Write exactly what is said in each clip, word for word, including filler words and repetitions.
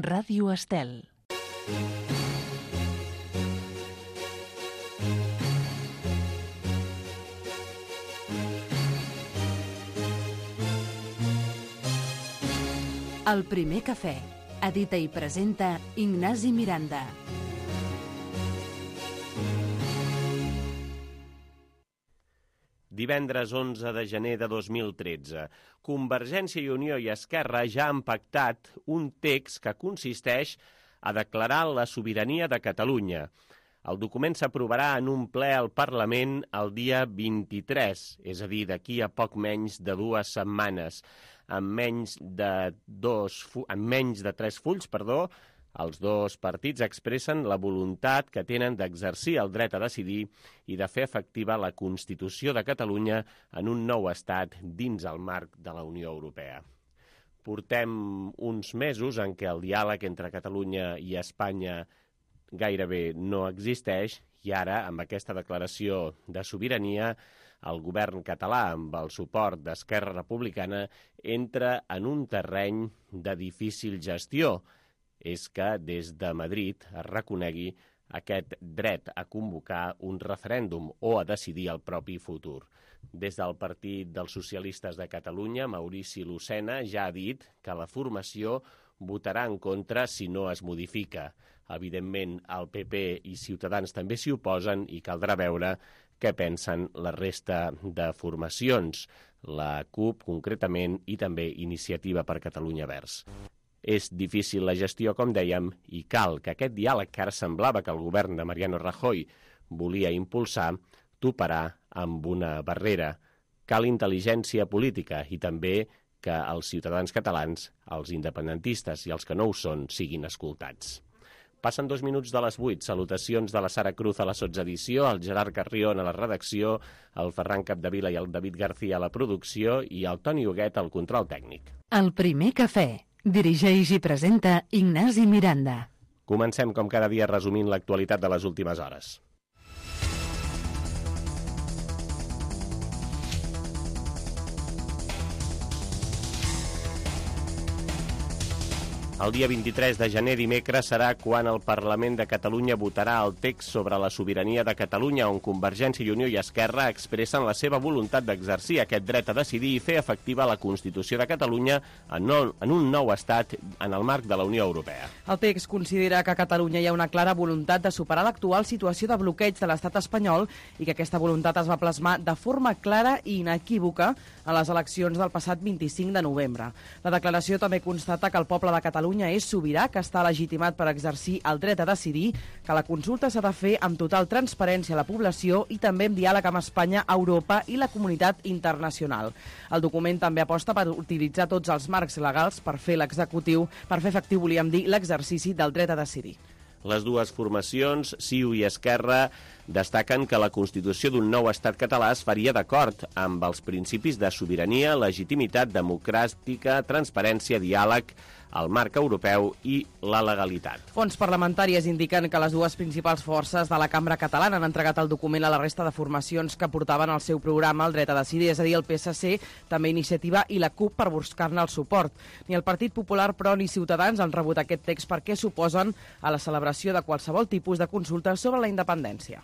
Ràdio Estel. El primer cafè. Edita i presenta Ignasi Miranda. Divendres onze de gener de dos mil tretze, Convergència i Unió i Esquerra ja han pactat un text que consisteix a declarar la sobirania de Catalunya. El document s'aprovarà en un ple al Parlament el dia vint-i-tres, és a dir, d'aquí a poc menys de dues setmanes. En menys de, dos, en menys de tres fulls, perdó, els dos partits expressen la voluntat que tenen d'exercir el dret a decidir i de fer efectiva la Constitució de Catalunya en un nou estat dins el marc de la Unió Europea. Portem uns mesos en què el diàleg entre Catalunya i Espanya gairebé no existeix i ara, amb aquesta declaració de sobirania, el govern català, amb el suport d'Esquerra Republicana, entra en un terreny de difícil gestió. És que des de Madrid es reconegui aquest dret a convocar un referèndum o a decidir el propi futur. Des del Partit dels Socialistes de Catalunya, Maurici Lucena ja ha dit que la formació votarà en contra si no es modifica. Evidentment, el P P i Ciutadans també s'hi oposen i caldrà veure què pensen la resta de formacions, la CUP concretament i també Iniciativa per Catalunya Verds. És difícil la gestió, com dèiem, i cal que aquest diàleg que ara semblava que el govern de Mariano Rajoy volia impulsar toparà amb una barrera. Cal intel·ligència política i també que els ciutadans catalans, els independentistes i els que no ho són, siguin escoltats. Passen dos minuts de les vuit. Salutacions de la Sara Cruz a la sotsedició, el Gerard Carrion a la redacció, el Ferran Capdevila i el David García a la producció i el Toni Huguet al control tècnic. El primer cafè. Dirigeix i presenta Ignasi Miranda. Comencem com cada dia resumint l'actualitat de les últimes hores. El dia vint-i-tres de gener, dimecres, serà quan el Parlament de Catalunya votarà el text sobre la sobirania de Catalunya, on Convergència i Unió i Esquerra expressen la seva voluntat d'exercir aquest dret a decidir i fer efectiva la Constitució de Catalunya en, no, en un nou estat en el marc de la Unió Europea. El text considera que a Catalunya hi ha una clara voluntat de superar l'actual situació de bloqueig de l'estat espanyol i que aquesta voluntat es va plasmar de forma clara i inequívoca a les eleccions del passat vint-i-cinc de novembre. La declaració també constata que el poble de Catalunya és sobirà, que està legitimat per exercir el dret a decidir, que la consulta s'ha de fer amb total transparència a la població i també en diàleg amb Espanya, Europa i la comunitat internacional. El document també aposta per utilitzar tots els marcs legals per fer l'executiu, per fer efectiu, volíem dir, l'exercici del dret a decidir. Les dues formacions, C I U i Esquerra, destaquen que la constitució d'un nou estat català es faria d'acord amb els principis de sobirania, legitimitat democràtica, transparència, diàleg, el marc europeu i la legalitat. Fonts parlamentàries indiquen que les dues principals forces de la cambra catalana han entregat el document a la resta de formacions que portaven al seu programa el dret a decidir, és a dir, el P S C, també Iniciativa i la CUP per buscar-ne el suport. Ni el Partit Popular, però, ni Ciutadans han rebut aquest text perquè s'oposen a la celebració de qualsevol tipus de consulta sobre la independència.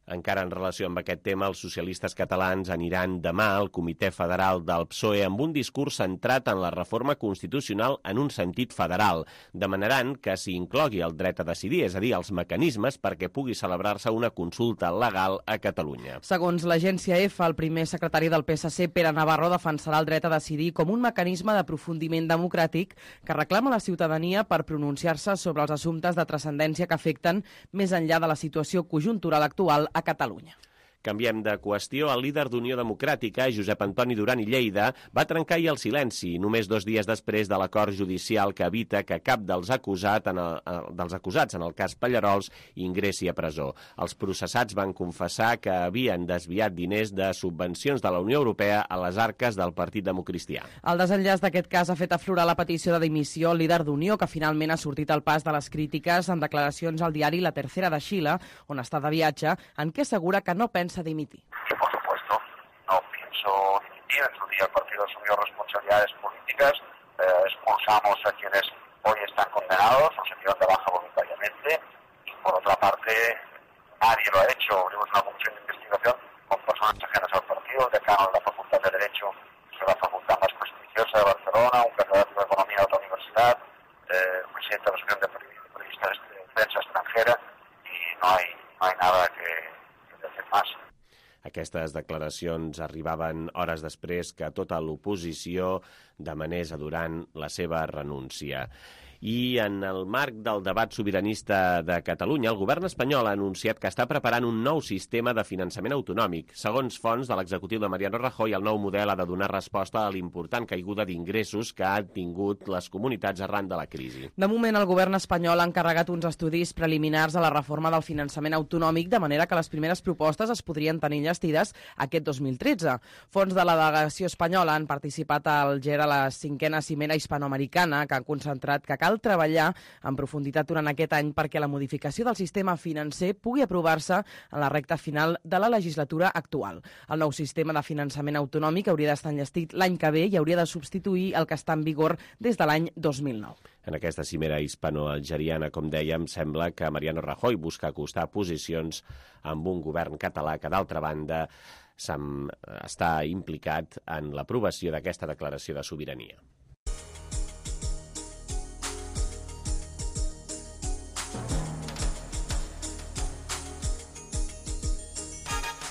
Encara en relació amb aquest tema, els socialistes catalans aniran demà al Comitè Federal del P S O E amb un discurs centrat en la reforma constitucional en un sentit federal. Demanaran que s'hi inclogui el dret a decidir, és a dir, els mecanismes perquè pugui celebrar-se una consulta legal a Catalunya. Segons l'agència EFE, el primer secretari del P S C, Pere Navarro, defensarà el dret a decidir com un mecanisme d'aprofundiment democràtic que reclama la ciutadania per pronunciar-se sobre els assumptes de transcendència que afecten més enllà de la situació conjuntural actual a Catalunya. Canviem de qüestió. El líder d'Unió Democràtica, Josep Antoni Duran i Lleida, va trencar ahir el silenci, només dos dies després de l'acord judicial que evita que cap dels, acusat en el, dels acusats en el cas Pallarols ingressi a presó. Els processats van confessar que havien desviat diners de subvencions de la Unió Europea a les arques del Partit Democristià. El desenllaç d'aquest cas ha fet aflorar la petició de dimissió al líder d'Unió, que finalment ha sortit al pas de les crítiques en declaracions al diari La Tercera de Xile, on està de viatge, en què assegura que no pensa dimitir. Que por supuesto quiso dimitir. En su día el partido asumió responsabilidades políticas, eh, expulsamos a quienes hoy están condenados, los enviaron de baja voluntariamente, y por otra parte nadie lo ha hecho. Abrimos una comisión de investigación con personas ajenas al partido, el decano de la Facultad de Derecho, que es la facultad más prestigiosa de Barcelona, un catedrático de Economía de otra universidad, eh, el presidente de la Asociación de Periodistas de Prensa Extranjera, i no hi, no hi nada que, que fer més. Aquestes declaracions arribaven hores després que tota l'oposició demanés a Duran la seva renúncia. I en el marc del debat sobiranista de Catalunya, el govern espanyol ha anunciat que està preparant un nou sistema de finançament autonòmic. Segons fonts de l'executiu de Mariano Rajoy, el nou model ha de donar resposta a l'important caiguda d'ingressos que han tingut les comunitats arran de la crisi. De moment, el govern espanyol ha encarregat uns estudis preliminars a la reforma del finançament autonòmic, de manera que les primeres propostes es podrien tenir enllestides aquest dos mil tretze. Fons de la delegació espanyola han participat al G E R a la cinquena cimera hispanoamericana, que han concentrat que cal treballar en profunditat durant aquest any perquè la modificació del sistema financer pugui aprovar-se en la recta final de la legislatura actual. El nou sistema de finançament autonòmic hauria d'estar enllestit l'any que ve i hauria de substituir el que està en vigor des de l'any dos mil nou. En aquesta cimera hispano-algeriana, com dèiem, sembla que Mariano Rajoy busca acostar posicions amb un govern català que, d'altra banda, està implicat en l'aprovació d'aquesta declaració de sobirania.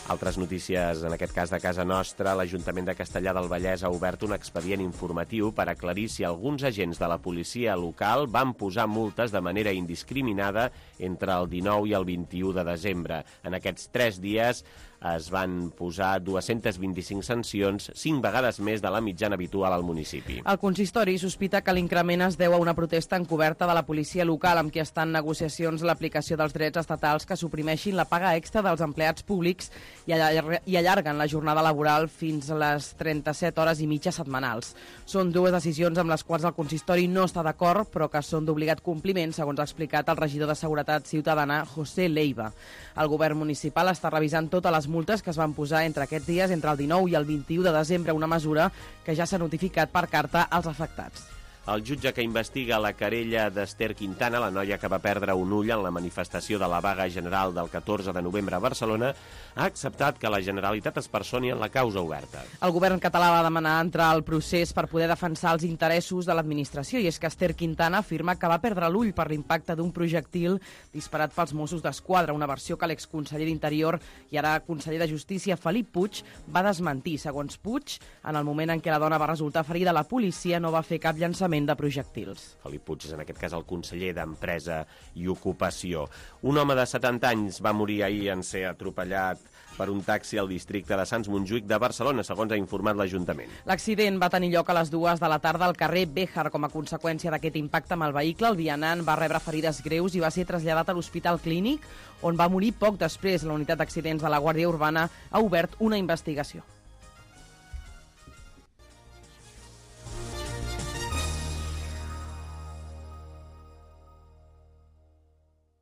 Altres notícies, en aquest cas de casa nostra, l'Ajuntament de Castellar del Vallès ha obert un expedient informatiu per aclarir si alguns agents de la policia local van posar multes de manera indiscriminada entre el dinou i el vint-i-u de desembre. En aquests tres dies es van posar dues-centes vint-i-cinc sancions, cinc vegades més de la mitjana habitual al municipi. El consistori sospita que l'increment es deu a una protesta encoberta de la policia local amb qui està en negociacions l'aplicació dels drets estatals que suprimeixin la paga extra dels empleats públics i allarguen la jornada laboral fins a les trenta-set hores i mitja setmanals. Són dues decisions amb les quals el consistori no està d'acord, però que són d'obligat compliment, segons ha explicat el regidor de Seguretat Ciutadana, José Leiva. El govern municipal està revisant totes les multes que es van posar entre aquests dies, entre el dinou i el vint-i-u de desembre, una mesura que ja s'ha notificat per carta als afectats. El jutge que investiga la querella d'Ester Quintana, la noia que va perdre un ull en la manifestació de la vaga general del catorze de novembre a Barcelona, ha acceptat que la Generalitat es personi en la causa oberta. El govern català va demanar entrar al procés per poder defensar els interessos de l'administració, i és que Ester Quintana afirma que va perdre l'ull per l'impacte d'un projectil disparat pels Mossos d'Esquadra, una versió que l'exconseller d'Interior i ara conseller de Justícia, Felip Puig, va desmentir. Segons Puig, en el moment en què la dona va resultar ferida, la policia no va fer cap llançament de projectils. Felip Puig és en aquest cas el conseller d'Empresa i Ocupació. Un home de setanta anys va morir ahir en ser atropellat per un taxi al districte de Sants Montjuïc de Barcelona, segons ha informat l'Ajuntament. L'accident va tenir lloc a les dues de la tarda al carrer Béjar. Com a conseqüència d'aquest impacte amb el vehicle, el vianant va rebre ferides greus i va ser traslladat a l'Hospital Clínic, on va morir poc després. La unitat d'accidents de la Guàrdia Urbana ha obert una investigació.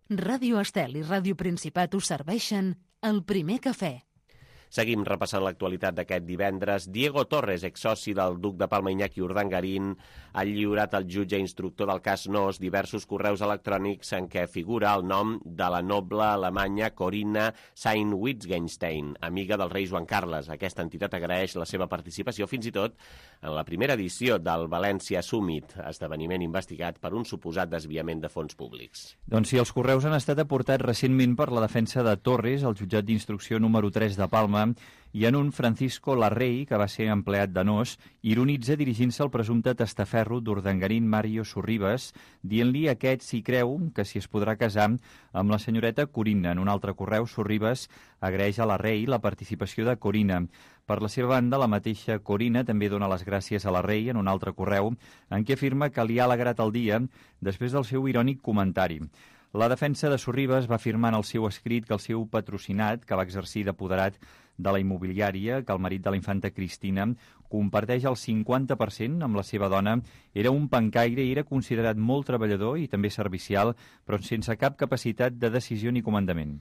Ràdio Estel i Ràdio Principat us serveixen el primer cafè. Seguim repassant l'actualitat d'aquest divendres. Diego Torres, exsoci del duc de Palma Iñaki Urdangarín, ha lliurat al jutge instructor del cas Nos diversos correus electrònics en què figura el nom de la noble alemanya Corinna Sayn-Wittgenstein, amiga del rei Joan Carles. Aquesta entitat agraeix la seva participació fins i tot en la primera edició del València Summit, esdeveniment investigat per un suposat desviament de fons públics. Doncs sí, els correus han estat aportats recentment per la defensa de Torres al jutjat d'instrucció número tres de Palma, i en un Francisco Larrey, que va ser empleat de Nos, ironitza dirigint-se al presumpte testaferro d'Urdangarín Mario Sorribas, dient-li a aquest si creu que si es podrà casar amb la senyoreta Corinna. En un altre correu, Sorribas agraeix a Larrey la participació de Corinna. Per la seva banda, la mateixa Corinna també dona les gràcies a Larrey en un altre correu, en què afirma que li ha alegrat el dia després del seu irònic comentari. La defensa de Sorribas va afirmar en el seu escrit que el seu patrocinat, que va exercir d'apoderat de la immobiliària, que el marit de la infanta Cristina comparteix el cinquanta per cent amb la seva dona, era un pencaire i era considerat molt treballador i també servicial, però sense cap capacitat de decisió ni comandament.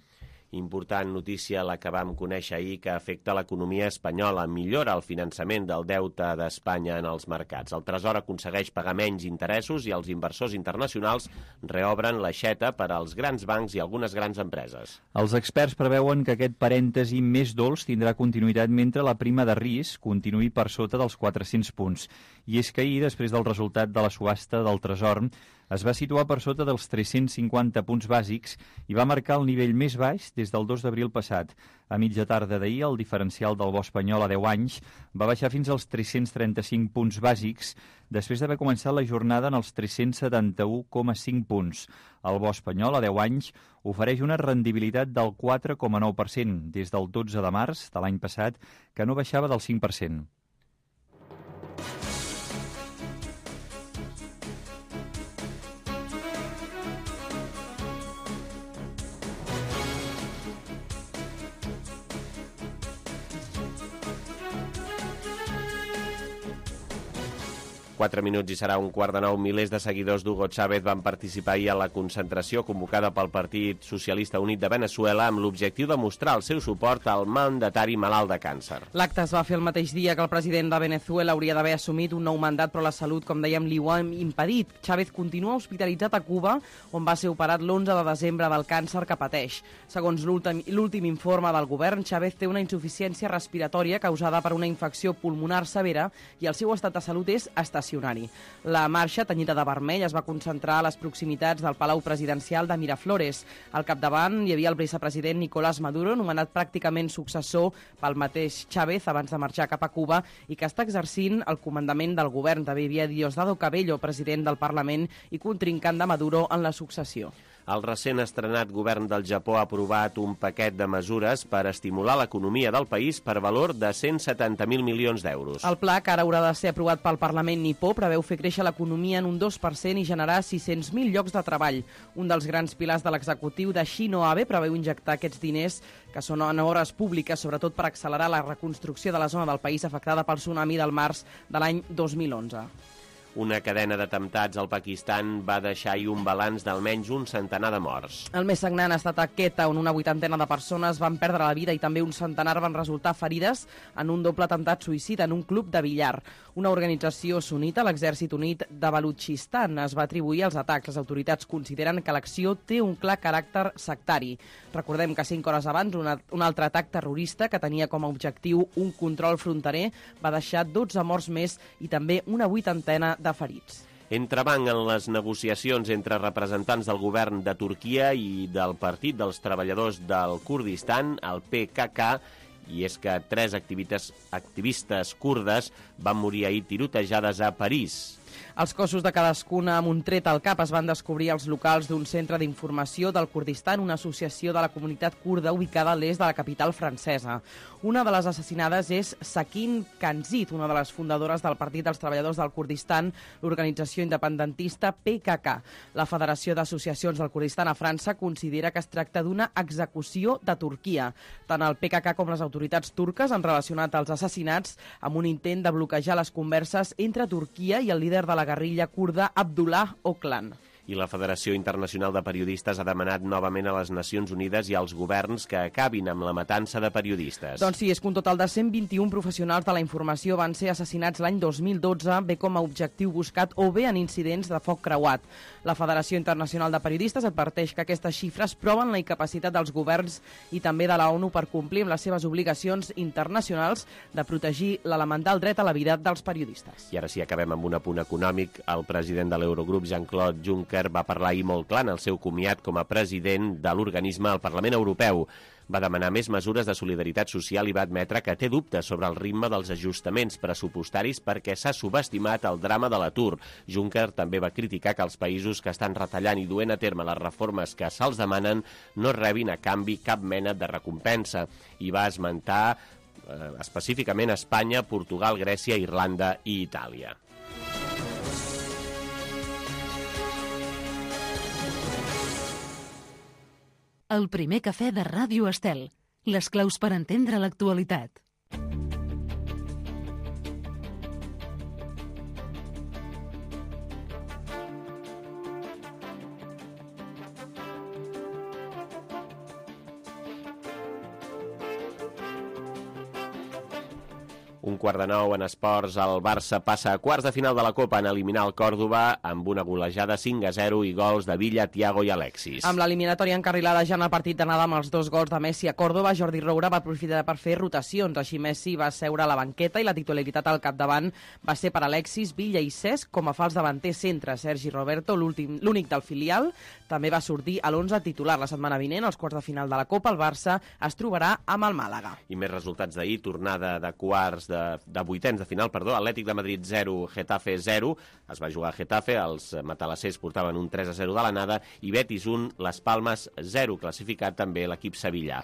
Important notícia la que vam conèixer ahir que afecta l'economia espanyola. Millora el finançament del deute d'Espanya en els mercats. El Tresor aconsegueix pagar menys interessos i els inversors internacionals reobren l'aixeta per als grans bancs i algunes grans empreses. Els experts preveuen que aquest parèntesi més dolç tindrà continuïtat mentre la prima de risc continuï per sota dels quatre-cents punts. I és que ahir, després del resultat de la subhasta del Tresor, es va situar per sota dels tres-cents cinquanta punts bàsics i va marcar el nivell més baix des del dos d'abril passat. A mitja tarda d'ahir, el diferencial del bo espanyol a deu anys va baixar fins als tres-cents trenta-cinc punts bàsics després d'haver començat la jornada en els tres-cents setanta-u coma cinc punts. El bo espanyol a deu anys ofereix una rendibilitat del quatre coma nou per cent des del dotze de març de l'any passat, que no baixava del cinc per cent. Quatre minuts i serà un quart de nou. Milers de seguidors d'Hugo Chávez van participar ahir a la concentració convocada pel Partit Socialista Unit de Veneçuela amb l'objectiu de mostrar el seu suport al mandatari malalt de càncer. L'acte es va fer el mateix dia que el president de Veneçuela hauria d'haver assumit un nou mandat, però la salut, com dèiem, li ho ha impedit. Chávez continua hospitalitzat a Cuba, on va ser operat l'onze de desembre del càncer que pateix. Segons l'últim informe del govern, Chávez té una insuficiència respiratòria causada per una infecció pulmonar severa i el seu estat de salut és estacionari. La marxa, tenyida de vermell, es va concentrar a les proximitats del Palau Presidencial de Miraflores. Al capdavant hi havia el vicepresident Nicolás Maduro, nomenat pràcticament successor pel mateix Chávez abans de marxar cap a Cuba i que està exercint el comandament del govern. També hi havia Diosdado Cabello, president del Parlament i contrincant de Maduro en la successió. El recent estrenat govern del Japó ha aprovat un paquet de mesures per estimular l'economia del país per valor de cent setanta mil milions d'euros. El pla, que ara haurà de ser aprovat pel Parlament nipó, preveu fer créixer l'economia en un dos per cent i generar sis-cents mil llocs de treball. Un dels grans pilars de l'executiu de Shinzo Abe preveu injectar aquests diners, que són en obres públiques, sobretot per accelerar la reconstrucció de la zona del país afectada pel tsunami del març de l'any dos mil onze. Una cadena d'atemptats al Pakistan va deixar ahir un balanç d'almenys un centenar de morts. El més sagnant ha estat a Quetta, on una vuitantena de persones van perdre la vida i també un centenar van resultar ferides en un doble atemptat suïcida en un club de billar. Una organització sunita, l'Exèrcit Unit de Balutxistan, es va atribuir als atacs. Les autoritats consideren que l'acció té un clar caràcter sectari. Recordem que cinc hores abans una, un altre atac terrorista que tenia com a objectiu un control fronterer va deixar dotze morts més i també una vuitantena de ferits. Entrebanc en les negociacions entre representants del govern de Turquia i del Partit dels Treballadors del Kurdistan, el P K K, i és que tres activistes, activistes kurdes van morir ahir tirotejades a París. Els cossos de cadascuna amb un tret al cap es van descobrir als locals d'un centre d'informació del Kurdistan, una associació de la comunitat kurda ubicada a l'est de la capital francesa. Una de les assassinades és Sakin Kanzit, una de les fundadores del Partit dels Treballadors del Kurdistan, l'organització independentista P K K. La Federació d'Associacions del Kurdistan a França considera que es tracta d'una execució de Turquia. Tant el P K K com les autoritats turques han relacionat els assassinats amb un intent de bloquejar les converses entre Turquia i el líder de la guerrilla kurda Abdullah Öcalan. I la Federació Internacional de Periodistes ha demanat novament a les Nacions Unides i als governs que acabin amb la matança de periodistes. Doncs sí, és que un total de cent vint-i-un professionals de la informació van ser assassinats l'any dos mil dotze, bé com a objectiu buscat o bé en incidents de foc creuat. La Federació Internacional de Periodistes adverteix que aquestes xifres proven la incapacitat dels governs i també de la ONU per complir amb les seves obligacions internacionals de protegir l'elemental dret a la vida dels periodistes. I ara sí, acabem amb un apunt econòmic. El president de l'Eurogrup, Jean-Claude Juncker, va parlar ahir molt clar en el seu comiat com a president de l'organisme al Parlament Europeu. Va demanar més mesures de solidaritat social i va admetre que té dubtes sobre el ritme dels ajustaments pressupostaris perquè s'ha subestimat el drama de l'atur. Juncker també va criticar que els països que estan retallant i duent a terme les reformes que se'ls demanen no rebin a canvi cap mena de recompensa. I va esmentar eh, específicament Espanya, Portugal, Grècia, Irlanda i Itàlia. El primer cafè de Ràdio Estel. Les claus per entendre l'actualitat. Un quart de nou en esports, el Barça passa a quarts de final de la Copa en eliminar el Còrdova amb una golejada cinc a zero i gols de Villa, Thiago i Alexis. Amb l'eliminatòria encarrilada ja en el partit d'anada amb els dos gols de Messi a Còrdova, Jordi Roura va aprofitar per fer rotacions. Així Messi va seure a la banqueta i la titularitat al capdavant va ser per Alexis, Villa i Cesc com a fals davanter centre. Sergi Roberto, l'únic del filial, també va sortir a l'onze titular. La setmana vinent, als quarts de final de la Copa, el Barça es trobarà amb el Màlaga. I més resultats d'ahir, tornada de quarts de, de vuitens de final, perdó, Atlètic de Madrid zero, Getafe zero, es va jugar a Getafe, els matalassers portaven un tres a zero de l'anada, i Betis un, Les Palmes zero, classificat també l'equip sevillà.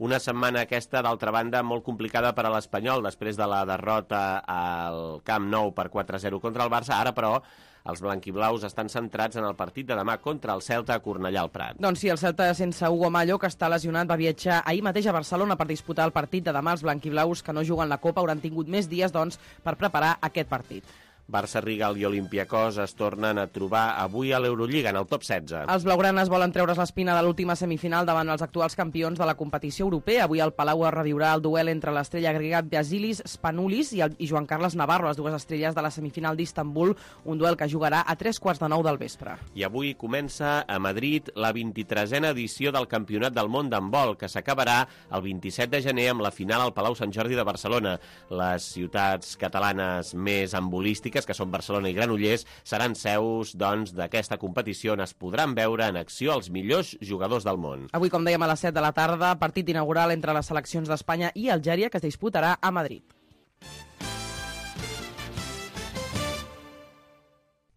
Una setmana aquesta, d'altra banda, molt complicada per a l'Espanyol, després de la derrota al Camp Nou per quatre a zero contra el Barça. Ara, però, els blanquiblaus estan centrats en el partit de demà contra el Celta a Cornellà al Prat. Doncs sí, el Celta sense Hugo Mallo, que està lesionat, va viatjar ahir mateix a Barcelona per disputar el partit de demà. Els blanquiblaus, que no juguen la Copa, hauran tingut més dies, doncs, per preparar aquest partit. Barça, Rigal i Olympiacos es tornen a trobar avui a l'Eurolliga, en el top setze. Els blaugranes volen treure's l'espina de l'última semifinal davant els actuals campions de la competició europea. Avui al Palau es reviurà el duel entre l'estrella grega Vasilis Spanoulis i, el, i Joan Carles Navarro, les dues estrelles de la semifinal d'Istanbul, un duel que jugarà a tres quarts de nou del vespre. I avui comença a Madrid la vint-i-tresena edició del Campionat del Món d'handbol, que s'acabarà el vint-i-set de gener amb la final al Palau Sant Jordi de Barcelona. Les ciutats catalanes més handbolístiques, que són Barcelona i Granollers, seran seus, doncs, d'aquesta competició on es podran veure en acció els millors jugadors del món. Avui, com dèiem, a les set de la tarda, partit inaugural entre les seleccions d'Espanya i Algèria, que es disputarà a Madrid.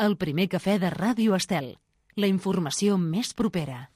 El primer cafè de Ràdio Estel. La informació més propera.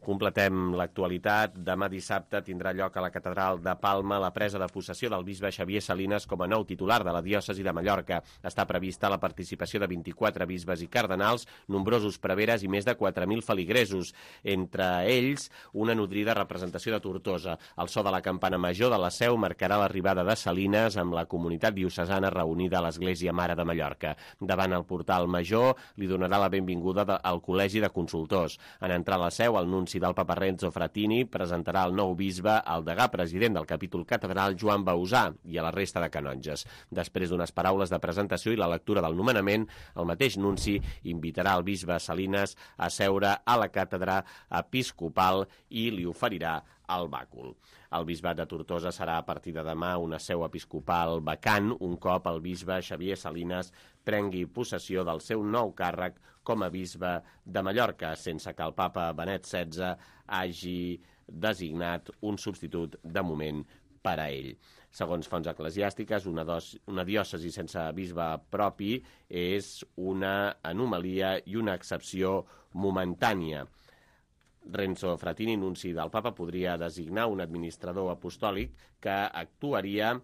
Completem l'actualitat. Demà dissabte tindrà lloc a la Catedral de Palma la presa de possessió del bisbe Xavier Salinas com a nou titular de la diòcesi de Mallorca. Està prevista la participació de vint-i-quatre bisbes i cardenals, nombrosos preveres i més de quatre mil feligresos. Entre ells, una nodrida representació de Tortosa. El so de la campana major de la Seu marcarà l'arribada de Salinas amb la comunitat diocesana reunida a l'Església Mare de Mallorca. Davant el portal major li donarà la benvinguda al Col·legi de Consultors. En entrar a la Seu, el nunci del Papa Renzo Frattini presentarà el nou bisbe al degà president del capítol catedral Joan Bausà i a la resta de canonges. Després d'unes paraules de presentació i la lectura del nomenament, el mateix nunci invitarà el bisbe Salinas a seure a la càtedra episcopal i li oferirà el bàcul. El bisbat de Tortosa serà a partir de demà una seu episcopal vacant un cop el bisbe Xavier Salinas prengui possessió del seu nou càrrec com a bisbe de Mallorca, sense que el papa Benet setze hagi designat un substitut de moment per a ell. Segons fonts eclesiàstiques, una, dos, una diòcesi sense bisbe propi és una anomalia i una excepció momentània. Renzo Frattini, nunci del papa, podria designar un administrador apostòlic que actuaria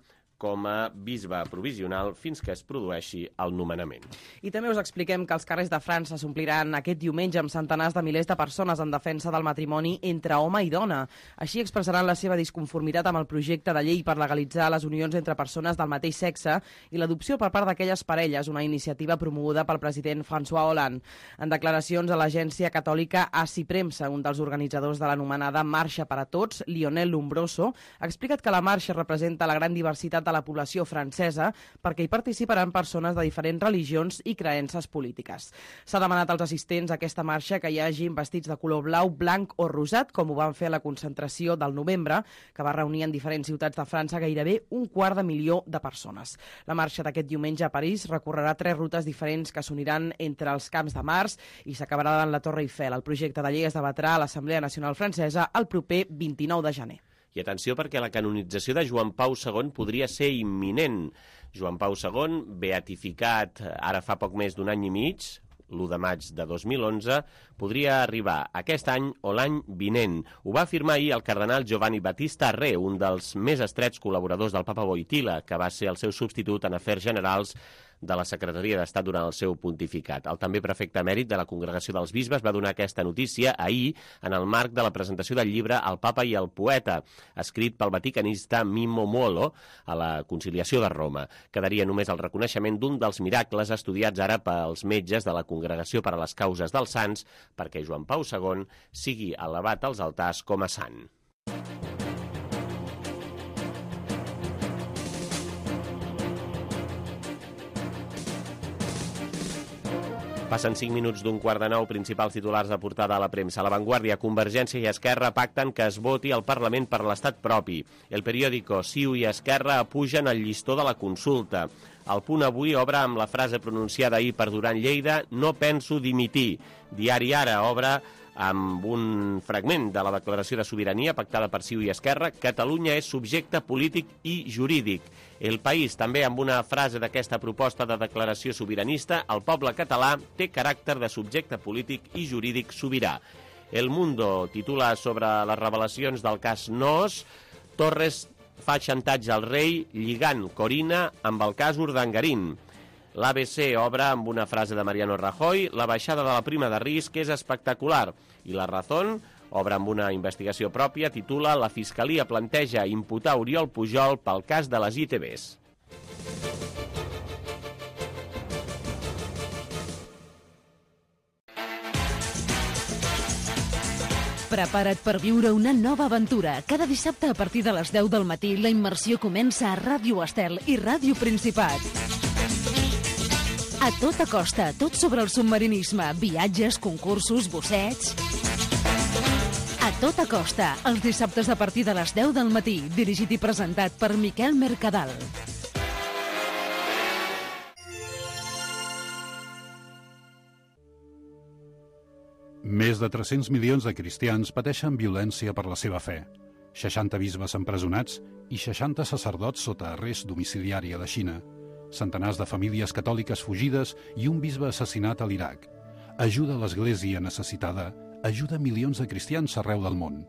com a bisbe provisional fins que es produeixi el nomenament. I també us expliquem que els carrers de França s'ompliran aquest diumenge amb centenars de milers de persones en defensa del matrimoni entre home i dona. Així expressaran la seva disconformitat amb el projecte de llei per legalitzar les unions entre persones del mateix sexe i l'adopció per part d'aquelles parelles, una iniciativa promoguda pel president François Hollande. En declaracions a l'agència catòlica ASI Premsa, un dels organitzadors de l'anomenada Marxa per a Tots, Lionel Lombroso, ha explicat que la marxa representa la gran diversitat de la població francesa perquè hi participaran persones de diferents religions i creences polítiques. S'ha demanat als assistents a aquesta marxa que hi hagin vestits de color blau, blanc o rosat, com ho van fer a la concentració del novembre, que va reunir en diferents ciutats de França gairebé un quart de milió de persones. La marxa d'aquest diumenge a París recorrerà tres rutes diferents que s'uniran entre els Camps de Mars i s'acabarà davant la Torre Eiffel. El projecte de llei es debatrà a l'Assemblea Nacional Francesa el proper vint-i-nou de gener. I atenció perquè la canonització de Joan Pau segon podria ser imminent. Joan Pau segon, beatificat ara fa poc més d'un any i mig, l'u de maig de dos mil onze, podria arribar aquest any o l'any vinent. Ho va afirmar ahir el cardenal Giovanni Battista Re, un dels més estrets col·laboradors del papa Wojtyla, que va ser el seu substitut en afers generals de la Secretaria d'Estat durant el seu pontificat. El també prefecte emèrit de la Congregació dels Bisbes va donar aquesta notícia ahir en el marc de la presentació del llibre El papa i el poeta, escrit pel vaticanista Mimmo Molo a la Conciliació de Roma. Quedaria només el reconeixement d'un dels miracles estudiats ara pels metges de la Congregació per a les Causes dels Sants perquè Joan Pau segon sigui elevat als altars com a sant. Passen cinc minuts d'un quart de nou, principals titulars de portada a la premsa. La Vanguardia, Convergència i Esquerra pacten que es voti al Parlament per l'estat propi. El periòdico, CiU i Esquerra apugen el llistó de la consulta. El Punt Avui obre amb la frase pronunciada ahir per Duran Lleida: no penso dimitir. Diari Ara obre amb un fragment de la declaració de sobirania pactada per CiU i Esquerra: Catalunya és subjecte polític i jurídic. El País, també amb una frase d'aquesta proposta de declaració sobiranista: el poble català té caràcter de subjecte polític i jurídic sobirà. El Mundo titula sobre les revelacions del cas Noos: Torres fa xantatge al rei lligant Corina amb el cas Urdangarín. L'A B C obre amb una frase de Mariano Rajoy: la baixada de la prima de risc és espectacular. I La Razón obre amb una investigació pròpia, titula: la Fiscalia planteja imputar Oriol Pujol pel cas de les I T Bs. Prepara't per viure una nova aventura. Cada dissabte a partir de les deu del matí la immersió comença a Ràdio Estel i Ràdio Principat. A tota costa, tot sobre el submarinisme, viatges, concursos, bussets... A tota costa, els dissabtes a partir de les deu del matí, dirigit i presentat per Miquel Mercadal. Més de tres-cents milions de cristians pateixen violència per la seva fe. seixanta bisbes empresonats i seixanta sacerdots sota arrest domiciliari a la Xina. Centenars de famílies catòliques fugides i un bisbe assassinat a l'Iraq. Ajuda a l'Església necessitada, ajuda milions de cristians arreu del món.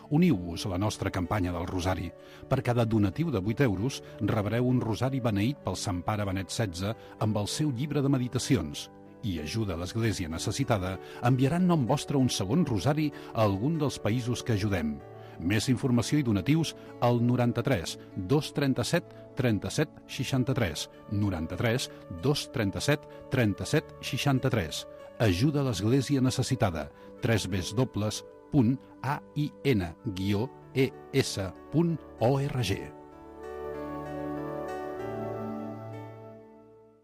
Uniu-vos a la nostra campanya del Rosari. Per cada donatiu de vuit euros rebreu un rosari beneït pel Sant Pare Benet setze amb el seu llibre de meditacions. I ajuda a l'Església necessitada enviarà en nom vostre un segon rosari a algun dels països que ajudem. Més informació i donatius al noranta-tres dos trenta-set trenta-set seixanta-tres, noranta-tres dos trenta-set trenta-set seixanta-tres. Ajuda a l'Església necessitada. tres w punt a i n guió e s punt org.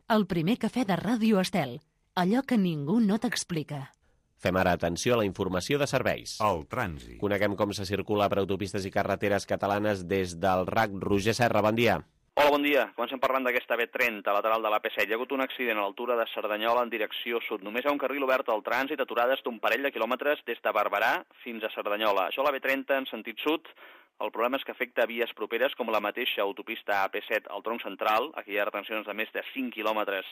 El primer cafè de Ràdio Estel. Allò que ningú no t'explica. Fem ara atenció a la informació de serveis. El trànsit. Coneguem com se circula per autopistes i carreteres catalanes des del R A C. Roger Serra, bon dia. Hola, bon dia. Comencem parlant d'aquesta B trenta, lateral de l'A P set. Hi ha hagut un accident a l'altura de Cerdanyola en direcció sud. Només hi ha un carril obert al trànsit, aturades d'un parell de quilòmetres des de Barberà fins a Cerdanyola. Això a la B trenta en sentit sud. El problema és que afecta vies properes com la mateixa autopista A P set al tronc central. Aquí hi ha retencions de més de cinc quilòmetres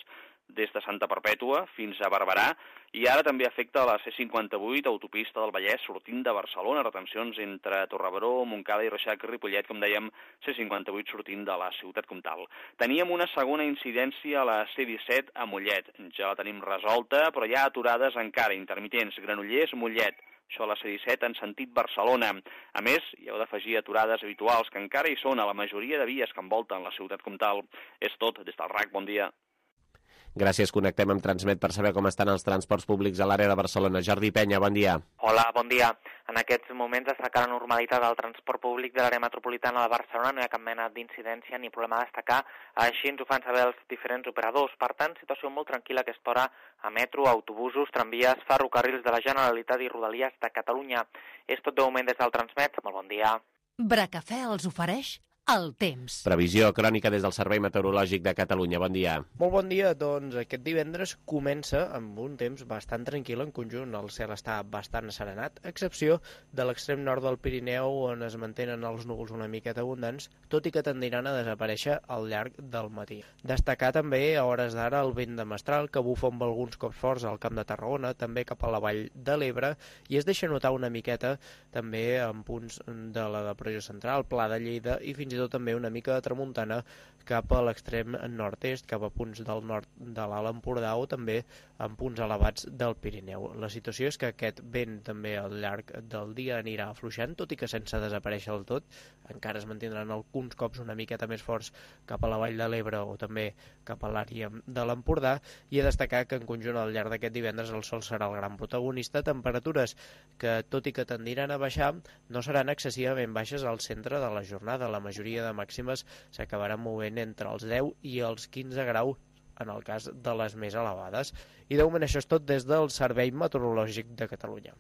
des de Santa Perpètua fins a Barberà, i ara també afecta la C cinquanta-vuit, autopista del Vallès, sortint de Barcelona, retencions entre Torrebaró, Montcada i Reixac i Ripollet, com dèiem, C cinquanta-vuit sortint de la ciutat comtal. Teníem una segona incidència a la C disset a Mollet, ja la tenim resolta, però hi ha aturades encara, intermitents, Granollers, Mollet, això a la C disset en sentit Barcelona. A més, hi heu d'afegir aturades habituals, que encara hi són a la majoria de vies que envolten la ciutat comtal. És tot, des del R A C, bon dia. Gràcies, connectem amb Transmet per saber com estan els transports públics a l'àrea de Barcelona. Jordi Penya, bon dia. Hola, bon dia. En aquests moments destaca la normalitat del transport públic de l'àrea metropolitana de Barcelona. No hi ha cap mena d'incidència ni problema a destacar. Així ens ho fan saber els diferents operadors. Per tant, situació molt tranquil·la a aquesta hora a metro, autobusos, tramvies, ferrocarrils de la Generalitat i Rodalies de Catalunya. És tot de moment des del Transmet. Molt bon dia. Bracafè els ofereix el temps. Previsió crònica des del Servei Meteorològic de Catalunya. Bon dia. Molt bon dia. Doncs aquest divendres comença amb un temps bastant tranquil en conjunt. El cel està bastant asserenat, a excepció de l'extrem nord del Pirineu, on es mantenen els núvols una miqueta abundants, tot i que tendiran a desaparèixer al llarg del matí. Destacar també a hores d'ara el vent de mestral, que bufa amb alguns cops forts al Camp de Tarragona, també cap a la vall de l'Ebre, i es deixa notar una miqueta també en punts de la depressió central, Pla de Lleida, i fins i tot també una mica de tramuntana cap a l'extrem nord-est, cap a punts del nord de l'Alt Empordà o també en punts elevats del Pirineu. La situació és que aquest vent també al llarg del dia anirà afluixant, tot i que sense desaparèixer del tot. Encara es mantindran alguns cops una miqueta més forts cap a la vall de l'Ebre o també cap a l'àrea de l'Empordà, i a destacar que en conjunt al llarg d'aquest divendres el sol serà el gran protagonista. Temperatures que, tot i que tendiran a baixar, no seran excessivament baixes al centre de la jornada. La majoria de màximes s'acabaran movent entre els deu i els quinze graus en el cas de les més elevades. I de moment això és tot des del Servei Meteorològic de Catalunya.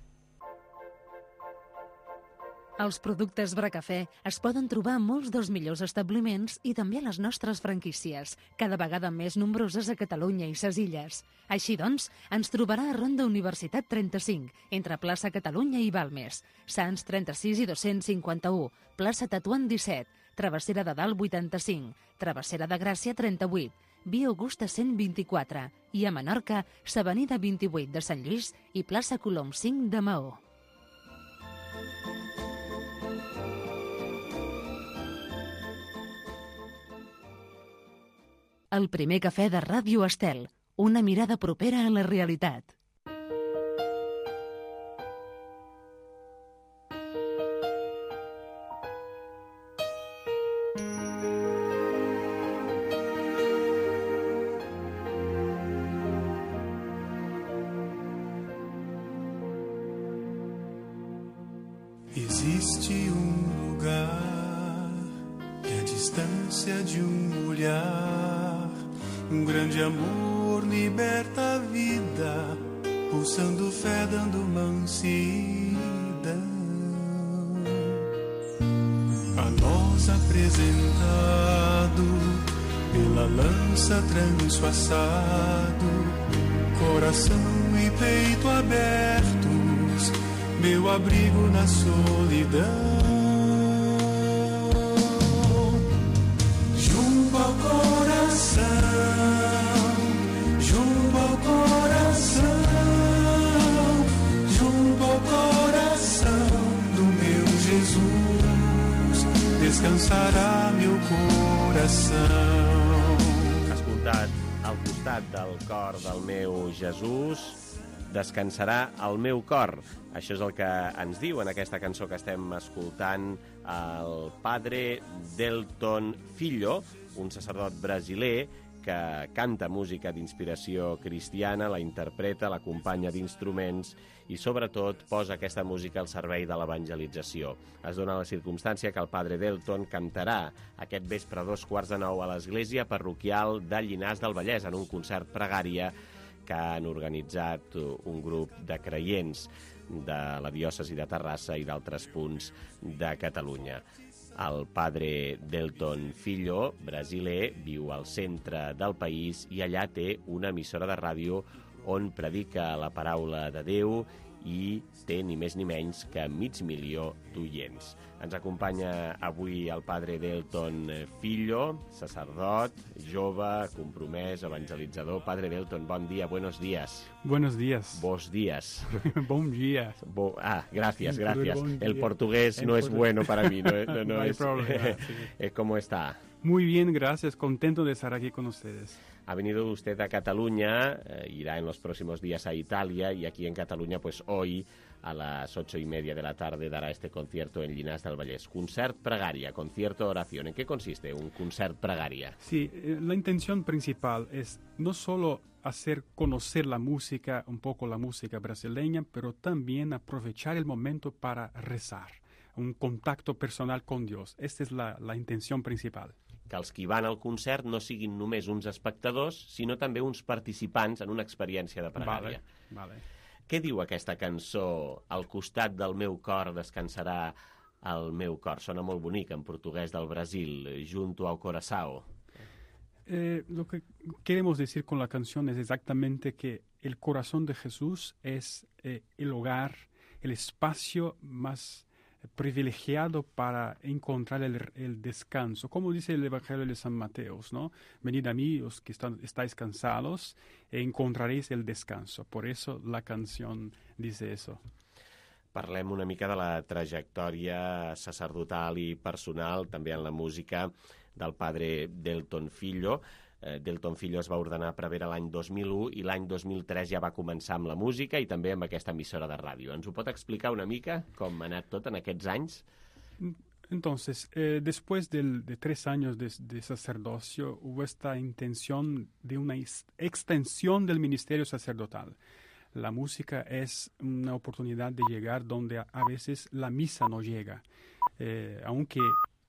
Els productes Bracafè es poden trobar a molts dels millors establiments i també a les nostres franquícies, cada vegada més nombroses a Catalunya i ses Illes. Així doncs, ens trobarà a Ronda Universitat trenta-cinc, entre plaça Catalunya i Balmes, Sants trenta-sis i dos-cents cinquanta-u, plaça Tetuan disset, Travessera de Dalt vuitanta-cinc, Travessera de Gràcia trenta-vuit, Via Augusta cent vint-i-quatre i a Menorca, s'Avenida vint-i-vuit de Sant Lluís i plaça Colom cinc de Maó. El primer cafè de Ràdio Estel, una mirada propera a la realitat. Existe um lugar que a distância de um olhar, um grande amor liberta a vida, pulsando fé, dando mansidão. A nós apresentado pela lança transpassado, coração e peito abertos, meu abrigo na solidão. Junto ao coração, junto ao coração, junto ao coração do meu Jesus, descansarà meu coração. Escoltat, al costat del cor del meu Jesús, descansarà el meu cor. Això és el que ens diu en aquesta cançó que estem escoltant el padre Delton Filho, un sacerdot brasiler que canta música d'inspiració cristiana, la interpreta, l'acompanya d'instruments i, sobretot, posa aquesta música al servei de l'evangelització. Es dona la circumstància que el padre Delton cantarà aquest vespre a dos quarts de nou a l'església parroquial de Llinars del Vallès en un concert pregària que han organitzat un grup de creients de la diòcesi de Terrassa i d'altres punts de Catalunya. El padre Delton Filho, brasiler, viu al centre del país i allà té una emissora de ràdio on predica la paraula de Déu i té ni més ni menys que mig milió d'oients. Ens acompanya avui el padre Delton Filho, sacerdot, jove, compromès, evangelitzador. Padre Delton, bon dia, buenos días. Buenos días. Vos días. Bon día. Bo... Ah, gracias, gracias. Bon El portugués El no es bueno para mí. No, no, no, no hay es... problema. Sí. ¿Cómo está? Muy bien, gracias. Contento de estar aquí con ustedes. Ha venido usted a Cataluña, eh, irá en los próximos días a Italia y aquí en Cataluña, pues hoy a las ocho y media de la tarde dará este concierto en Llinars del Vallès. Concert Pregaria, concierto oración. ¿En qué consiste un concert Pregaria? Sí, eh, la intención principal es no solo hacer conocer la música, un poco la música brasileña, pero también aprovechar el momento para rezar, un contacto personal con Dios. Esta es la, la intención principal. Que els qui van al concert no siguin només uns espectadors, sinó també uns participants en una experiència de pregària. Vale, vale. Què diu aquesta cançó? Al costat del meu cor descansarà el meu cor. Sona molt bonic en portuguès del Brasil, junto ao coração. Eh, lo que queremos decir con la canción es exactamente que el corazón de Jesús es eh, el hogar, el espacio más privilegiado para encontrar el, el descanso, como dice el Evangelio de San Mateo, ¿no? Venid a mí, los que están, estáis cansados, e encontraréis el descanso. Por eso la canción dice eso. Parlem una mica de la trajectòria sacerdotal i personal, també en la música, del padre Delton Filho. Delton Filho es va ordenar prevere l'any dos mil u i l'any dos mil tres ja va començar amb la música i també amb aquesta emissora de ràdio. Ens ho pot explicar una mica com ha anat tot en aquests anys? Entonces, eh, después del, de tres años de, de sacerdocio, hubo esta intención de una extensión del ministerio sacerdotal. La música es una oportunidad de llegar donde a, a veces la misa no llega, eh, aunque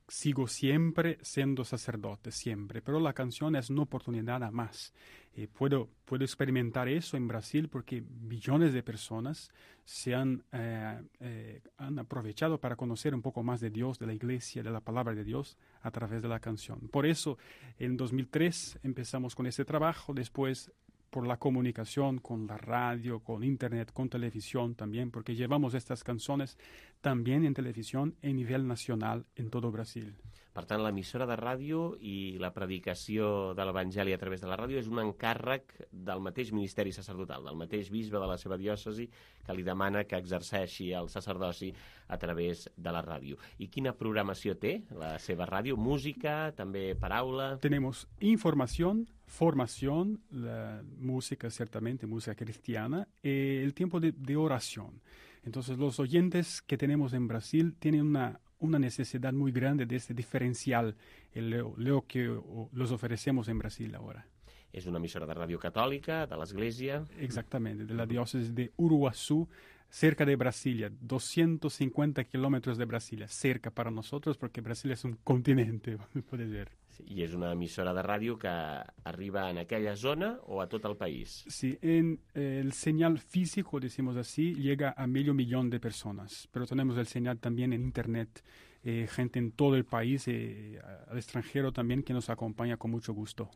sigo siempre siendo sacerdote, siempre, pero la canción es una oportunidad a más. Eh, puedo, puedo experimentar eso en Brasil porque millones de personas se han, eh, eh, han aprovechado para conocer un poco más de Dios, de la iglesia, de la palabra de Dios a través de la canción. Por eso, en dos mil tres empezamos con este trabajo, después por la comunicación con la radio, con internet, con televisión también, porque llevamos estas canciones también en televisión a nivel nacional en todo Brasil. Per tant, l'emissora de ràdio i la predicació de l'Evangeli a través de la ràdio és un encàrrec del mateix ministeri sacerdotal, del mateix bisbe de la seva diòcesi, que li demana que exerceixi el sacerdoci a través de la ràdio. I quina programació té la seva ràdio? Música, també paraula? Tenemos información, formación, la música ciertamente, música cristiana, eh, el tiempo de, de oración. Entonces los oyentes que tenemos en Brasil tienen una una necesidad muy grande de este diferencial, el lo, lo que o, los ofrecemos en Brasil ahora. És una emissora de ràdio catòlica, de l'Església. Exactamente, de la diócesis de Uruguazú, cerca de Brasilia, doscientos cincuenta kilómetros de Brasilia, cerca para nosotros porque Brasil es un continente, puede ver. Sí, i és una emissora de ràdio que arriba en aquella zona o a tot el país? Sí, en eh, el señal físico, decimos así, llega a medio millón de personas, pero tenemos el señal también en internet, eh, gente en todo el país, eh, al extranjero también, que nos acompaña con mucho gusto.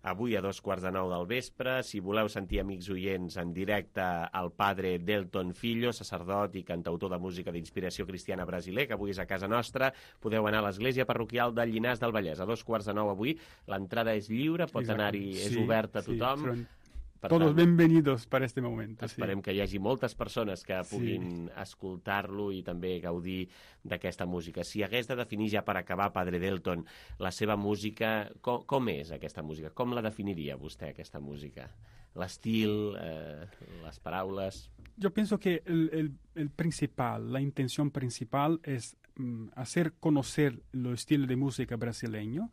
Avui a dos quarts de nou del vespre, si voleu sentir, amics oients, en directe al padre Delton Filho, sacerdot i cantautor de música d'inspiració cristiana brasiler, que avui és a casa nostra, podeu anar a l'església parroquial de Llinars del Vallès. A dos quarts de nou avui, l'entrada és lliure, pot anar-hi, és sí, oberta a sí, tothom. Però... Per Todos tant, bienvenidos para este momento. Esperem sí. que hi hagi moltes persones que puguin sí. escoltar-lo i també gaudir d'aquesta música. Si hagués de definir ja per acabar, Padre Delton, la seva música, com, com és aquesta música? Com la definiria vostè, aquesta música? L'estil, eh, les paraules... Yo pienso que el, el, el principal, la intención principal es mm, hacer conocer el estilo de música brasileño,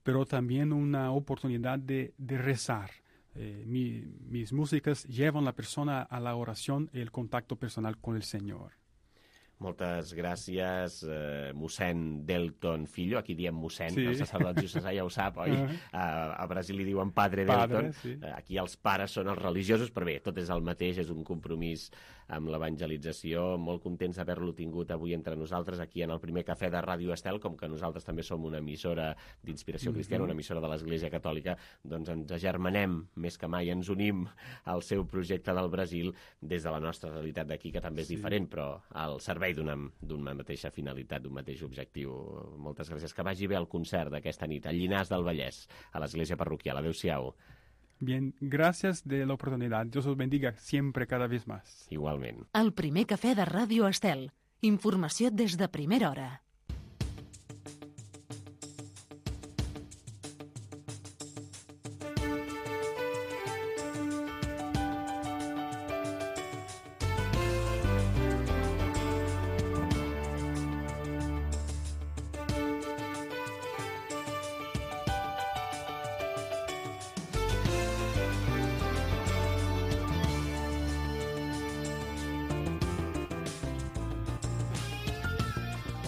pero también una oportunidad de, de rezar. Eh, mi, mis músicas llevan a la persona a la oración y el contacto personal con el Señor. Moltes gràcies, eh, mossèn Delton Filho. Aquí diem mossèn, sí. El sacerdot diocesà ja ho sap, oi? Uh -huh. a, a Brasil li diuen padre, padre Delton. Sí. Aquí els pares són els religiosos, però bé, tot és el mateix, és un compromís amb l'evangelització. Molt contents d'haver-lo tingut avui entre nosaltres, aquí en el primer cafè de Ràdio Estel, com que nosaltres també som una emissora d'inspiració cristiana, una emissora de l'Església Catòlica, doncs ens agermanem més que mai, ens unim al seu projecte del Brasil des de la nostra realitat d'aquí, que també és sí. diferent, però al servei d'una d'una mateixa finalitat, d'un mateix objectiu. Moltes gràcies. Que vagi bé el concert d'aquesta nit a Llinars del Vallès, a l'església parroquial. Adéu-siau. Bien, gracias de la oportunidad. Dios os bendiga siempre, cada vez más. Igualment. El primer cafè de Ràdio Estel. Informació des de primera hora.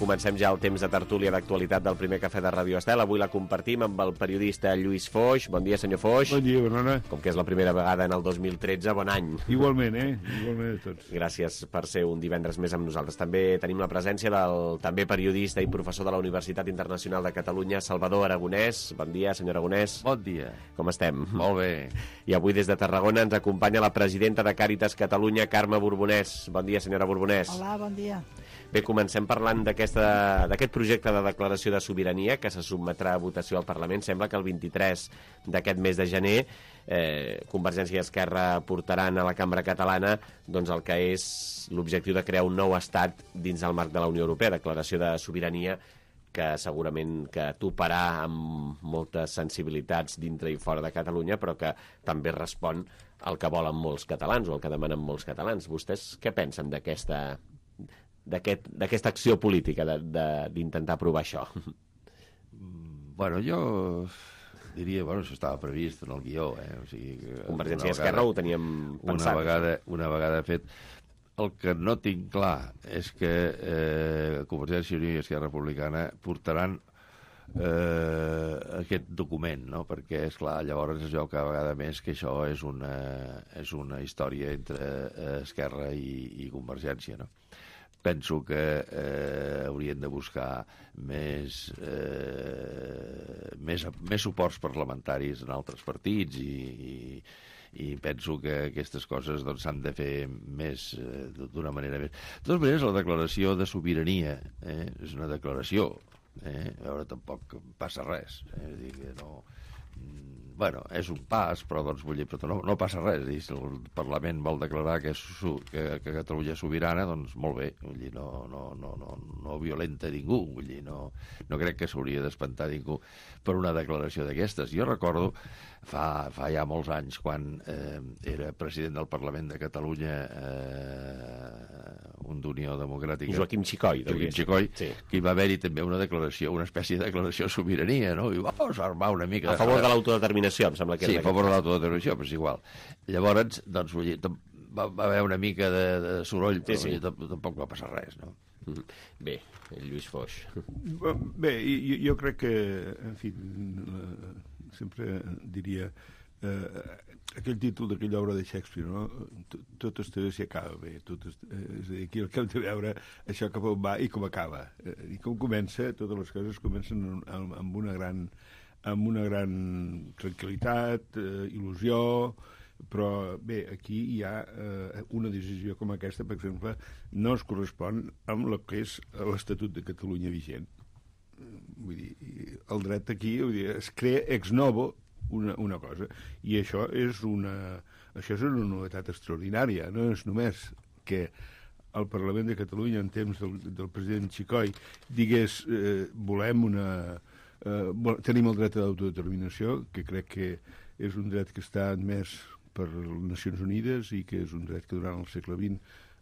Comencem ja el temps de tertúlia d'actualitat del primer cafè de Ràdio Estel. Avui la compartim amb el periodista Lluís Foix. Bon dia, senyor Foix. Bon dia, Bernona. Com que és la primera vegada en el dos mil tretze, bon any. Igualment, eh? Igualment a tots. Gràcies per ser un divendres més amb nosaltres. També tenim la presència del també periodista i professor de la Universitat Internacional de Catalunya, Salvador Aragonès. Bon dia, senyor Aragonès. Bon dia. Com estem? Molt bé. I avui des de Tarragona ens acompanya la presidenta de Càritas Catalunya, Carme Borbonès. Bon dia, senyora Borbonès. Hola, bon dia. Bé, comencem parlant d'aquest projecte de declaració de sobirania que se sotmetrà a votació al Parlament. Sembla que el vint-i-tres d'aquest mes de gener eh, Convergència i Esquerra portaran a la Cambra Catalana doncs, el que és l'objectiu de crear un nou estat dins el marc de la Unió Europea, declaració de sobirania que segurament que toparà amb moltes sensibilitats dintre i fora de Catalunya, però que també respon al que volen molts catalans o al que demanen molts catalans. Vostès què pensen d'aquesta d'aquesta aquest, acció política d'intentar aprovar això? Bueno, jo diria, bueno, això estava previst en el guió, eh? O sigui, Convergència i Esquerra ho teníem pensat. Una vegada, una vegada fet. el que no tinc clar és que eh, Convergència i Unió i Esquerra Republicana portaran eh, aquest document, no? Perquè, esclar, llavors es veu cada vegada més que això és una, és una història entre eh, Esquerra i, i Convergència, no? Penso que eh, haurien de buscar més, eh, més, més suports parlamentaris en altres partits i, i, i penso que aquestes coses doncs, s'han de fer més eh, d'una manera més. De totes maneres, la declaració de sobirania eh, és una declaració. Eh? A veure, tampoc passa res. Eh? És dir, que no... Bueno, és un pas, però doncs vull dir, però no, no passa res. I si el Parlament vol declarar que, és, que, que Catalunya és sobirana, doncs molt bé. Vull dir, no, no, no, no, no violenta ningú. Vull dir, no, no crec que s'hauria d'espantar ningú per una declaració d'aquestes. Jo recordo fa, fa ja molts anys, quan eh, era president del Parlament de Catalunya, eh, un d'Unió Democràtica... Joaquim Xicoi. Joaquim Xicoi, sí. Que hi va haver-hi també una declaració, una espècie de declaració de sobirania, no? I va armar una mica... A favor de l'autodeterminació, em sembla que era. Sí, a favor de l'autodeterminació, però és igual. Llavors, doncs, vull dir, va, va haver una mica de, de soroll, però sí, sí. Tampoc va passar res, no? Bé, el Lluís Foix. Bé, jo, jo crec que, en fi, sempre diria... Eh, aquell títol d'aquella obra de Shakespeare, no? Tot es té si acaba bé, tot es, eh, és a dir, aquí el que hem de veure això cap on va i com acaba, eh, i com comença. Totes les coses comencen amb, amb una gran amb una gran tranquil·litat, eh, il·lusió, però bé, aquí hi ha eh, una decisió com aquesta, per exemple, no es correspon amb el que és l'Estatut de Catalunya vigent. Vull dir, el dret aquí, vull dir, es crea ex novo Una, una cosa, i això és una això és una novetat extraordinària. No és només que el Parlament de Catalunya, en temps del, del president Xicoi, digués eh, volem una eh, tenim el dret a l'autodeterminació, que crec que és un dret que està admès per les Nacions Unides i que és un dret que durant el segle vint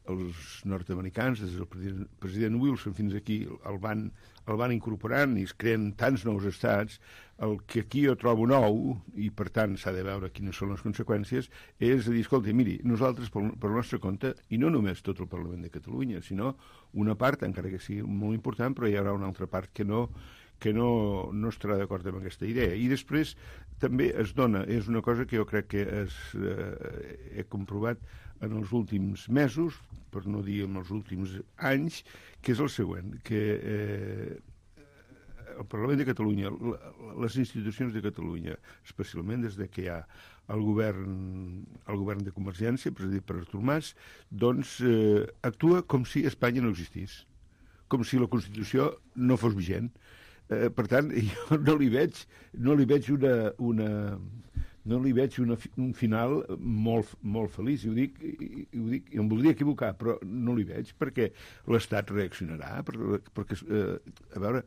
els nord-americans, des del president, president Wilson fins aquí, el van, el van incorporant i es creen tants nous estats. El que aquí jo trobo nou, i per tant s'ha de veure quines són les conseqüències, és a dir, escolta, miri, nosaltres pel, pel nostre compte, i no només tot el Parlament de Catalunya, sinó una part, encara que sigui molt important, però hi haurà una altra part que no que no, no estarà d'acord amb aquesta idea. I després també es dona, és una cosa que jo crec que es, eh, he comprovat en els últims mesos, per no dir en els últims anys, que és el següent, que eh, el Parlament de Catalunya, les institucions de Catalunya, especialment des de que hi ha el govern, el govern de Convergència, presidit per Artur Mas, doncs eh, actua com si Espanya no existís, com si la Constitució no fos vigent. Eh, per tant, jo no li veig, no li veig una... una no li veig una, un final molt, molt feliç, i ho dic, i, i ho dic, i em voldria equivocar, però no li veig, perquè l'Estat reaccionarà, perquè, perquè eh, a veure,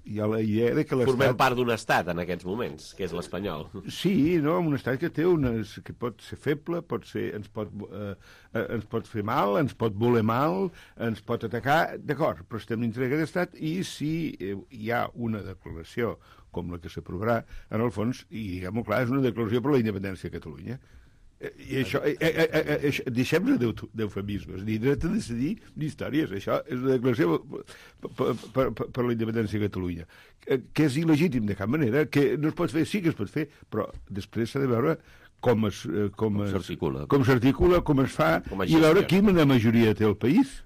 hi ha la idea de que l'Estat... Formem part d'un estat en aquests moments, que és l'espanyol. Sí, no, un estat que té unes... que pot ser feble, pot ser, ens, pot, eh, ens pot fer mal, ens pot voler mal, ens pot atacar, d'acord, però estem dintre d'aquest estat, i si hi ha una declaració com la que s'aprovarà, en el fons, i diguem-ho clar, és una declaració per la independència de Catalunya. I això, eh, eh, eh, eh, deixem-nos d'eufemismes, ni dret a decidir ni històries. Això és una declaració per, per, per, per la independència de Catalunya, que, que és il·legítim de cap manera, que no es pot fer, sí que es pot fer, però després s'ha de veure com es, com es, s'articula, com s'articula, com es fa, com i veure quina majoria té el país,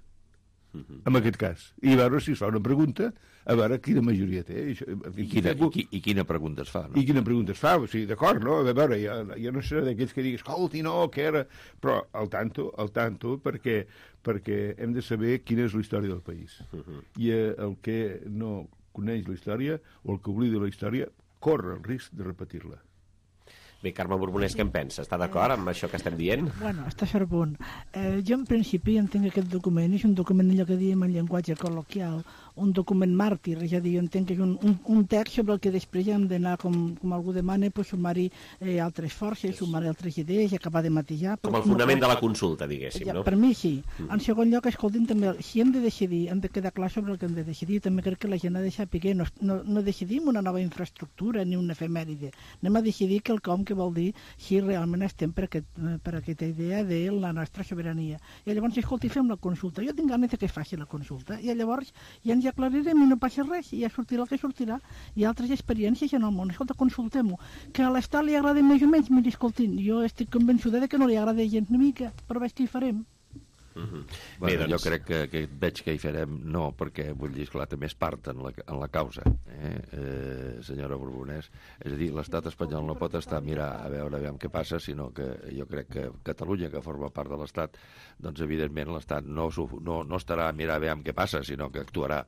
uh-huh. en aquest cas, i veure si es fa una pregunta, a veure quina majoria té. I, I, quina, i, i quina pregunta es fa, no? I quina pregunta es fa, o sigui, d'acord, no? A veure, jo, jo no seré d'aquells que diguis, escolti, no, que era... Però al tanto, al tanto, perquè, perquè hem de saber quina és la història del país. Uh-huh. I eh, el que no coneix la història, o el que oblida la història, corre el risc de repetir-la. Bé, Carme Borbonès, què en pensa? Està d'acord amb això que estem dient? Bueno, està a cert punt. Eh, jo, en principi, entenc aquest document, és un document, allò que diem en llenguatge col·loquial, un document màrtir, és a dir, jo entenc que és un, un, un text sobre el que després hem d'anar, com, com algú demana, pues, sumar-hi eh, altres forces, sumar-hi altres idees i acabar de matisar. Com el fonament no, de la consulta, diguéssim, ja, no? Per mi sí. Mm. En segon lloc, escoltin, també, si hem de decidir, hem de quedar clar sobre el que hem de decidir, també crec que la gent ha de saber, no, no, no decidim una nova infraestructura ni una efemèride, anem a decidir quelcom que què vol dir si realment estem per, aquest, per aquesta idea de la nostra sobirania. I llavors, escolti, fem la consulta. Jo tinc ganes que es faci la consulta. I llavors ja ens aclarirem i no passa res, i ja sortirà el que sortirà. Hi ha altres experiències en el món. Escolta, consultem-ho. Que a l'Estat li agrada més o menys, miri, escoltin, jo estic convençuda de que no li agrada gens una mica, però veig que hi farem. Uh-huh. Bueno, Bé, doncs... Jo crec que, que veig que hi farem no, perquè vull dir, esclar, també és part en la, en la causa, eh? Eh, senyora Borbonès. És a dir, l'estat espanyol no pot estar a mirar a veure, a veure què passa, sinó que jo crec que Catalunya, que forma part de l'estat, doncs evidentment l'estat no, no, no estarà a mirar a veure què passa, sinó que actuarà.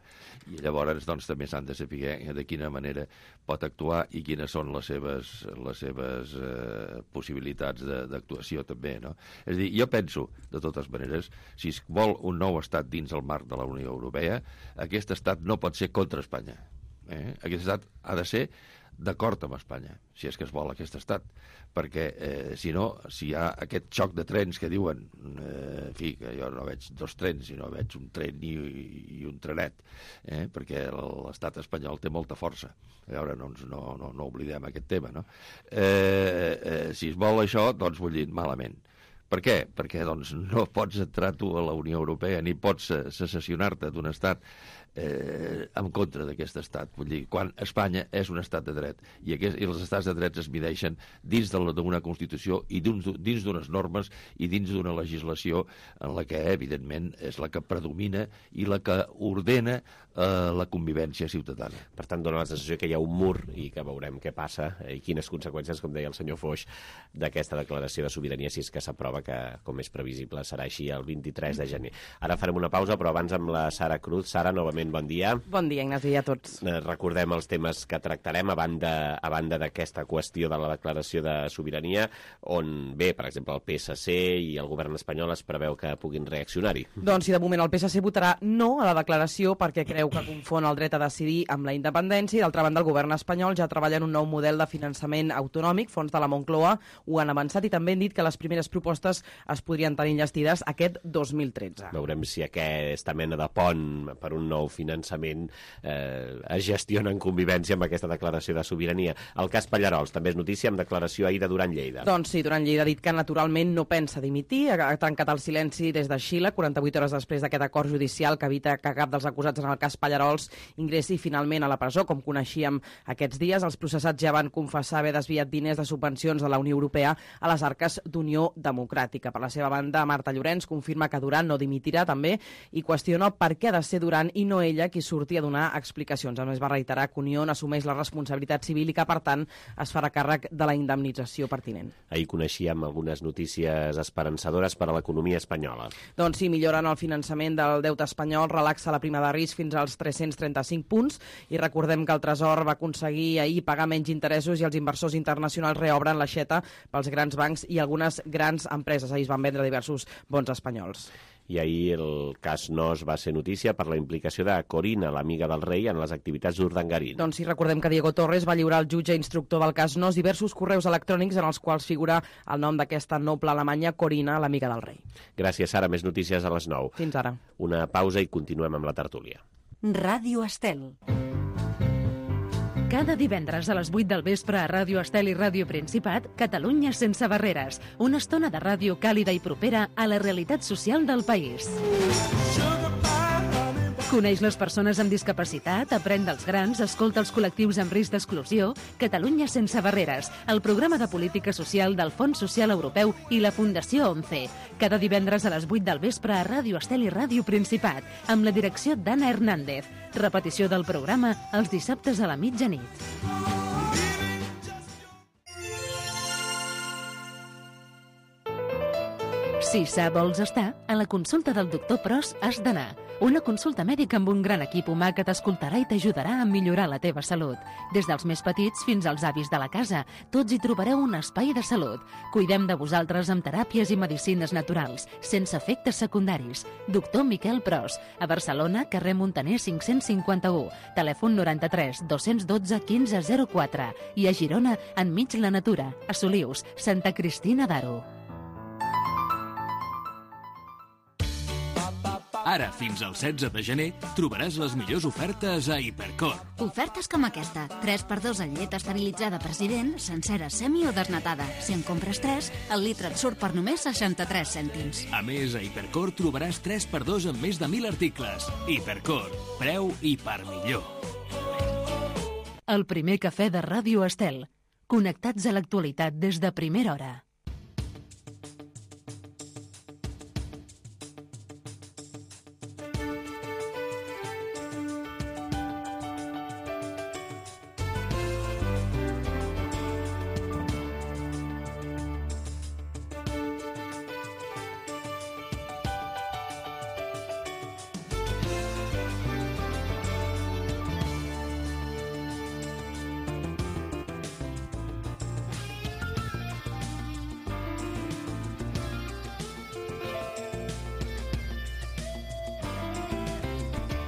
I llavors doncs, també s'han de saber de quina manera pot actuar i quines són les seves, les seves eh, possibilitats d'actuació també, no? És a dir, jo penso, de totes maneres, si es vol un nou estat dins el marc de la Unió Europea, aquest estat no pot ser contra Espanya. Eh? Aquest estat ha de ser d'acord amb Espanya, si és que es vol aquest estat. Perquè, eh, si no, si hi ha aquest xoc de trens que diuen, eh, en fi, que jo no veig dos trens, sinó veig un tren i, i un trenet, eh? Perquè l'estat espanyol té molta força. A veure, no, no, no, no oblidem aquest tema, no? Eh, eh, si es vol això, doncs vull dir, malament. Per què? Perquè doncs, no pots entrar tu a la Unió Europea ni pots secessionar-te d'un estat eh, en contra d'aquest estat. Vull dir, quan Espanya és un estat de dret i, aquest, i els estats de drets es mideixen dins d'una Constitució i dins d'unes normes i dins d'una legislació en la que, evidentment, és la que predomina i la que ordena eh, la convivència ciutadana. Per tant, dona la sensació que hi ha un mur i que veurem què passa i quines conseqüències, com deia el senyor Foix, d'aquesta declaració de sobirania, si és que s'aprova, que, com és previsible, serà així el vint-i-tres de gener. Ara farem una pausa, però abans amb la Sara Cruz. Sara, novament, bon dia. Bon dia, Ignasi, i a tots. Recordem els temes que tractarem a banda, a banda d'aquesta qüestió de la declaració de sobirania, on, bé, per exemple, el P S C i el govern espanyol es preveu que puguin reaccionar-hi. Doncs sí, de moment el P S C votarà no a la declaració perquè creu que confon el dret a decidir amb la independència i, d'altra banda, el govern espanyol ja treballa en un nou model de finançament autonòmic. Fons de la Moncloa ho han avançat i també han dit que les primeres propostes es podrien tenir enllestides aquest dos mil tretze. Veurem si aquesta mena de pont per un nou finançament eh, es gestiona en convivència amb aquesta declaració de sobirania. El cas Pallarols també és notícia amb declaració ahir de Duran Lleida. Doncs sí, Duran Lleida ha dit que naturalment no pensa dimitir, ha tancat el silenci des de Xile, quaranta-vuit hores després d'aquest acord judicial que evita que cap dels acusats en el cas Pallarols ingressi finalment a la presó, com coneixíem aquests dies. Els processats ja van confessar haver desviat diners de subvencions de la Unió Europea a les arques d'Unió Democràtica. Per la seva banda, Marta Llorenç confirma que Duran no dimitirà també i qüestiona per què ha de ser Duran i no ella qui surti a donar explicacions. A més, va reiterar que Unió assumeix la responsabilitat civil i que, per tant, es farà càrrec de la indemnització pertinent. Ahir coneixíem algunes notícies esperançadores per a l'economia espanyola. Doncs sí, milloren el finançament del deute espanyol, relaxa la prima de risc fins als tres-cents trenta-cinc punts i recordem que el Tresor va aconseguir ahir pagar menys interessos i els inversors internacionals reobren l'aixeta pels grans bancs i algunes grans empreses. Ahir es van vendre diversos bons espanyols. I ahir el cas Nos va ser notícia per la implicació de Corina, l'amiga del rei, en les activitats d'Urdangarín. Doncs sí, recordem que Diego Torres va lliurar al jutge instructor del cas Nos diversos correus electrònics en els quals figura el nom d'aquesta noble alemanya, Corina, l'amiga del rei. Gràcies, Sara. Més notícies a les nou. Fins ara. Una pausa i continuem amb la tertúlia. Ràdio Estel. Cada divendres a les vuit del vespre a Ràdio Estel i Ràdio Principat, Catalunya sense barreres. Una estona de ràdio càlida i propera a la realitat social del país. Coneix les persones amb discapacitat, aprèn dels grans, escolta els col·lectius amb risc d'exclusió. Catalunya sense barreres, el programa de política social del Fons Social Europeu i la Fundació ONCE. Cada divendres a les vuit del vespre a Ràdio Estel i Ràdio Principat, amb la direcció d'Anna Hernández. Repetició del programa els dissabtes a la mitjanit. Si sa vols estar, a la consulta del doctor Pros has d'anar. Una consulta mèdica amb un gran equip humà que t'escoltarà i t'ajudarà a millorar la teva salut. Des dels més petits fins als avis de la casa, tots hi trobareu un espai de salut. Cuidem de vosaltres amb teràpies i medicines naturals, sense efectes secundaris. Doctor Miquel Pros, a Barcelona, carrer Montaner cinc-cents cinquanta-u, telèfon noranta-tres dos-cents dotze quinze zero quatre i a Girona, enmig la natura, a Solius, Santa Cristina d'Aro. Ara, fins al setze de gener, trobaràs les millors ofertes a Hipercor. Ofertes com aquesta. tres per dos en llet estabilitzada President, sencera, semi o desnatada. Si en compres tres, el litre et surt per només seixanta-tres cèntims. A més, a Hipercor trobaràs tres per dos en més de mil articles. Hipercor, preu i per millor. El primer cafè de Ràdio Estel. Connectats a l'actualitat des de primera hora.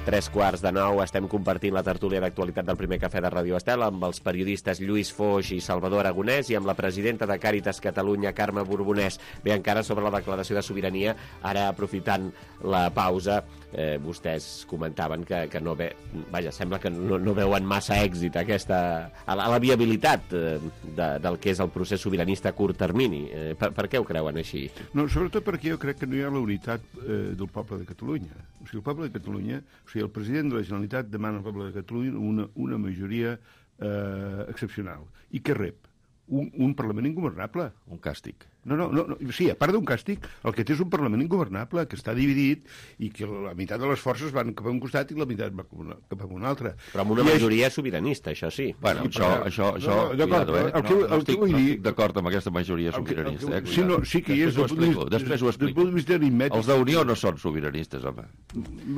Tres quarts de nou, estem compartint la tertúlia d'actualitat del primer cafè de Ràdio Estel amb els periodistes Lluís Foix i Salvador Aragonès i amb la presidenta de Càritas Catalunya, Carme Borbonès. Bé, encara sobre la declaració de sobirania, ara aprofitant la pausa, eh, vostès comentaven que, que no ve, vaja, sembla que no, no veuen massa èxit aquesta, a la, a la viabilitat eh, de, del que és el procés sobiranista a curt termini. Eh, per, per què ho creuen així? No, sobretot perquè jo crec que no hi ha la unitat eh, del poble de Catalunya. O sigui, el poble de Catalunya, o sigui, el president de la Generalitat demana al poble de Catalunya una, una majoria eh, excepcional. I què rep? Un, un Parlament ingovernable. Un càstig. No, no, no, no, sí, a part d'un càstig, el que té és un Parlament ingovernable, que està dividit i que la meitat de les forces van cap a un costat i la meitat va cap a un altre. Però amb una I majoria és... sobiranista, això sí. Bueno, sí, això, això, això, no, no, d'acord, cuidado, eh? el que, no, no, el estic, que vull no dir... estic d'acord amb aquesta majoria sobiranista, eh? Sí, no, sí que hi és... Després ho explico, després ho explico. Del punt de vista aritmètic... Els d'Unió no són sobiranistes, home.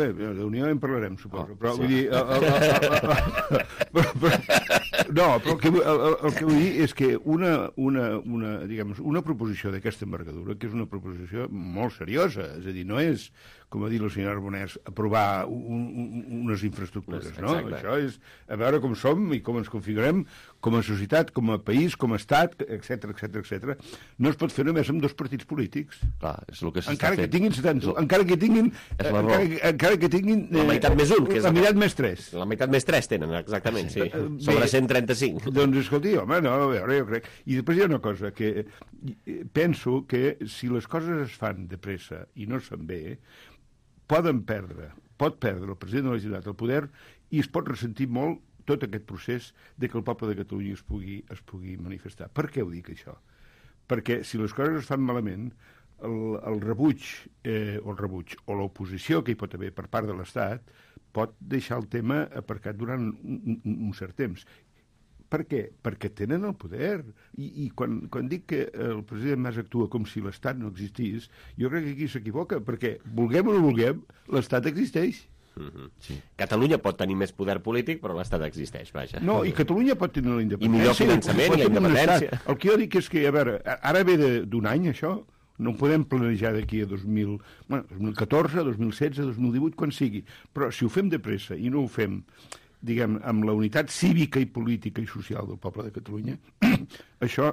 Bé, d'Unió en parlarem, suposo, oh, però sí. vull dir... El, el, el, el, el, però, no, però el que, el, el que vull dir és que una, una, una, diguem, una proposició d'aquesta envergadura, que és una proposició molt seriosa, és a dir, no és, com ha dit la senyora Arbonès, aprovar un, un, unes infraestructures, no? Exacte. Això és a veure com som i com ens configurem com a societat, com a país, com a estat, etcètera, etcètera, etcètera. No es pot fer només amb dos partits polítics. Clar, és el que s'està encara fent. Que tinguin setanta, encara que tinguin... Encara, encara que tinguin... La meitat més un, que és... La meitat més tres. La meitat més tres tenen, exactament, sí. Sobre cent trenta-cinc. Doncs escolti, home, no, a veure, jo crec... I després hi ha una cosa, que penso que si les coses es fan de pressa i no es fan bé, poden perdre, pot perdre el president de la Generalitat el poder i es pot ressentir molt tot aquest procés de que el poble de Catalunya es pugui, es pugui manifestar. Per què ho dic, això? Perquè si les coses es fan malament, el, el rebuig, eh, o el rebuig, o l'oposició que hi pot haver per part de l'Estat, pot deixar el tema aparcat durant un, un, un cert temps. Per què? Perquè tenen el poder. I, i quan, quan dic que el president Mas actua com si l'Estat no existís, jo crec que aquí s'equivoca, perquè, vulguem o no vulguem, l'Estat existeix. Mm-hmm. Sí. Catalunya pot tenir més poder polític, però l'Estat existeix, vaja. No, i Catalunya pot tenir la independència. I millor finançament i la independència. El que jo dic és que, a veure, ara ve d'un any, això, no ho podem planejar d'aquí a dos mil, bueno, dos mil catorze, dos mil setze, dos mil divuit, quan sigui. Però si ho fem de pressa i no ho fem, diguem, amb la unitat cívica i política i social del poble de Catalunya, això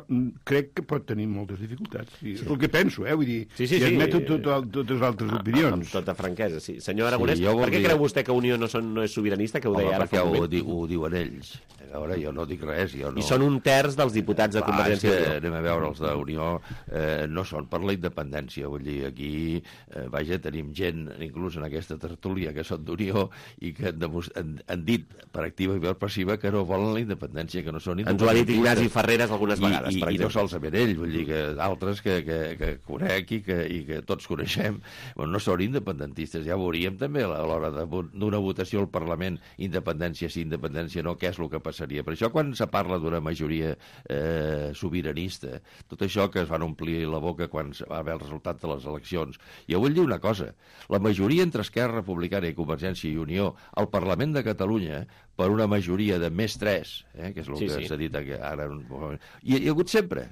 crec que pot tenir moltes dificultats. Sí. És el que penso, eh? Vull dir, sí, sí, i admeto sí. tot, totes altres opinions. Amb tota franquesa, sí. Senyor Aragonès, sí, per què dir... creu vostè que Unió no, són, no és sobiranista, que ho deia Home, ara fa un moment? Perquè ho, ho diuen ells. A veure, jo no dic res. Jo no... I són un terç dels diputats de Convergència i Unió. Anem a veure, els d'Unió eh, no són per la independència. Vull dir, aquí, eh, vaja, tenim gent, inclús en aquesta tertúlia, que són d'Unió i que han, han, han dit per activa i per passiva que no volen la independència, que no són independentistes. Ens ho ha dit Ignasi Ferreres algunes vegades, I, i, per exemple. I no solament ell, vull dir que d'altres que, que, que conec i que, i que tots coneixem, bueno, no són independentistes. Ja veuríem també a l'hora d'una votació al Parlament, independència sí, independència no, què és el que passaria. Per això, quan se parla d'una majoria eh, sobiranista, tot això que es van omplir la boca quan va haver el resultat de les eleccions, jo vull dir una cosa, la majoria entre Esquerra Republicana i Convergència i Unió al Parlament de Catalunya, per una majoria de més tres, eh, que és el sí, que sí. s'ha dit ara, hi ha, hi ha hagut sempre.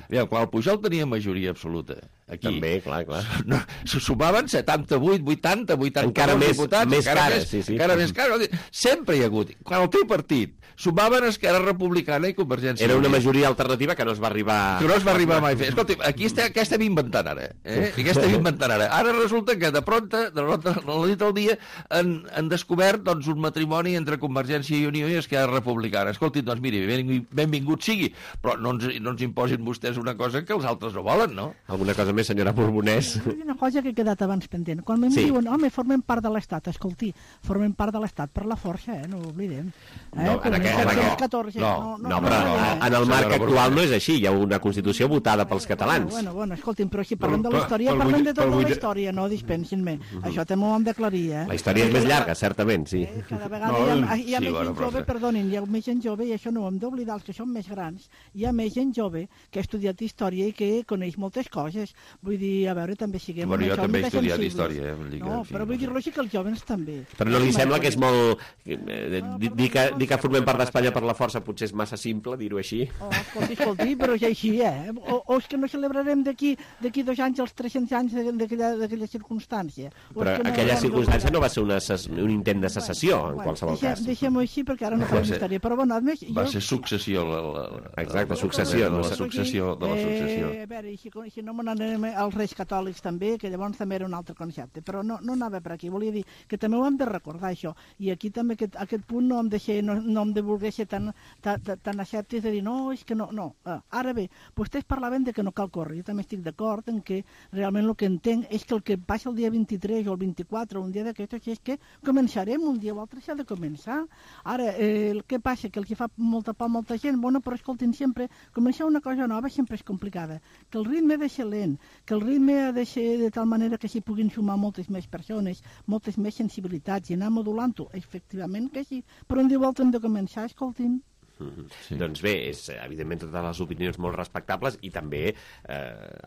Aviam, quan el Pujol tenia majoria absoluta, aquí... També, clar, clar. No, se sumaven setanta-vuit, vuitanta, vuitanta encara més, diputats, més encara cares, més, sí, sí. encara més cares. Sempre hi ha hagut. Quan el tripartit sumaven Esquerra Republicana i Convergència. Era una majoria alternativa que no es va arribar... Que no es va arribar mai a fer. Escolta, aquí estem, què estem inventant ara? Eh? Què estem inventant ara? Ara resulta que de pronta, de pronta, a la nit del dia, han, han descobert doncs, un matrimoni entre Convergència i Unió i Esquerra Republicana. Escolti, doncs miri, benvingut sigui, però no ens, no ens imposin vostès una cosa que els altres no volen, no? Alguna cosa més, senyora Borbonès? Una cosa que he quedat abans pendent. Quan em sí. diuen, home, formem part de l'Estat, escolti, formem part de l'Estat per la força, eh? No ho oblidem. Eh? No, en aquest, en catorze, no, no, no, no, però no, no, en el marc actual no és així, hi ha una Constitució votada pels catalans. Bueno, bueno, escolti'm, però si parlem de la història, parlem de tota la història, no dispensin-me. Això també ho hem d'aclarir, eh? La història és més llarga, certament, sí. Cada vegada hi ha, hi ha més gent jove, perdonin, hi ha més gent jove, i això no ho hem d'oblidar, els que són més grans, hi ha més gent jove que ha estudiat història i que coneix moltes coses. Vull dir, a veure, també siguem... Bueno, jo també he estudiat història. No, però vull dir-lo així que els joves també. Però no li sembla que és molt... Dir que formem part d'Espanya per la força potser és massa simple, dir-ho així. Oh, escolti, escolti, però és així, eh? O, o és que no celebrarem d'aquí d'aquí dos anys els tres-cents anys d'aquella circumstància. Però no, aquella circumstància no va ser una, un intent de secessió, bueno, en qualsevol deixem, cas. Deixem-ho així, perquè ara no farem història. Però, bueno, a més... Va jo... ser successió. La, la, Exacte, successió. De la successió. De la successió. Eh, a veure, si, si no me n'anem als Reis Catòlics també, que llavors també era un altre concepte, però no, no anava per aquí. Volia dir que també ho hem de recordar, això. I aquí també aquest, aquest punt no hem de ser, no, no hem de voler ser tan, tan, tan escèptics de dir, no, és que no, no. Uh, ara bé, vostès parlaven de que no cal córrer. Jo també estic d'acord en que realment el que entenc és que el que passa el dia vint-i-tres o el vint-i-quatre o un dia d'aquests és que començarem un dia o altre, s'ha de començar. Ara, eh, el que passa? Que el que fa molta por a molta gent, bueno, però escoltin, sempre, començar una cosa nova sempre és complicada. Que el ritme ha de ser lent, que el ritme ha de ser de tal manera que s'hi puguin sumar moltes més persones, moltes més sensibilitats i anar modulant-ho, efectivament que sí, però un dia o altre hem de començar, escoltin. Mm-hmm. Sí. Doncs bé, és evidentment totes les opinions molt respectables i també eh,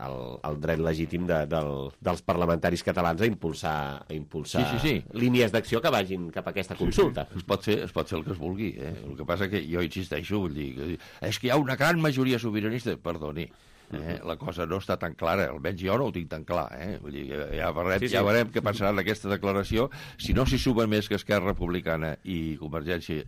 el, el dret legítim de, del, dels parlamentaris catalans a impulsar, a impulsar sí, sí, sí. línies d'acció que vagin cap a aquesta consulta. Sí, sí. Es, pot fer, es pot fer el que es vulgui. Eh? El que passa que jo insisteixo, vull dir, que és que hi ha una gran majoria sobiranista, perdoni. Eh, la cosa no està tan clara, almenys jo no ho tinc tan clar, eh? Vull dir, ja veurem, sí, sí. ja veurem què passarà en aquesta declaració. Si no s'hi sumen més que Esquerra Republicana i Convergència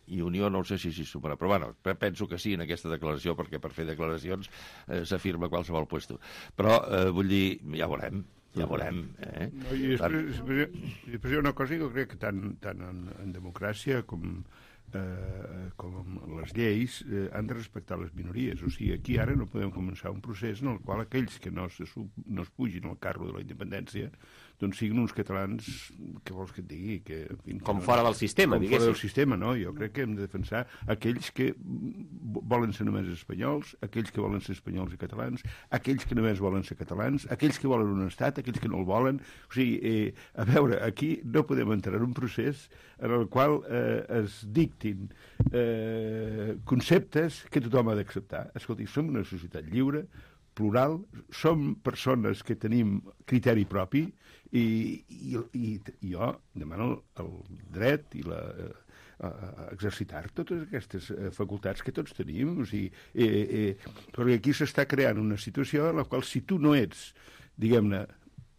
i Unió, no sé si s'hi sumarà, però bueno, penso que sí en aquesta declaració, perquè per fer declaracions eh, s'afirma qualsevol puesto. Però eh, vull dir, ja veurem, ja veurem. Eh? No, i després, després, després hi ha una cosa que jo crec que tant, tant en, en democràcia com... Eh, com les lleis eh, han de respectar les minories, o sigui, aquí ara no podem començar un procés en el qual aquells que no, se sub, no es pugin al carro de la independència doncs siguin uns catalans, què vols que et digui? Que, en fi, com no, fora del sistema, com diguéssim. Fora del sistema, no? Jo crec que hem de defensar aquells que volen ser només espanyols, aquells que volen ser espanyols i catalans, aquells que només volen ser catalans, aquells que volen un estat, aquells que no el volen. O sigui, eh, a veure, aquí no podem entrar en un procés en el qual eh, es dictin eh, conceptes que tothom ha d'acceptar. Escolti, som una societat lliure, plural, som persones que tenim criteri propi i, i, i, i jo demano el dret i la... Eh, a exercitar totes aquestes facultats que tots tenim, o sigui, eh, eh, perquè aquí s'està creant una situació en la qual si tu no ets, diguem-ne,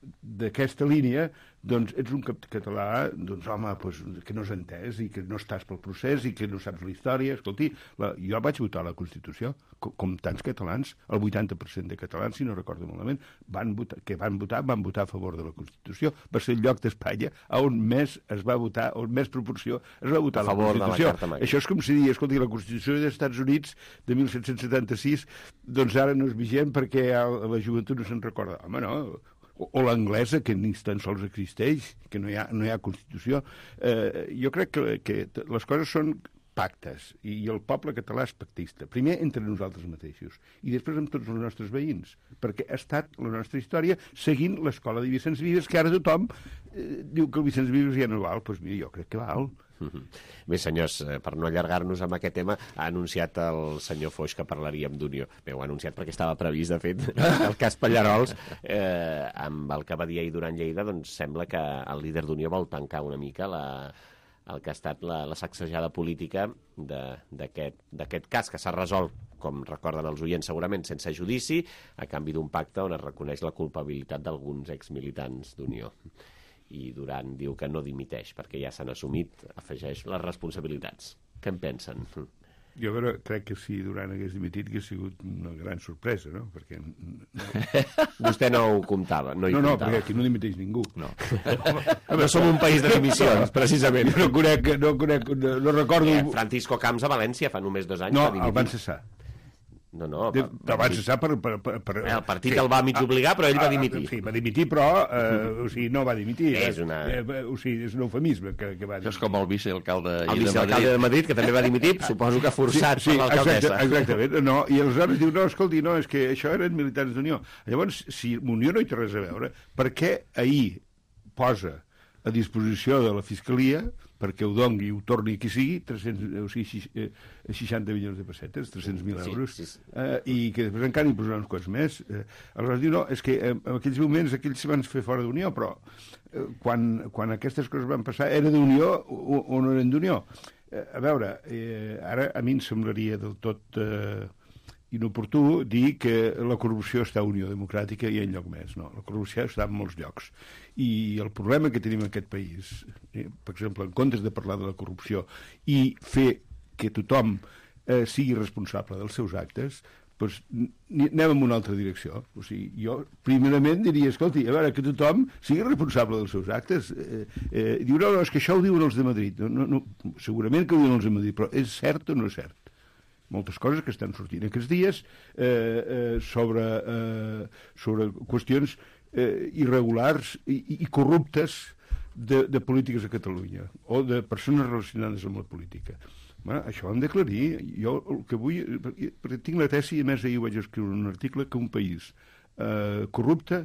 d'aquesta línia, doncs ets un català, doncs home, pues, que no has entès i que no estàs pel procés i que no saps la història. Escolti, la, jo vaig votar la Constitució, com, com tants catalans, el vuitanta per cent de catalans, si no recordo malament, van votar, que van votar, van votar a favor de la Constitució. Va ser el lloc d'Espanya on més es va votar, on més proporció es va votar a la Constitució. La Això és com si dir, escolti, la Constitució dels Estats Units de mil set-cents setanta-sis, doncs ara no és vigent perquè la joventut no se'n recorda. Home, no, o l'anglesa, que ni tan sols existeix, que no hi ha, no hi ha Constitució. Eh, jo crec que, que les coses són pactes, i el poble català és pactista. Primer entre nosaltres mateixos, i després amb tots els nostres veïns, perquè ha estat la nostra història seguint l'escola de Vicenç Vives, que ara tothom eh, diu que el Vicenç Vives ja no val. Doncs mira, jo crec que val. Bé, senyors, per no allargar-nos amb aquest tema, ha anunciat el senyor Foix que parlaríem d'Unió. Bé, ho ha anunciat perquè estava previst, de fet, el cas Pallarols, eh, amb el que va dir ahir durant Lleida, doncs sembla que el líder d'Unió vol tancar una mica la, el que ha estat la, la sacsejada política d'aquest cas, que s'ha resolt com recorden els oients segurament, sense judici, a canvi d'un pacte on es reconeix la culpabilitat d'alguns exmilitants d'Unió. I Duran diu que no dimiteix, perquè ja s'han assumit, afegeix, les responsabilitats. Què en pensen? Jo però, crec que si Duran hagués dimitit hauria sigut una gran sorpresa, no? Perquè... Vostè no ho comptava, no hi no, no, comptava. perquè aquí no dimiteix ningú. No. No som un país de dimissions, precisament. Jo no conec, no conec, no, no recordo... Eh, Francisco Camps a València fa només dos anys no, va dimitir. No, el van cessar. No, no. De, el van cessar per... per, per, per el partit sí. el va mig obligar, però ell va dimitir. Sí, va dimitir, però eh, o sigui, no va dimitir. És una... Eh, o sigui, és un eufemisme que, que va dimitir. Això és com el vicealcalde el vicealcalde de Madrid, que també va dimitir, suposo que forçat sí, sí, per l'alcaldessa. Exacte, exactament. No, i aleshores diu, no, escolti, no, és que això eren militants d'Unió. Llavors, si Unió no hi té res a veure, per què ahir posa a disposició de la Fiscalia perquè ho dongui i ho torni qui sigui, tres-cents, o sigui, seixanta milions de pessetes, tres-cents mil euros, sí, sí. Eh, i que després encara hi posaran uns quants més. Eh, aleshores diu, no, és que eh, en aquells moments aquells van fer fora d'Unió, però eh, quan, quan aquestes coses van passar, era d'Unió o, o no eren d'Unió? Eh, a veure, eh, ara a mi em semblaria del tot... Eh, inoportú dir que la corrupció està a Unió Democràtica i enlloc més. No, la corrupció està en molts llocs. I el problema que tenim en aquest país, eh, per exemple, en comptes de parlar de la corrupció i fer que tothom eh, sigui responsable dels seus actes, doncs anem en una altra direcció. O sigui, jo primerament diria, escolti, a veure, que tothom sigui responsable dels seus actes. Eh, eh, diu, no, no, és que això ho diuen els de Madrid. No, no, no, segurament que ho diuen els de Madrid, però és cert o no és cert? Moltes coses que estan sortint aquests dies eh, eh, sobre, eh, sobre qüestions eh, irregulars i, i corruptes de, de polítiques a Catalunya o de persones relacionades amb la política. Bueno, això ho hem d'aclarir. Jo el que vull... Perquè tinc la tesi, i a més ahir vaig escriure un article, que un país eh, corrupte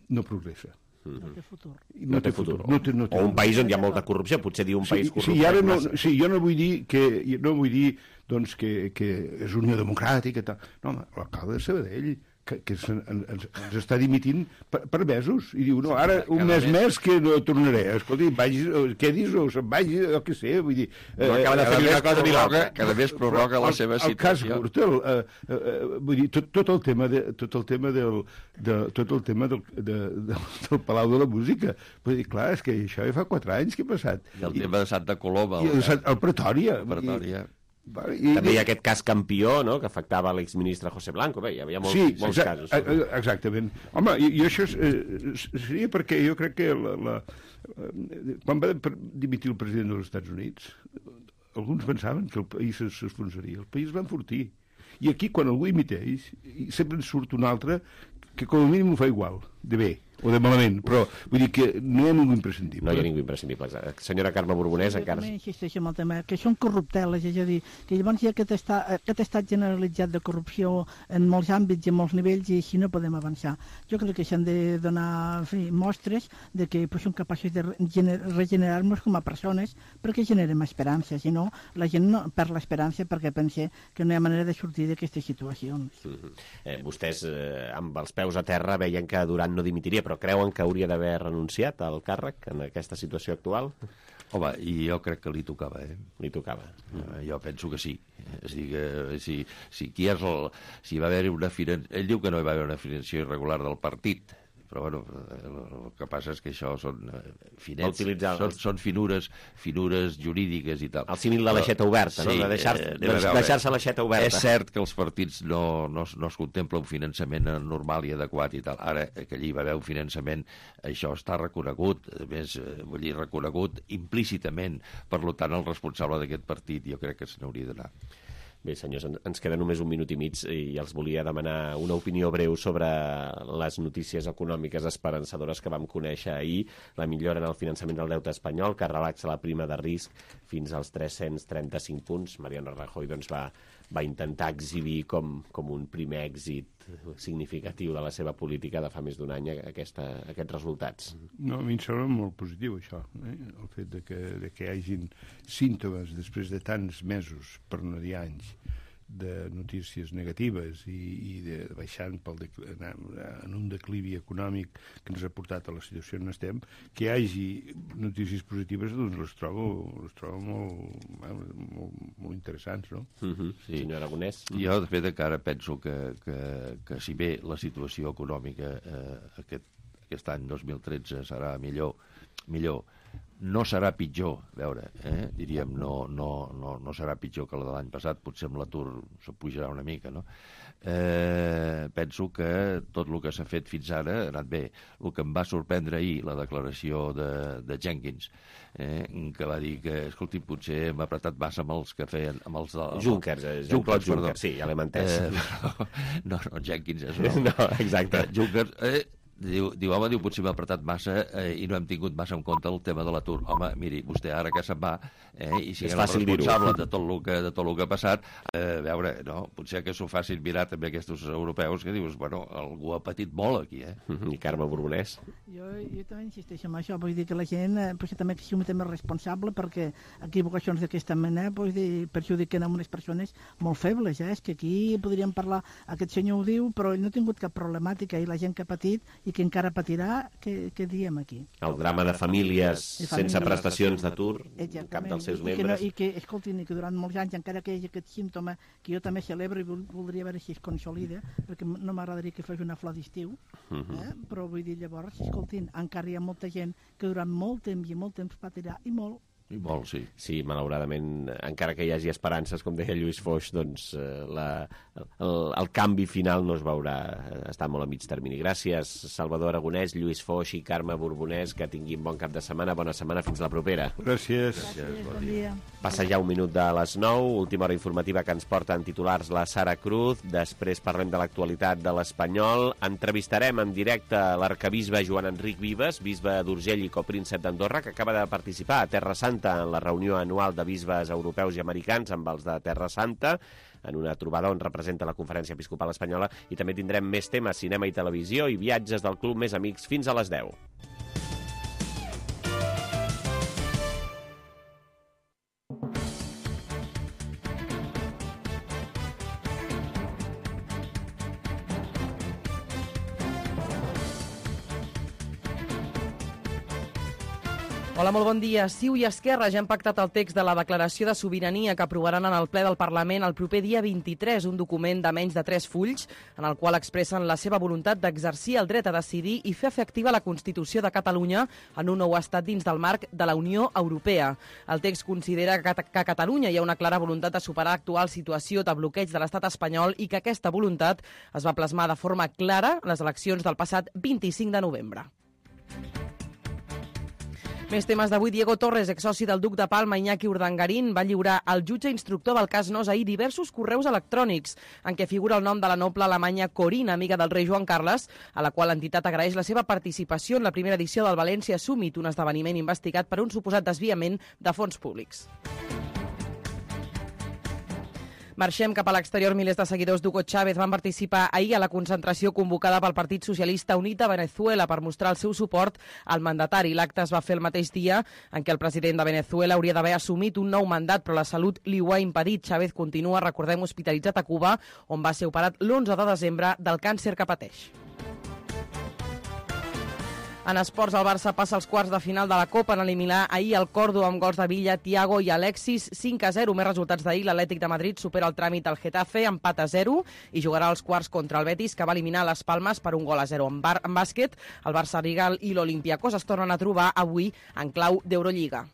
no progressa. No té futur. No té futur. No té, no té. O un país on hi ha molta corrupció, potser dir un sí, país corrupte. Sí, ara no, sí, jo no vull dir que no vull dir doncs, que, que és Unió Democràtica i tal. No, home, l'alcalde de Sabadell que, que ens, ens, ens està dimitint per, per mesos, i diu, no, ara un mes més que no tornaré. Escolti, vagis, quedis o se'n vagi, jo què sé, vull dir... No acaba de fer una cosa ni l'altra, cada més prorroga la seva situació. El cas Gürtel, eh, eh, vull dir, tot, tot el tema, de, tot el tema del, de, tot el tema del, de, de, del Palau de la Música, vull dir, clar, és que això ja fa quatre anys que ha passat. I el tema de Santa Coloma. I el, el Pretòria. El Pretòria. I, també hi ha aquest cas Campió, no?, que afectava l'exministre José Blanco. Bé, hi havia molts, sí, molts exa casos. Exactament. Home, i, i això és, eh, seria perquè jo crec que la, la, quan va dimitir el president dels Estats Units, alguns pensaven que el país s'esfonsaria. El país va enfortir. I aquí, quan algú imiteix, sempre en surt un altre que com a mínim ho fa igual, de bé o de malament, però vull dir que no hi ha ningú imprescindible. No hi ha ningú imprescindible. Senyora Carme Borbonès, encara... Jo també insisteixo en el tema, que són corrupteles, és a dir, que llavors hi ha aquest estat, aquest estat generalitzat de corrupció en molts àmbits i en molts nivells, i així no podem avançar. Jo crec que s'han de donar en fi, mostres de que pues, som capaços de regenerar-nos com a persones perquè generem esperança, si no, la gent no perd l'esperança perquè pensa que no hi ha manera de sortir d'aquestes situacions. Mm-hmm. eh, vostès, eh, amb els peus a terra, veien que Duran no dimitiria, però creuen que hauria d'haver renunciat al càrrec en aquesta situació actual? Home, i jo crec que li tocava, eh? Li tocava. Uh, jo penso que sí. És a dir, que si, si, qui és el, si va haver una finan... Ell diu que no hi va haver una finançació irregular del partit, però bueno, el que passa és que això són finets, són, són finures, finures jurídiques i tal. El símil de l'aixeta oberta, sí, no? De deixar-se eh, deixar l'aixeta oberta. És cert que els partits no, no, no es contempla un finançament normal i adequat i tal. Ara, que allí va haver un finançament, això està reconegut, a més, vull dir, reconegut implícitament. Per tant, el responsable d'aquest partit jo crec que se n'hauria d'anar. Bé, senyors, ens queda només un minut i mig i els volia demanar una opinió breu sobre les notícies econòmiques esperançadores que vam conèixer ahir, la millora en el finançament del deute espanyol, que relaxa la prima de risc fins als tres-cents trenta-cinc punts. Mariano Rajoy doncs, va, va intentar exhibir com, com un primer èxit significatiu de la seva política de fa més d'un any aquesta, aquests resultats. No, a mi em sembla molt positiu això, eh? El fet de que, de que hi hagin símptomes després de tants mesos, per no dir anys, de notícies negatives i, i de baixant pel en un declivi econòmic que ens ha portat a la situació on estem, que hi hagi notícies positives, doncs les trobo, les trobo molt, molt, molt interessants, no? Mm-hmm. Sí, senyor Aragonès. Jo, de fet, encara penso que, que, que si bé la situació econòmica eh, aquest, aquest any dos mil tretze serà millor, millor, no serà pitjor, a veure, eh? diríem, no, no, no, no serà pitjor que la de l'any passat, potser amb l'atur se pujarà una mica, no? Eh, penso que tot el que s'ha fet fins ara ha anat bé. El que em va sorprendre ahir, la declaració de, de Jenkins, eh, que va dir que, escolti, potser hem apretat massa amb els que feien... Amb els de, Junkers, eh, Jean-Claude Juncker, sí, ja l'hem entès. Eh, no, no, Jenkins és no. No, exacte. Junkers... Eh, Diu, diu, home, diu, potser m'ha apretat massa eh, i no hem tingut massa en compte el tema de l'atur. Home, miri, vostè ara que se'n va eh, i si és el responsable de tot el que, de tot el que ha passat, eh, a veure, no, potser que s'ho facin mirar també aquests europeus que dius, bueno, algú ha patit molt aquí, eh? I Carme Borbonès? Jo, jo també insisteixo en això, vull dir que la gent eh, potser també que sigui també responsable perquè equivocacions d'aquesta mena vull dir, perjudiquen a unes persones molt febles, eh? És que aquí podríem parlar, aquest senyor ho diu, però ell no ha tingut cap problemàtica i la gent que ha patit i que encara patirà, què, què diem aquí? El drama de famílies sense prestacions d'atur, cap dels seus membres. I que, escoltin, que durant molts anys, encara que hi hagi aquest símptoma, que jo també celebro i voldria veure si es consolida, perquè no m'agradaria que fos una flor d'estiu, eh? Però vull dir, llavors, escoltin, encara hi ha molta gent que durant molt temps i molt temps patirà, i molt, I molt, sí. Sí, malauradament, encara que hi hagi esperances, com deia Lluís Foix, doncs la, el, el canvi final no es veurà, està molt a mig termini. Gràcies, Salvador Aragonès, Lluís Foix i Carme Borbonès, que tinguin bon cap de setmana, bona setmana, fins la propera. Gràcies. Gràcies, bon dia. Passa ja un minut de les nou, última hora informativa que ens porta en titulars la Sara Cruz, després parlem de l'actualitat de l'Espanyol, entrevistarem en directe l'arcabisbe Joan Enric Vives, bisbe d'Urgell i copríncep d'Andorra, que acaba de participar a Terra Santa en la reunió anual de bisbes europeus i americans amb els de Terra Santa, en una trobada on representa la Conferència Episcopal Espanyola, i també tindrem més temes, cinema i televisió i viatges del Club Més Amics fins a les deu. Hola, molt bon dia. Ciu i Esquerra ja han pactat el text de la declaració de sobirania que aprovaran en el ple del Parlament el proper dia vint-i-tres, un document de menys de tres fulls, en el qual expressen la seva voluntat d'exercir el dret a decidir i fer efectiva la Constitució de Catalunya en un nou estat dins del marc de la Unió Europea. El text considera que a Catalunya hi ha una clara voluntat de superar l'actual situació de bloqueig de l'estat espanyol i que aquesta voluntat es va plasmar de forma clara en les eleccions del passat vint-i-cinc de novembre. Més temes d'avui. Diego Torres, exsoci del duc de Palma, Iñaki Urdangarín, va lliurar al jutge instructor del cas Nos ahir diversos correus electrònics en què figura el nom de la noble alemanya Corina, amiga del rei Joan Carles, a la qual l'entitat agraeix la seva participació en la primera edició del València Summit, un esdeveniment investigat per un suposat desviament de fons públics. Marxem cap a l'exterior. Milers de seguidors d'Hugo Chávez van participar ahir a la concentració convocada pel Partit Socialista Unit de Venezuela per mostrar el seu suport al mandatari. L'acte es va fer el mateix dia en què el president de Venezuela hauria d'haver assumit un nou mandat, però la salut li ho ha impedit. Chávez continua, recordem, hospitalitzat a Cuba, on va ser operat l'onze de desembre del càncer que pateix. En esports, el Barça passa als quarts de final de la Copa en eliminar ahir el Córdoba amb gols de Villa, Thiago i Alexis, cinc a zero. Més resultats d'ahir, l'Atlètic de Madrid supera el tràmit al Getafe, empat a zero, i jugarà als quarts contra el Betis, que va eliminar les Palmes per un gol a zero. En, bar en bàsquet, el Barça Rigal i l'Olympiacos es tornen a trobar avui en clau d'Eurolliga.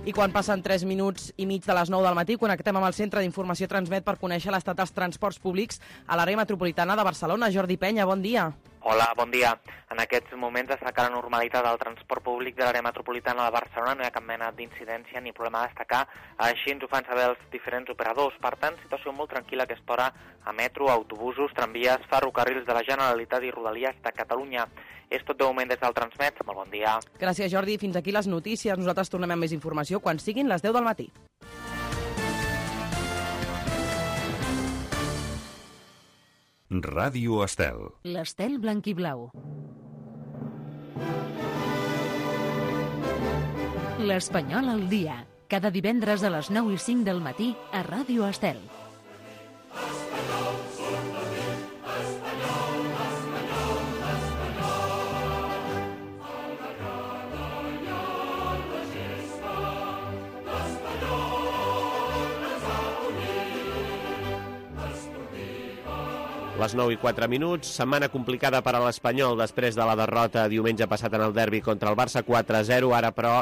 I quan passen tres minuts i mig de les nou del matí, connectem amb el Centre d'Informació Transmet per conèixer l'estat dels transports públics a l'àrea metropolitana de Barcelona. Jordi Penya, bon dia. Hola, bon dia. En aquests moments destaca la normalitat del transport públic de l'àrea metropolitana de Barcelona. No hi ha cap mena d'incidència ni problema a destacar. Així ens ho fan saber els diferents operadors. Per tant, situació molt tranquil·la a aquesta hora a metro, autobusos, tramvies, ferrocarrils de la Generalitat i Rodalies de Catalunya. És tot de moment des del Transmet. Molt bon dia. Gràcies, Jordi. Fins aquí les notícies. Nosaltres tornem amb més informació quan siguin les deu del matí. Ràdio Estel. L'Estel blanc i blau. L'Espanyol al dia. cada divendres a les nou i cinc del matí a Ràdio Estel. Les nou i quatre minuts, setmana complicada per a l'Espanyol després de la derrota diumenge passat en el derbi contra el Barça quatre a zero. Ara, però,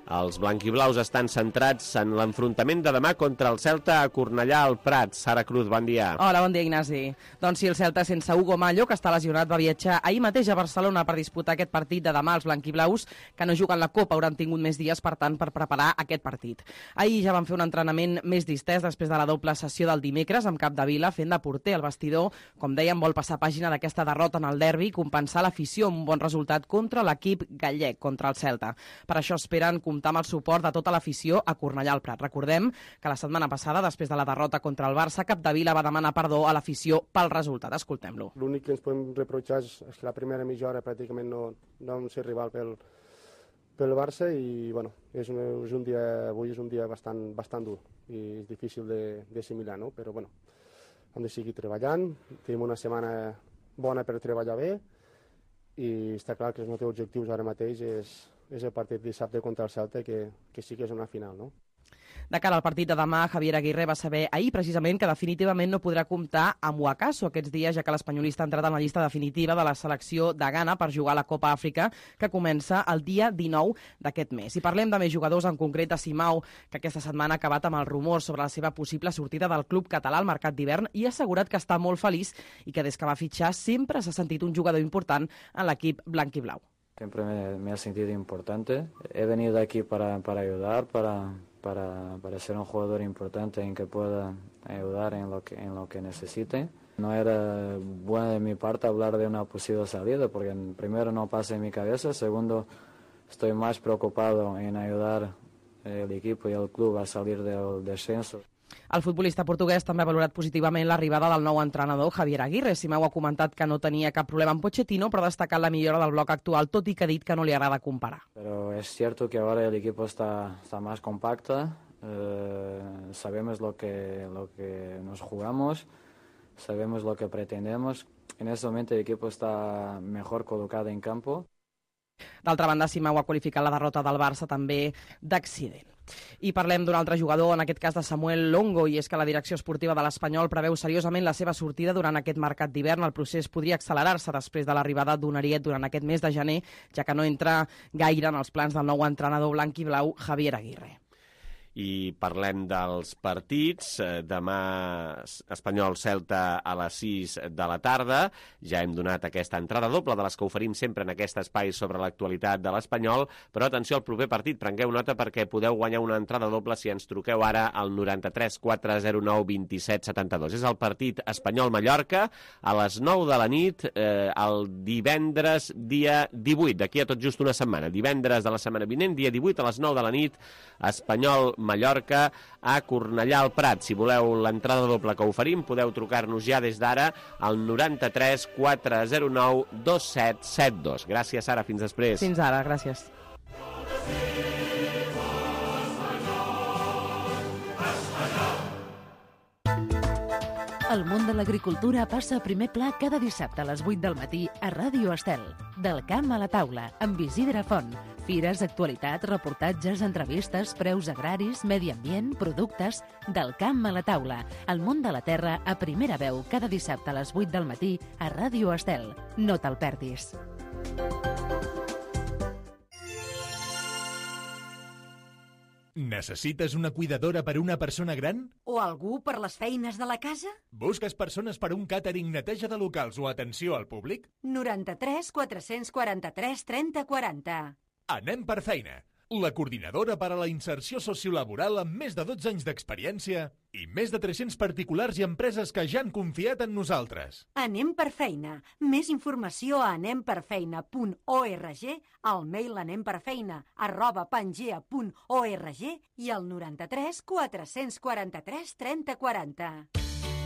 els blanquiblaus estan centrats en l'enfrontament de demà contra el Celta a Cornellà al Prat. Sara Cruz, bon dia. Hola, bon dia, Ignasi. Doncs sí, el Celta sense Hugo Mallo, que està lesionat, va viatjar ahir mateix a Barcelona per disputar aquest partit de demà. Els blanquiblaus, que no juguen la Copa, hauran tingut més dies, per tant, per preparar aquest partit. Ahir ja van fer un entrenament més distès després de la doble sessió del dimecres amb Capdevila fent de porter. El vestidor, com dèiem, vol passar pàgina d'aquesta derrota en el derbi i compensar l'afició amb un bon resultat contra l'equip gallec, contra el Celta. Per això esperen comptar amb el suport de tota l'afició a Cornellà al Prat. Recordem que la setmana passada, després de la derrota contra el Barça, Capdevila va demanar perdó a l'afició pel resultat. Escoltem-lo. L'únic que ens podem reprochar és que la primera mitja hora pràcticament no, no vam ser rival pel, pel Barça i bueno, és un, és un dia, avui és un dia bastant, bastant dur i és difícil d'assimilar, no? Però bueno, hem de seguir treballant, tenim una setmana bona per treballar bé i està clar que els nostres objectius ara mateix és és el partit dissabte contra el Celta, que, que sí que és una final, no? De cara al partit de demà, Javier Aguirre va saber ahir precisament que definitivament no podrà comptar amb Wakaso aquests dies, ja que l'espanyolista ha entrat en la llista definitiva de la selecció de Ghana per jugar a la Copa Àfrica, que comença el dia dinou d'aquest mes. I parlem de més jugadors, en concret de Simao, que aquesta setmana ha acabat amb el rumor sobre la seva possible sortida del club català al mercat d'hivern i ha assegurat que està molt feliç i que des que va fitxar sempre s'ha sentit un jugador important en l'equip blanquiblau. Siempre me, me ha sentido importante. He venido aquí para, para ayudar, para, para, para ser un jugador importante en que pueda ayudar en lo que, en lo que necesite. No era bueno de mi parte hablar de una posible salida, porque primero no pasa en mi cabeza, segundo estoy más preocupado en ayudar el equipo y el club a salir del descenso. El futbolista portuguès també ha valorat positivament l'arribada del nou entrenador, Javier Aguirre. Simao ha comentat que no tenia cap problema amb Pochettino, però ha destacat la millora del bloc actual, tot i que ha dit que no li agrada comparar. Pero es cierto que ahora el equipo está, está más compacto, eh, sabemos lo que, lo que nos jugamos, sabemos lo que pretendemos. En ese momento el equipo está mejor colocado en campo. D'altra banda, Simao ha qualificat la derrota del Barça també d'accident. I parlem d'un altre jugador, en aquest cas de Samuel Longo, i és que la direcció esportiva de l'Espanyol preveu seriosament la seva sortida durant aquest mercat d'hivern. El procés podria accelerar-se després de l'arribada d'un ariet durant aquest mes de gener, ja que no entra gaire en els plans del nou entrenador blanc i blau, Javier Aguirre. I parlem dels partits. Demà Espanyol-Celta a les sis de la tarda. Ja hem donat aquesta entrada doble de les que oferim sempre en aquest espai sobre l'actualitat de l'Espanyol, però atenció al proper partit, prengueu nota perquè podeu guanyar una entrada doble si ens truqueu ara al noranta-tres quatre zero nou vint set setanta-dos. És el partit Espanyol-Mallorca a les nou de la nit, eh, el divendres dia divuit, d'aquí a tot just una setmana. Divendres de la setmana vinent, dia divuit a les nou de la nit, Espanyol Mallorca a Cornellà al Prat. Si voleu l'entrada doble que oferim, podeu trucar-nos ja des d'ara al noranta-tres quatre zero nou dos set set dos. Gràcies, Sara. Fins després. Fins ara. Gràcies. El món de l'agricultura passa a primer pla cada dissabte a les vuit del matí a Ràdio Estel. Del camp a la taula, amb Isidre Font. Fires, actualitat, reportatges, entrevistes, preus agraris, medi ambient, productes... Del camp a la taula. El món de la terra a primera veu cada dissabte a les vuit del matí a Ràdio Estel. No te'l perdis. Necessites una cuidadora per una persona gran? O algú per les feines de la casa? Busques persones per un càtering, neteja de locals o atenció al públic? noranta-tres quatre quaranta-tres trenta quaranta. Anem per feina. La coordinadora per a la inserció sociolaboral amb més de dotze anys d'experiència i més de tres-cents particulars i empreses que ja han confiat en nosaltres. Anem per feina. Més informació a anem per feina punt org, al mail anemperfeina arroba pangea punt org i al noranta-tres quatre quaranta-tres trenta quaranta.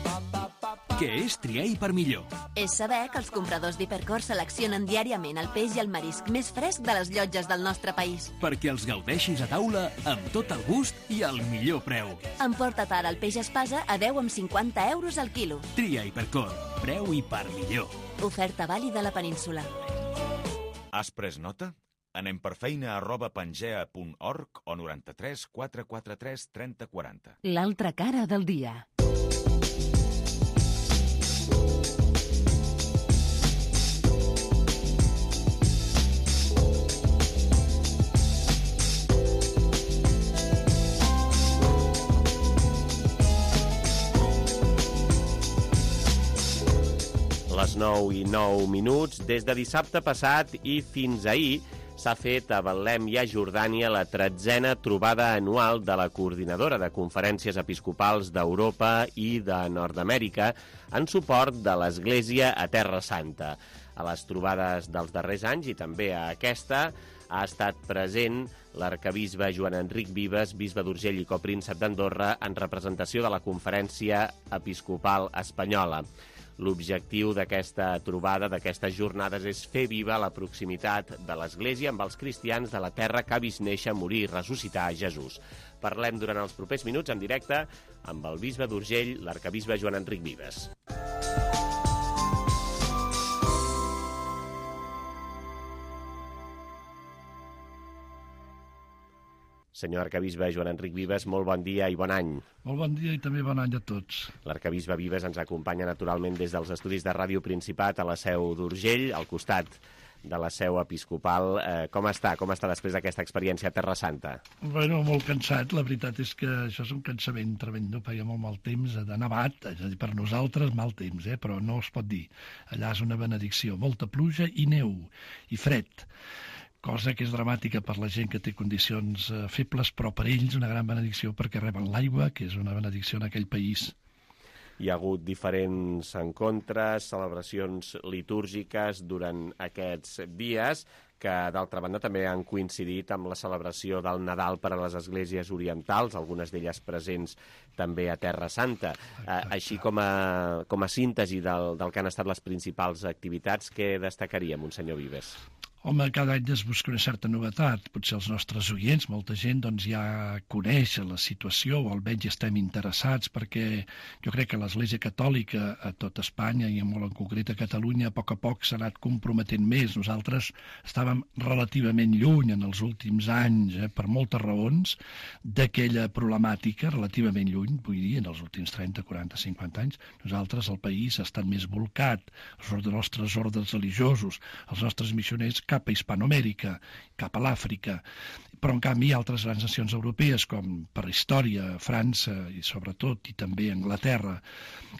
Pa, pa, pa, pa. Què és triar i per millor? És saber que els compradors d'Hipercor seleccionen diàriament el peix i el marisc més fresc de les llotges del nostre país. Perquè els gaudeixis a taula amb tot el gust i al millor preu. Emporta't ara el peix espasa a deu coma cinquanta euros al quilo. Tria Hipercor. Preu i per millor. Oferta vàlida a la península. Has pres nota? Anem per feina arroba pangea punt org o noranta-tres quatre quatre tres trenta quaranta. L'altra cara del dia. Les nou i nou minuts. Des de dissabte passat i fins ahir s'ha fet a Betlem i a Jordània la tretzena trobada anual de la Coordinadora de Conferències Episcopals d'Europa i de Nord-Amèrica en suport de l'Església a Terra Santa. A les trobades dels darrers anys i també a aquesta ha estat present l'arcabisbe Joan Enric Vives, bisbe d'Urgell i copríncep d'Andorra, en representació de la Conferència Episcopal Espanyola. L'objectiu d'aquesta trobada, d'aquestes jornades, és fer viva la proximitat de l'Església amb els cristians de la terra que ha vist néixer, morir i ressuscitar Jesús. Parlem durant els propers minuts en directe amb el bisbe d'Urgell, l'arcabisbe Joan Enric Vives. Senyor arcabisbe Joan Enric Vives, molt bon dia i bon any. Molt bon dia i també bon any a tots. L'arcabisbe Vives ens acompanya naturalment des dels estudis de Ràdio Principat a la seu d'Urgell, al costat de la seu episcopal. Eh, com està? Com està després d'aquesta experiència a Terra Santa? Bueno, molt cansat. La veritat és que això és un cansament tremendo, perquè hi ha molt mal temps de nevat, és a dir, per nosaltres mal temps, eh? Però no es pot dir. Allà és una benedicció, molta pluja i neu, i fred. Cosa que és dramàtica per la gent que té condicions eh, febles, però per ells una gran benedicció perquè reben l'aigua, que és una benedicció en aquell país. Hi ha hagut diferents encontres, celebracions litúrgiques durant aquests dies, que d'altra banda també han coincidit amb la celebració del Nadal per a les esglésies orientals, algunes d'elles presents també a Terra Santa. Eh, així com a, com a síntesi del, del que han estat les principals activitats, què destacaria, Monsenyor Vives? Home, cada any es busca una certa novetat. Potser els nostres oients, molta gent, doncs ja coneix la situació o almenys estem interessats perquè jo crec que l'Església Catòlica a tot Espanya i molt en concret a Catalunya a poc a poc s'ha anat comprometent més. Nosaltres estàvem relativament lluny en els últims anys, eh, per moltes raons, d'aquella problemàtica, relativament lluny, vull dir, en els últims trenta, quaranta, cinquanta anys. Nosaltres, el país, ha estat més volcat, els nostres ordres religiosos, els nostres missioners, cap a Hispanoamèrica, cap a l'Àfrica. Però, en canvi, altres grans nacions europees, com per història, França i sobretot, i també Anglaterra,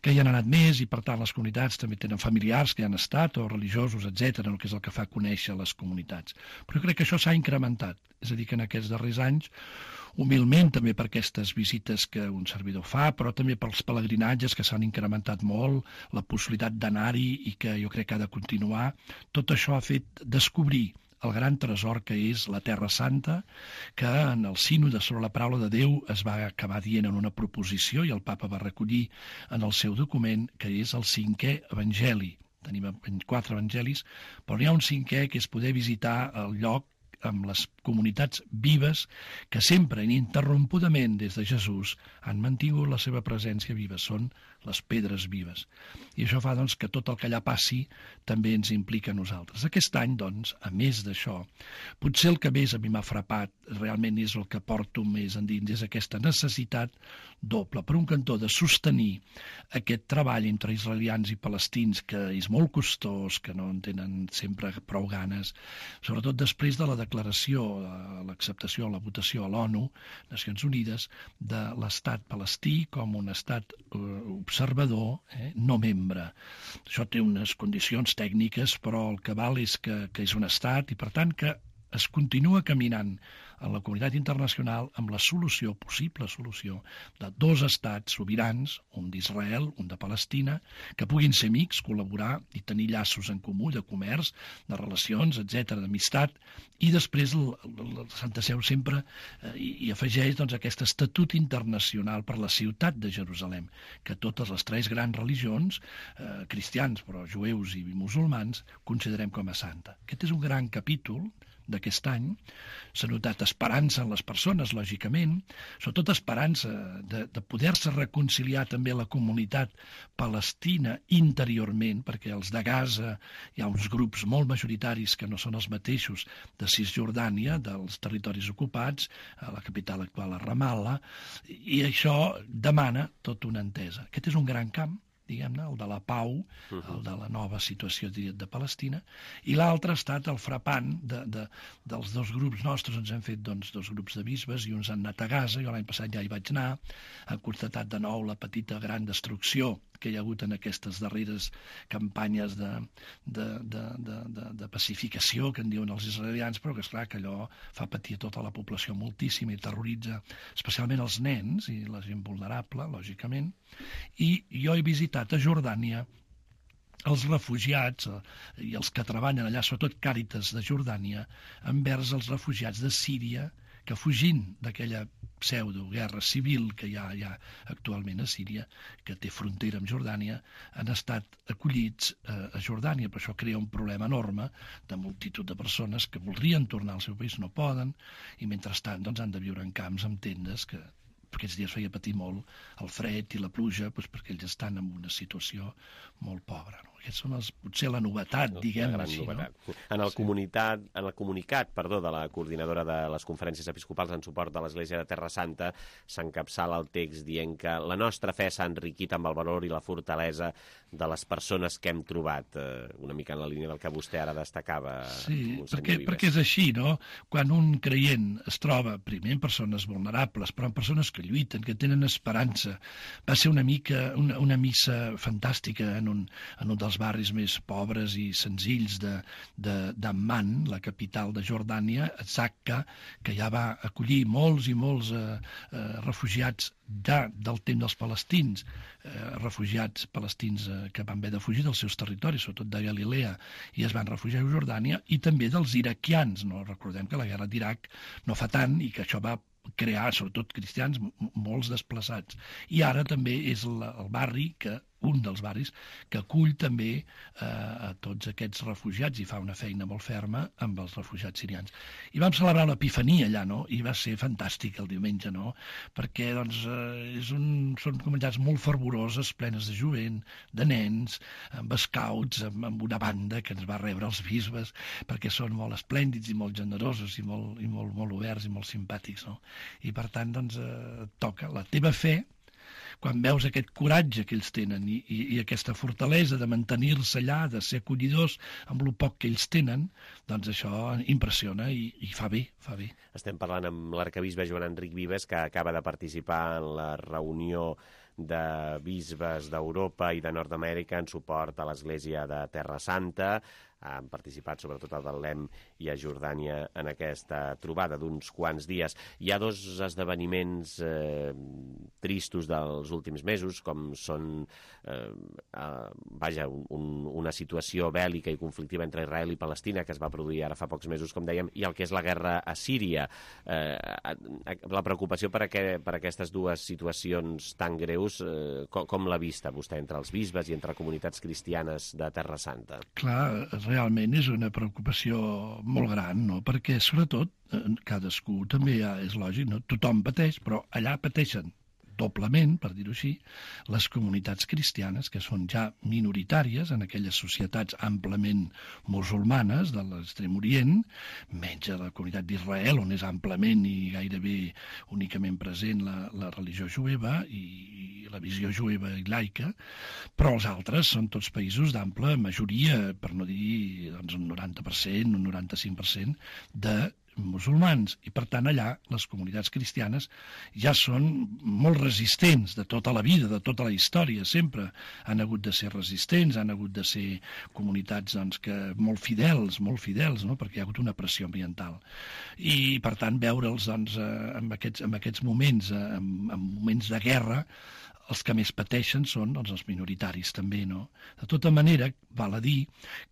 que hi han anat més i, per tant, les comunitats també tenen familiars que hi han estat, o religiosos, etcètera, que és el que fa conèixer les comunitats. Però jo crec que això s'ha incrementat. És a dir, que en aquests darrers anys, humilment també per aquestes visites que un servidor fa, però també pels pelegrinatges que s'han incrementat molt, la possibilitat d'anar-hi i que jo crec que ha de continuar, tot això ha fet descobrir el gran tresor que és la Terra Santa, que en el sínode sobre la paraula de Déu es va acabar dient en una proposició i el papa va recollir en el seu document, que és el cinquè evangeli. Tenim quatre evangelis, però n'hi ha un cinquè que és poder visitar el lloc amb les comunitats vives que sempre, ininterrompudament des de Jesús, han mantingut la seva presència viva. Són les pedres vives. I això fa, doncs, que tot el que allà passi també ens implica a nosaltres. Aquest any, doncs, a més d'això, potser el que més a mi m'ha frapat realment és el que porto més endins, és aquesta necessitat doble, per un cantó, de sostenir aquest treball entre israelians i palestins, que és molt costós, que no en tenen sempre prou ganes, sobretot després de la declaració, l'acceptació, la votació a l'ONU, Nacions Unides, de l'estat palestí com un estat eh, observador, eh, no membre. Això té unes condicions tècniques, però el que val és que, que és un estat i, per tant, que es continua caminant en la comunitat internacional amb la solució, possible solució, de dos estats sobirans, un d'Israel, un de Palestina, que puguin ser amics, col·laborar i tenir llaços en comú de comerç, de relacions, etcètera, d'amistat, i després el, el, el Santa Seu sempre eh, i, i afegeix doncs, aquest estatut internacional per la ciutat de Jerusalem, que totes les tres grans religions, eh, cristians, però jueus i musulmans, considerem com a santa. Aquest és un gran capítol d'aquest any. S'ha notat esperança en les persones, lògicament, sobretot esperança de, de poder-se reconciliar també la comunitat palestina interiorment, perquè els de Gaza hi ha uns grups molt majoritaris que no són els mateixos de Cisjordània, dels territoris ocupats, a la capital actual, a Ramallah, i això demana tota una entesa. Aquest és un gran camp, diguem-ne, el de la pau, uh-huh. el de la nova situació de Palestina, i l'altre ha estat el frapant de, de, dels dos grups nostres. Ens hem fet doncs, dos grups de bisbes i uns han anat a Gaza, jo l'any passat ja hi vaig anar, han constatat de nou la petita gran destrucció que hi ha hagut en aquestes darreres campanyes de, de, de, de, de, de pacificació que en diuen els israelians, però que és clar que allò fa patir tota la població moltíssim i terroritza especialment els nens i la gent vulnerable, lògicament. I jo he visitat a Jordània els refugiats eh, i els que treballen allà, sobretot Càritas de Jordània, envers els refugiats de Síria, que fugint d'aquella pseudo-guerra civil que hi ha, hi ha actualment a Síria, que té frontera amb Jordània, han estat acollits eh, a Jordània, però això crea un problema enorme de multitud de persones que voldrien tornar al seu país, no poden, i mentrestant doncs, han de viure en camps amb tendes que aquests dies feia patir molt el fred i la pluja, doncs perquè ells estan en una situació molt pobra. No? Aquests són els, potser la novetat, no, diguem-ne així. Novetat. No? En, el sí. comunitat, en el comunicat perdó, de la coordinadora de les conferències episcopals en suport de l'Església de Terra Santa s'encapçala el text dient que la nostra fe s'ha enriquit amb el valor i la fortalesa de les persones que hem trobat, eh, una mica en la línia del que vostè ara destacava. Sí, perquè, perquè és així, no? Quan un creient es troba primer en persones vulnerables, però en persones que lluiten, que tenen esperança. Va ser una mica una, una missa fantàstica en un, en un dels barris més pobres i senzills de, de, d'Amman, la capital de Jordània, Zakka, que ja va acollir molts i molts eh, eh, refugiats de, del temps dels palestins, eh, refugiats palestins eh, que van haver de fugir dels seus territoris, sobretot de Galilea, i es van refugiar a Jordània, i també dels iraquians. No? Recordem que la guerra d'Iraq no fa tant i que això va crear, sobretot cristians, molts desplaçats. I ara també és el, el barri que un dels barris que acull també eh, a tots aquests refugiats i fa una feina molt ferma amb els refugiats sirians. I vam celebrar l'Epifania allà, no? I va ser fantàstic el diumenge, no? Perquè doncs, eh, és un, són comunitats molt fervoroses, plenes de jovent, de nens, amb scouts, amb, amb una banda que ens va rebre els bisbes, perquè són molt esplèndids i molt generosos i molt, i molt, molt oberts i molt simpàtics, no? I per tant, doncs, eh, toca la teva fe, quan veus aquest coratge que ells tenen i, i, i aquesta fortalesa de mantenir-se allà, de ser acollidors amb el poc que ells tenen, doncs això impressiona i, i fa bé, fa bé. Estem parlant amb l'arcabisbe Joan Enric Vives, que acaba de participar en la reunió de bisbes d'Europa i de Nord-Amèrica en suport a l'Església de Terra Santa. Han participat sobretot a Betlem i a Jordània en aquesta trobada d'uns quants dies. Hi ha dos esdeveniments eh, tristos dels últims mesos, com són eh, eh, vaja, un, una situació bèl·lica i conflictiva entre Israel i Palestina, que es va produir ara fa pocs mesos, com dèiem, i el que és la guerra a Síria. Eh, la preocupació per, aqu per aquestes dues situacions tan greus, eh, com, com l'ha vista vostè entre els bisbes i entre comunitats cristianes de Terra Santa? Clar, realment és una preocupació molt gran, no? Perquè, sobretot, cadascú també ja és lògic, no? Tothom pateix, però allà pateixen doblement, per dir-ho així, les comunitats cristianes, que són ja minoritàries en aquelles societats amplament musulmanes de l'Extrem Orient, menys a la comunitat d'Israel, on és amplament i gairebé únicament present la, la religió jueva i, i la visió jueva i laica, però els altres són tots països d'ample majoria, per no dir doncs, un noranta per cent, un noranta-cinc per cent de musulmans, i per tant allà les comunitats cristianes ja són molt resistents de tota la vida, de tota la història, sempre han hagut de ser resistents, han hagut de ser comunitats doncs, que molt fidels, molt fidels, no? Perquè hi ha hagut una pressió ambiental. I per tant veure'ls doncs, en, aquests, en aquests moments, en, en moments de guerra, els que més pateixen són doncs, els minoritaris també, no? De tota manera, val a dir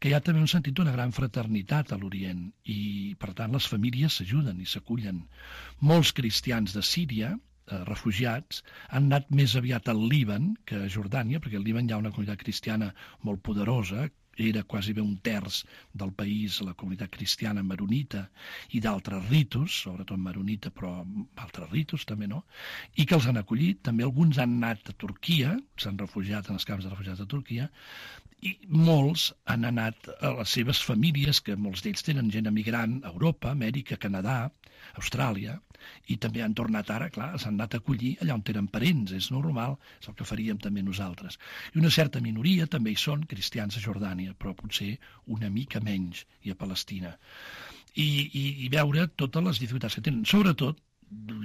que hi ha també un sentit d'una gran fraternitat a l'Orient i, per tant, les famílies s'ajuden i s'acullen. Molts cristians de Síria, eh, refugiats, han anat més aviat al Líban que a Jordània, perquè al Líban hi ha una comunitat cristiana molt poderosa, era quasi bé un terç del país, la comunitat cristiana maronita i d'altres ritus, sobretot maronita, però altres ritus també, no? I que els han acollit. També alguns han anat a Turquia, s'han refugiat en els camps de refugiats de Turquia, i molts han anat a les seves famílies, que molts d'ells tenen gent emigrant a Europa, Amèrica, Canadà, Austràlia, i també han tornat ara, clar, s'han anat a acollir allà on tenen parents, és normal, és el que faríem també nosaltres. I una certa minoria també hi són cristians a Jordània, però potser una mica menys, i a Palestina. I, i, i veure totes les dificultats que tenen, sobretot,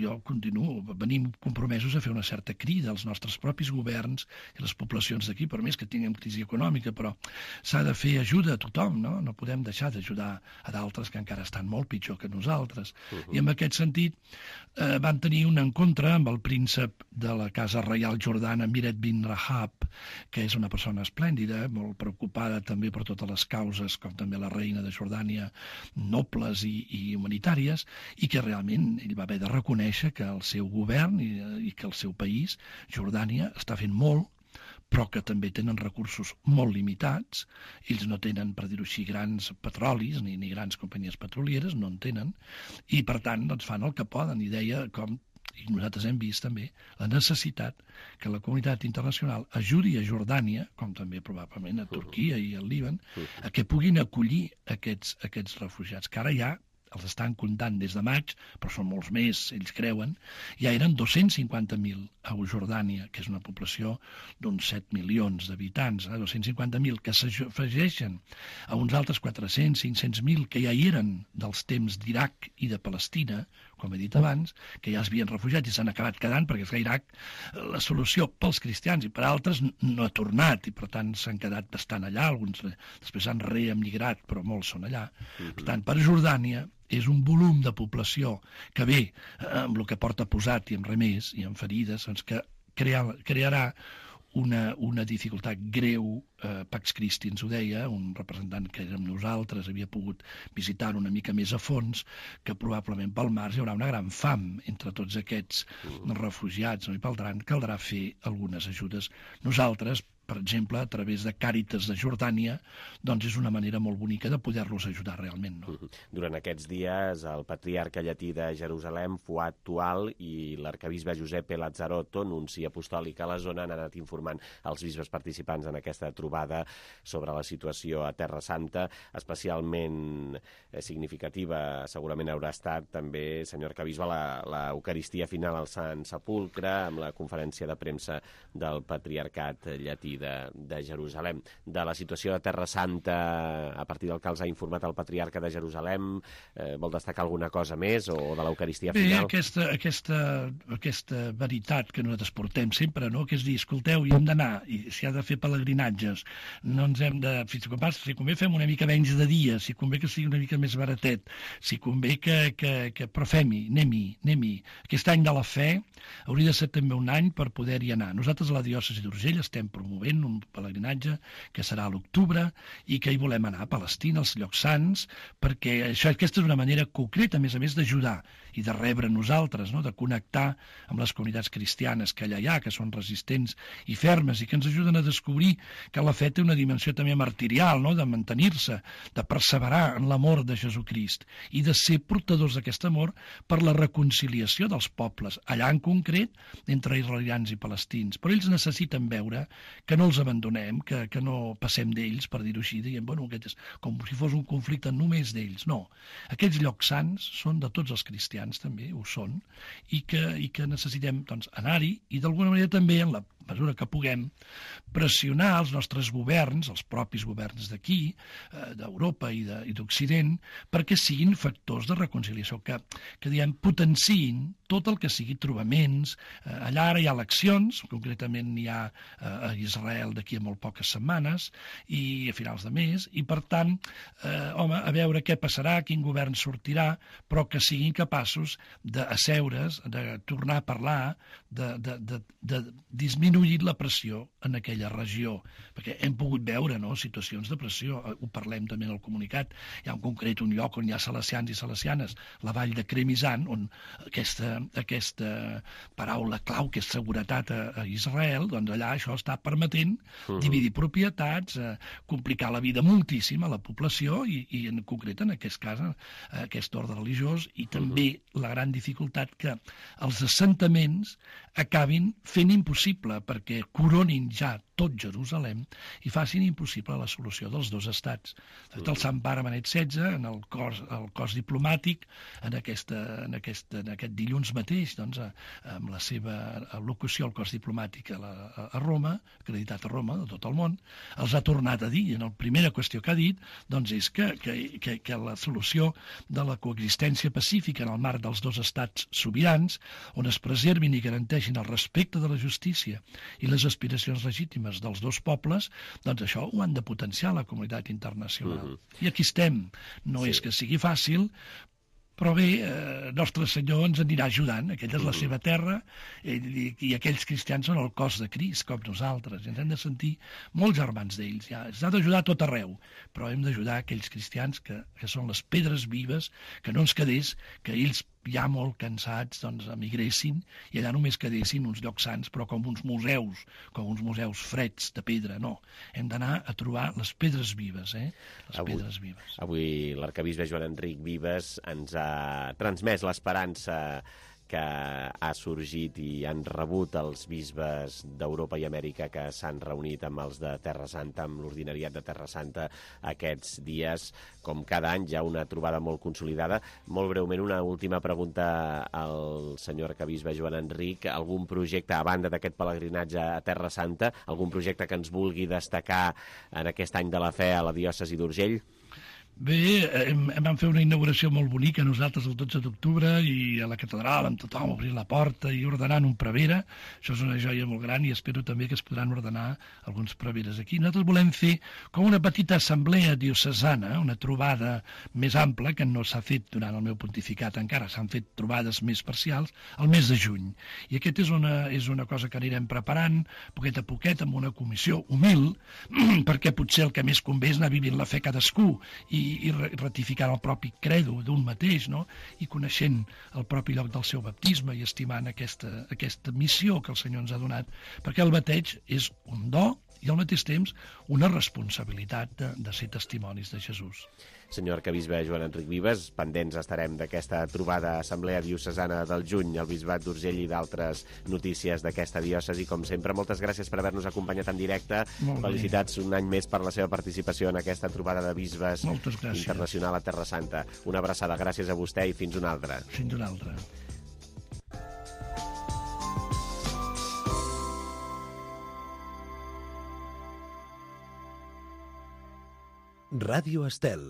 jo continuo, venim compromesos a fer una certa crida als nostres propis governs i les poblacions d'aquí, per més que tinguem crisi econòmica, però s'ha de fer ajuda a tothom, no? No podem deixar d'ajudar a d'altres que encara estan molt pitjor que nosaltres. Uh-huh. I en aquest sentit eh, van tenir un encontre amb el príncep de la Casa Reial Jordana, Miret bin Rahab, que és una persona esplèndida, molt preocupada també per totes les causes, com també la reina de Jordània, nobles i, i humanitàries, i que realment ell va haver de reconèixer que el seu govern i, i que el seu país, Jordània, està fent molt, però que també tenen recursos molt limitats. Ells no tenen, per dir-ho així, grans petrolis ni, ni grans companyies petrolieres, no en tenen, i per tant doncs, fan el que poden. I deia com, i nosaltres hem vist també, la necessitat que la comunitat internacional ajudi a Jordània, com també probablement a Turquia i al Líban, a que puguin acollir aquests, aquests refugiats, que ara ja els estan comptant des de maig, però són molts més, ells creuen, ja eren dos-cents cinquanta mil a Jordània, que és una població d'uns set milions d'habitants, eh? dos-cents cinquanta mil que s'afegeixen a uns altres quatre-cents, cinc-cents mil que ja hi eren dels temps d'Iraq i de Palestina, com he dit abans, que ja es havien refugiat i s'han acabat quedant, perquè és que Iraq la solució pels cristians i per altres no ha tornat, i per tant s'han quedat bastant allà, alguns després han reemigrat, però molts són allà. Uh-huh. Per tant, per Jordània és un volum de població que ve amb el que porta posat i amb remés i amb ferides, doncs que crea, crearà una, una dificultat greu. eh, Pax Christi ens ho deia, un representant que érem nosaltres, havia pogut visitar una mica més a fons, que probablement pel març hi haurà una gran fam entre tots aquests refugiats, no? I pel tant caldrà fer algunes ajudes. Nosaltres, per exemple, a través de Càritas de Jordània, doncs és una manera molt bonica de poder-los ajudar realment, no? Durant aquests dies, el patriarca llatí de Jerusalem, Fuad Tual, i l'arcabisbe Giuseppe Lazzarotto, nunci apostòlic a la zona, han anat informant els bisbes participants en aquesta trobada sobre la situació a Terra Santa, especialment significativa, segurament haurà estat també, senyor arcabisbe, l'Eucaristia final al Sant Sepulcre, amb la conferència de premsa del patriarcat llatí de, de Jerusalem. De la situació de Terra Santa, a partir del que els ha informat el patriarca de Jerusalem, eh, vol destacar alguna cosa més, o de l'Eucaristia final? Bé, aquesta, aquesta, aquesta veritat que nosaltres portem sempre, no? Que és dir, escolteu, hi hem d'anar, i si ha de fer pelegrinatges, no ens hem de... Si convé fem una mica menys de dia, si convé que sigui una mica més baratet, si convé que... que, que però fem-hi, anem-hi, anem-hi. Aquest any de la fe hauria de ser també un any per poder-hi anar. Nosaltres a la diòcesi d'Urgell estem promovent un pelegrinatge que serà a l'octubre i que hi volem anar a Palestina, als llocs sants, perquè això, aquesta és una manera concreta, a més a més, d'ajudar i de rebre nosaltres, no? De connectar amb les comunitats cristianes que allà hi ha, que són resistents i fermes i que ens ajuden a descobrir que la fe té una dimensió també martirial, no? De mantenir-se, de perseverar en l'amor de Jesucrist i de ser portadors d'aquest amor per la reconciliació dels pobles, allà en concret entre israelians i palestins. Però ells necessiten veure que no els abandonem, que, que no passem d'ells, per dir-ho així, dient, bueno, aquest és com si fos un conflicte només d'ells. No, aquests llocs sants són de tots els cristians, també ho són, i que, i que necessitem doncs, anar-hi i d'alguna manera també, en la mesura que puguem, pressionar els nostres governs, els propis governs d'aquí, eh, d'Europa i d'Occident, perquè siguin factors de reconciliació, que, que diguem, potenciïn tot el que sigui trobaments. Eh, allà ara hi ha eleccions, concretament hi ha eh, a Israel d'aquí a molt poques setmanes i a finals de mes, i per tant, eh, home, a veure què passarà, quin govern sortirà, però que siguin capaços d'asseure's, de tornar a parlar, de, de, de, de disminuir la pressió en aquella regió, perquè hem pogut veure, no?, situacions de pressió, ho parlem també en el comunicat. Hi ha en concret un lloc on hi ha salesians i salesianes, la vall de Kremizan, on aquesta, aquesta paraula clau, que és seguretat a, a Israel, doncs allà això està permetent uh-huh. dividir propietats, eh, complicar la vida moltíssim a la població i, i en concret en aquest cas eh, aquest ordre religiós, i també uh-huh. la gran dificultat que els assentaments acabin fent impossible, perquè coronin ja tot Jerusalem i facin impossible la solució dels dos estats. De fet, el Sant Pare Benet setze, en el cos, el cos diplomàtic, en, aquesta, en, aquesta, en aquest dilluns mateix, doncs, amb la seva al·locució al cos diplomàtic a, la, a Roma, acreditat a Roma, de tot el món, els ha tornat a dir, i en la primera qüestió que ha dit, doncs és que, que, que, que la solució de la coexistència pacífica en el marc dels dos estats sobirans, on es preservin i garanteixin el respecte de la justícia i les aspiracions legítimes dels dos pobles, doncs això ho han de potenciar la comunitat internacional. Uh-huh. I aquí estem. No sí. és que sigui fàcil, però bé, eh, Nostre Senyor ens anirà ajudant. Aquella és la seva terra, i, i aquells cristians són el cos de Crist, com nosaltres. Ens hem de sentir molt germans d'ells. Ja. Ens ha d'ajudar a tot arreu, però hem d'ajudar aquells cristians que, que són les pedres vives, que no ens quedés que ells ja molt cansats, doncs, emigressin i allà només quedessin uns llocs sants, però com uns museus, com uns museus freds de pedra, no. Hem d'anar a trobar les pedres vives, eh? Les avui, pedres vives. Avui l'arcabisbe Joan Enric Vives ens ha transmès l'esperança que ha sorgit i han rebut els bisbes d'Europa i Amèrica que s'han reunit amb els de Terra Santa, amb l'ordinariat de Terra Santa aquests dies. Com cada any, ja una trobada molt consolidada. Molt breument, una última pregunta al senyor arcabisbe Joan Enric. Algun projecte, a banda d'aquest pelegrinatge a Terra Santa, algun projecte que ens vulgui destacar en aquest any de la fe a la diòcesi d'Urgell? Bé, hem, vam fer una inauguració molt bonica nosaltres el dotze d'octubre i a la catedral amb tothom obrint la porta i ordenant un prevere. Això és una joia molt gran i espero també que es podran ordenar alguns preveres aquí. Nosaltres volem fer com una petita assemblea diocesana, una trobada més ampla que no s'ha fet durant el meu pontificat encara. S'han fet trobades més parcials al mes de juny. I aquest és una, és una cosa que anirem preparant poquet a poquet amb una comissió humil perquè potser el que més convé és anar vivint la fe cadascú i i ratificant el propi credo d'un mateix, no? I coneixent el propi lloc del seu baptisme i estimant aquesta, aquesta missió que el Senyor ens ha donat, perquè el bateig és un do i al mateix temps una responsabilitat de, de ser testimonis de Jesús. Senyor arcabisbe Joan Enric Vives, pendents estarem d'aquesta trobada assemblea diocesana del juny al Bisbat d'Urgell i d'altres notícies d'aquesta diòcesi. Com sempre, moltes gràcies per haver-nos acompanyat en directe. Felicitats un any més per la seva participació en aquesta trobada de bisbes internacional a Terra Santa. Una abraçada, gràcies a vostè i fins una altra. Fins una altra. Ràdio Estel.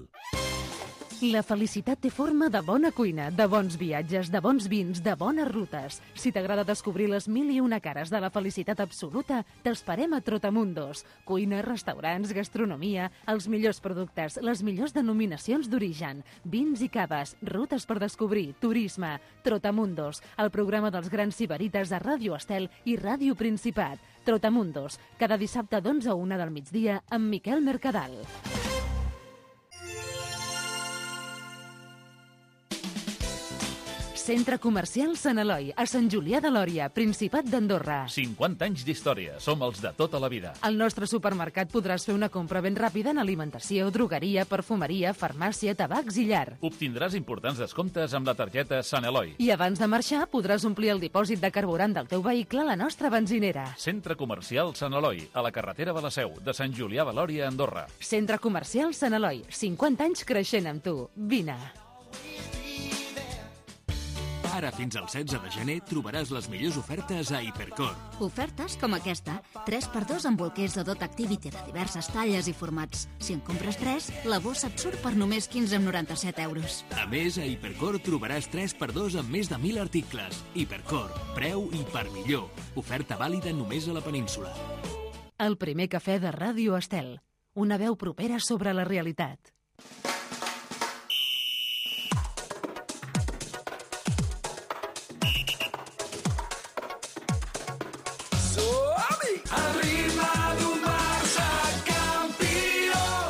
La felicitat té forma de bona cuina, de bons viatges, de bons vins, de bones rutes. Si t'agrada descobrir les mil i una cares de la felicitat absoluta, t'esperem a Trotamundos. Cuina, restaurants, gastronomia, els millors productes, les millors denominacions d'origen, vins i caves, rutes per descobrir, turisme. Trotamundos, el programa dels grans sibarites a Ràdio Estel i Ràdio Principat. Trotamundos, cada dissabte d'onze a una del migdia amb Miquel Mercadal. Centre Comercial Sant Eloi, a Sant Julià de Lòria, Principat d'Andorra. cinquanta anys d'història. Som els de tota la vida. Al nostre supermercat podràs fer una compra ben ràpida en alimentació, drogueria, perfumeria, farmàcia, tabacs i llar. Obtindràs importants descomptes amb la targeta Sant Eloi. I abans de marxar podràs omplir el dipòsit de carburant del teu vehicle a la nostra benzinera. Centre Comercial Sant Eloi, a la carretera de la Seu, de Sant Julià de Lòria, Andorra. Centre Comercial Sant Eloi, cinquanta anys creixent amb tu. Vine. Ara fins al setze de gener trobaràs les millors ofertes a Hipercor. Ofertes com aquesta. tres per dos amb bolquers de Dot Activity de diverses talles i formats. Si en compres tres, la bossa et surt per només quinze coma noranta-set euros. A més, a Hipercor trobaràs tres per dos amb més de mil articles. Hipercor, preu i per millor. Oferta vàlida només a la península. El primer cafè de Ràdio Estel. Una veu propera sobre la realitat.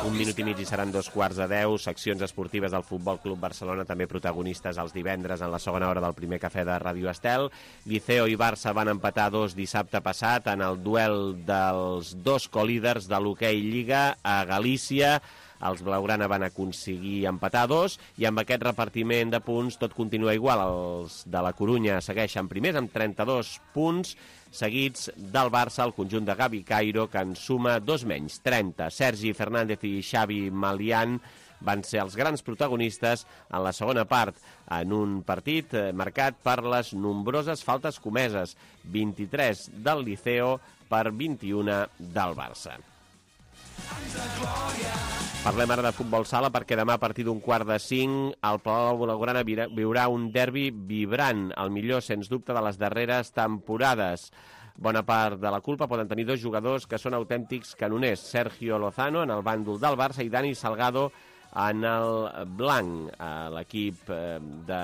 Un minut i mig i seran dos quarts de deu. Seccions esportives del Futbol Club Barcelona, també protagonistes els divendres en la segona hora del primer cafè de Ràdio Estel. Liceo i Barça van empatar dos dissabte passat en el duel dels dos colíders de l'hoquei Lliga a Galícia. Els blaugrana van aconseguir empatar dos i amb aquest repartiment de punts tot continua igual. Els de la Corunya segueixen primers amb trenta-dos punts, seguits del Barça, el conjunt de Gavi Cairo, que en suma dos menys, trenta. Sergi Fernández i Xavi Malian van ser els grans protagonistes en la segona part, en un partit marcat per les nombroses faltes comeses, vint-i-tres del Liceo per vint-i-una del Barça. Parlem ara de futbol sala perquè demà a partir d'un quart de cinc el Palau Blaugrana viurà un derbi vibrant, el millor sens dubte de les darreres temporades. Bona part de la culpa poden tenir dos jugadors que són autèntics canoners, Sergio Lozano en el bàndol del Barça i Dani Salgado en el blanc. L'equip de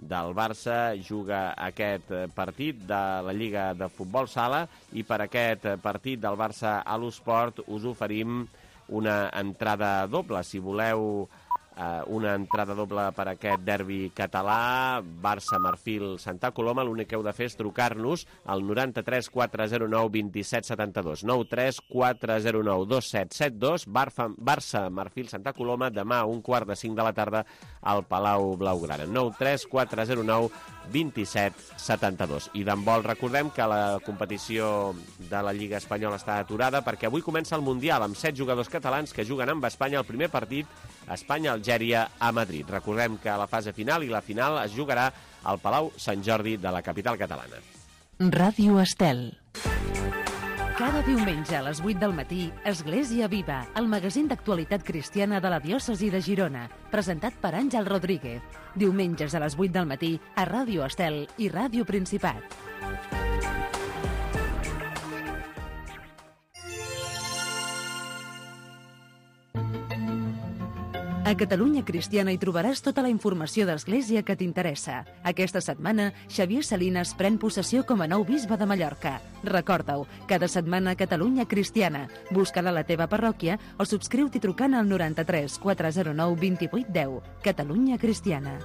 del Barça juga aquest partit de la Lliga de Futbol Sala i per aquest partit del Barça a l'Esport us oferim una entrada doble. Si voleu eh, una entrada doble per aquest derbi català, Barça-Marfil Santa Coloma, l'únic que heu de fer és trucar-nos al noranta-tres quatre zero nou dos set set dos, nou tres quatre zero nou dos set set dos, Barça-Marfil Santa Coloma, demà a un quart de cinc de la tarda al Palau Blaugrana, nou tres quatre zero nou dos set set dos. I d'handbol recordem que la competició de la Lliga Espanyola està aturada perquè avui comença el Mundial amb set jugadors catalans que juguen amb Espanya el primer partit Espanya-Algèria a Madrid. Recordem que la fase final i la final es jugarà al Palau Sant Jordi de la capital catalana. Ràdio Estel. Cada diumenge a les vuit del matí, Església Viva, el magazín d'actualitat cristiana de la diòcesi de Girona, presentat per Àngel Rodríguez. Diumenges a les vuit del matí a Ràdio Estel i Ràdio Principat. A Catalunya Cristiana hi trobaràs tota la informació d'Església que t'interessa. Aquesta setmana, Xavier Salinas pren possessió com a nou bisbe de Mallorca. Recorda-ho, cada setmana a Catalunya Cristiana. Busca-la a la teva parròquia o subscriu-t'hi trucant al noranta-tres quatre zero nou dos vuit un zero. Catalunya Cristiana.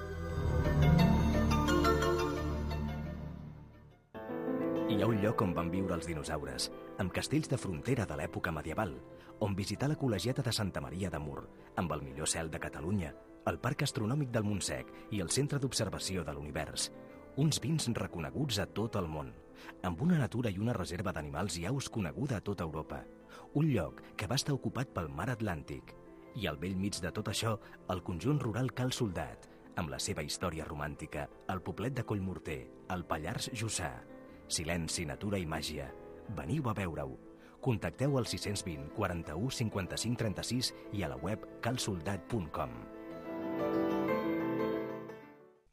Hi ha un lloc on van viure els dinosaures, amb castells de frontera de l'època medieval, on visitar la col·legiata de Santa Maria de Mur, amb el millor cel de Catalunya, el Parc Astronòmic del Montsec i el Centre d'Observació de l'Univers. Uns vins reconeguts a tot el món, amb una natura i una reserva d'animals i aus coneguda a tota Europa. Un lloc que va estar ocupat pel mar Atlàntic. I al bell mig de tot això, el conjunt rural Cal Soldat, amb la seva història romàntica, el poblet de Collmorter, el Pallars Jussà. Silenci, natura i màgia. Veniu a veure-ho. Contacteu al sis cents vint quaranta-u cinquanta-cinc trenta-sis i a la web calsoldat punt com.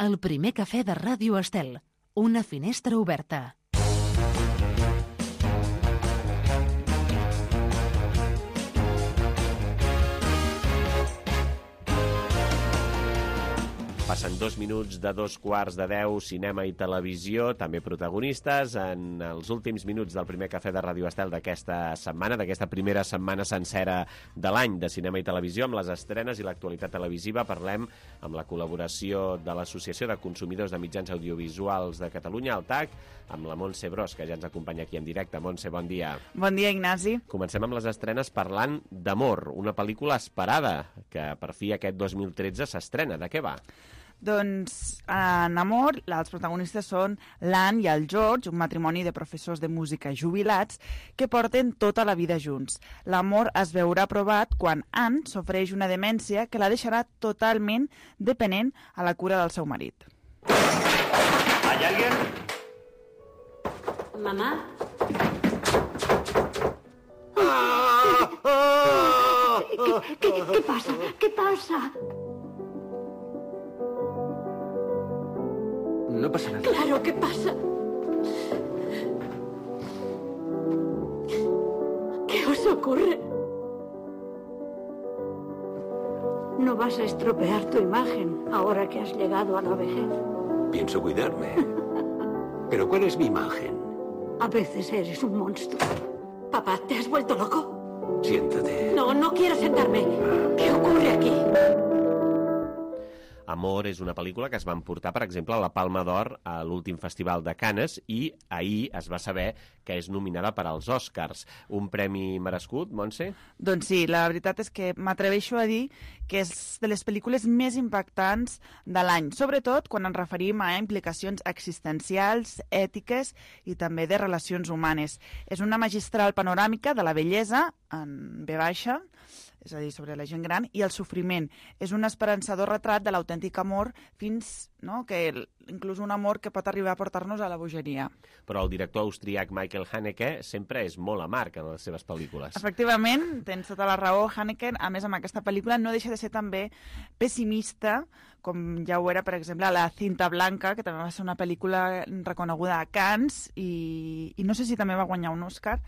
El primer cafè de Ràdio Estel. Una finestra oberta. Passen dos minuts de dos quarts de deu, cinema i televisió, també protagonistes. En els últims minuts del primer cafè de Ràdio Estel d'aquesta setmana, d'aquesta primera setmana sencera de l'any de cinema i televisió, amb les estrenes i l'actualitat televisiva, parlem amb la col·laboració de l'Associació de Consumidors de Mitjans Audiovisuals de Catalunya, el T A C, amb la Montse Bros, que ja ens acompanya aquí en directe. Montse, bon dia. Bon dia, Ignasi. Comencem amb les estrenes parlant d'Amor, una pel·lícula esperada, que per fi aquest dos mil tretze s'estrena. De què va? Doncs en Amor, els protagonistes són l'Anne i el George, un matrimoni de professors de música jubilats que porten tota la vida junts. L'amor es veurà provat quan Anne sofreix una demència que la deixarà totalment dependent a la cura del seu marit. ¿Hay alguien? Mamá. ¿Qué, qué, qué, qué pasa? ¿Qué pasa? No pasa nada. Claro, ¿qué pasa? ¿Qué os ocurre? No vas a estropear tu imagen ahora que has llegado a la vejez. Pienso cuidarme. ¿Pero cuál es mi imagen? A veces eres un monstruo. Papá, ¿te has vuelto loco? Siéntate. No, no quiero sentarme. ¿Qué ocurre aquí? Amor és una pel·lícula que es va emportar, per exemple, a la Palma d'Or a l'últim festival de Canes i ahir es va saber que és nominada per als Oscars. Un premi merescut, Montse? Doncs sí, la veritat és que m'atreveixo a dir que és de les pel·lícules més impactants de l'any, sobretot quan ens referim a implicacions existencials, ètiques i també de relacions humanes. És una magistral panoràmica de la bellesa, en ve baixa, és a dir, sobre la gent gran, i el sofriment. És un esperançador retrat de l'autèntic amor fins, no?, que inclús un amor que pot arribar a portar-nos a la bogeria. Però el director austríac Michael Haneke sempre és molt amarg en les seves pel·lícules. Efectivament, tens tota la raó. Haneke, a més, amb aquesta pel·lícula, no deixa de ser també pessimista, com ja ho era, per exemple, La cinta blanca, que també va ser una pel·lícula reconeguda a Cannes, i, i no sé si també va guanyar un Oscar.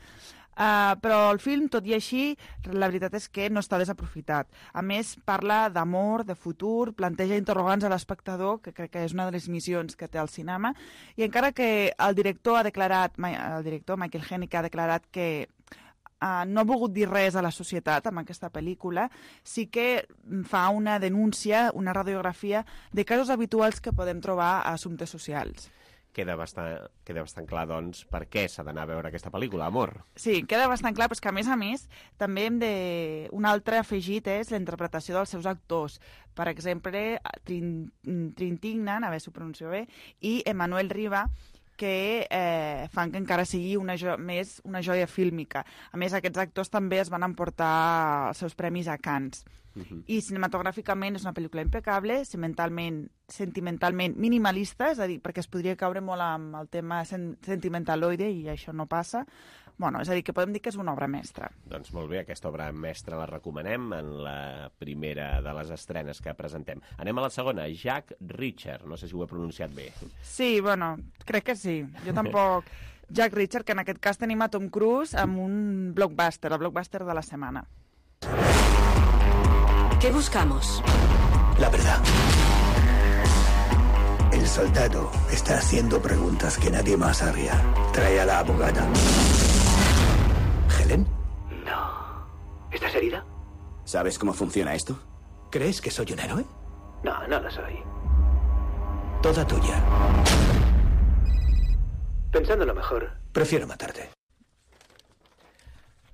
Uh, però el film, tot i així, la veritat és que no està desaprofitat. A més, parla d'amor, de futur, planteja interrogants a l'espectador, que crec que és una de les missions que té el cinema, i encara que el director ha declarat, el director Michael Haneke ha declarat que uh, no ha volgut dir res a la societat amb aquesta pel·lícula, sí que fa una denúncia, una radiografia de casos habituals que podem trobar a assumptes socials. Queda bastant, queda bastant clar, doncs, per què s'ha d'anar a veure aquesta pel·lícula, Amor. Sí, queda bastant clar, però és que, a més a més, també hem de... Un altre afegit és la interpretació dels seus actors. Per exemple, Trin... Trintignant, a veure si ho pronuncio bé, i Emmanuel Riva, que eh, fan que encara sigui una jo... més una joia fílmica. A més, aquests actors també es van emportar els seus premis a Cannes. Uh-huh. I cinematogràficament és una pel·lícula impecable, sentimentalment, sentimentalment minimalista, és a dir, perquè es podria caure molt amb el tema sen sentimentaloide i això no passa. Bueno, és a dir, que podem dir que és una obra mestra. Doncs molt bé, aquesta obra mestra la recomanem en la primera de les estrenes que presentem. Anem a la segona, Jack Reacher, no sé si ho he pronunciat bé. Sí, bueno, crec que sí. Jo tampoc... Jack Reacher, que en aquest cas tenim a Tom Cruise amb un blockbuster, el blockbuster de la setmana. ¿Qué buscamos? La verdad. El soldado está haciendo preguntas que nadie más haría. Trae a la abogada. ¿Helen? No. ¿Estás herida? ¿Sabes cómo funciona esto? ¿Crees que soy un héroe? No, no lo soy. Toda tuya. Pensándolo mejor. Prefiero matarte.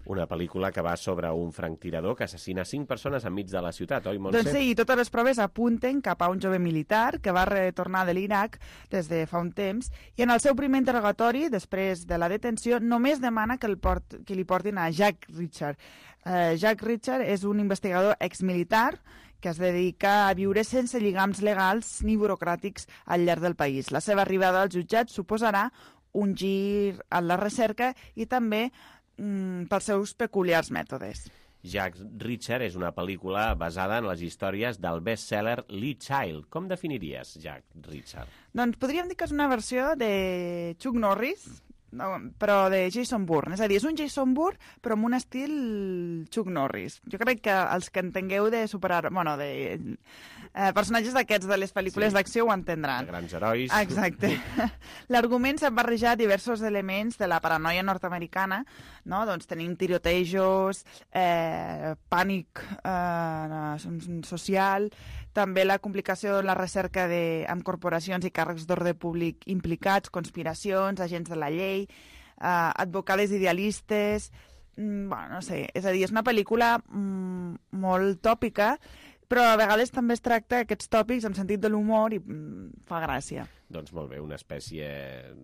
Una pel·lícula que va sobre un franctirador que assassina cinc persones enmig de la ciutat, oi, Montse? Doncs sí, i totes les proves apunten cap a un jove militar que va retornar de l'Iraq des de fa un temps i en el seu primer interrogatori, després de la detenció, només demana que, el port, que li portin a Jack Reacher. Uh, Jack Reacher és un investigador exmilitar que es dedica a viure sense lligams legals ni burocràtics al llarg del país. La seva arribada als jutjats suposarà un gir en la recerca i també mm, pels seus peculiars mètodes. Jack Reacher és una pel·lícula basada en les històries del best-seller Lee Child. Com definiries Jack Reacher? Doncs podríem dir que és una versió de Chuck Norris, no, però de Jason Bourne. És a dir, és un Jason Bourne, però amb un estil Chuck Norris. Jo crec que els que entengueu de superar... Bueno, de eh, personatges d'aquests de les pel·lícules sí. d'acció ho entendran. De grans herois. Exacte. L'argument s'ha barrejat diversos elements de la paranoia nord-americana, no? Doncs tenim tirotejos, eh, pànic eh, social, també la complicació en la recerca de, amb corporacions i càrrecs d'ordre públic implicats, conspiracions, agents de la llei, eh, advocades idealistes... Mm, bueno, no sé, és a dir, és una pel·lícula mm, molt tòpica, però a vegades també es tracta aquests tòpics amb sentit de l'humor i mm, fa gràcia. Doncs molt bé, una espècie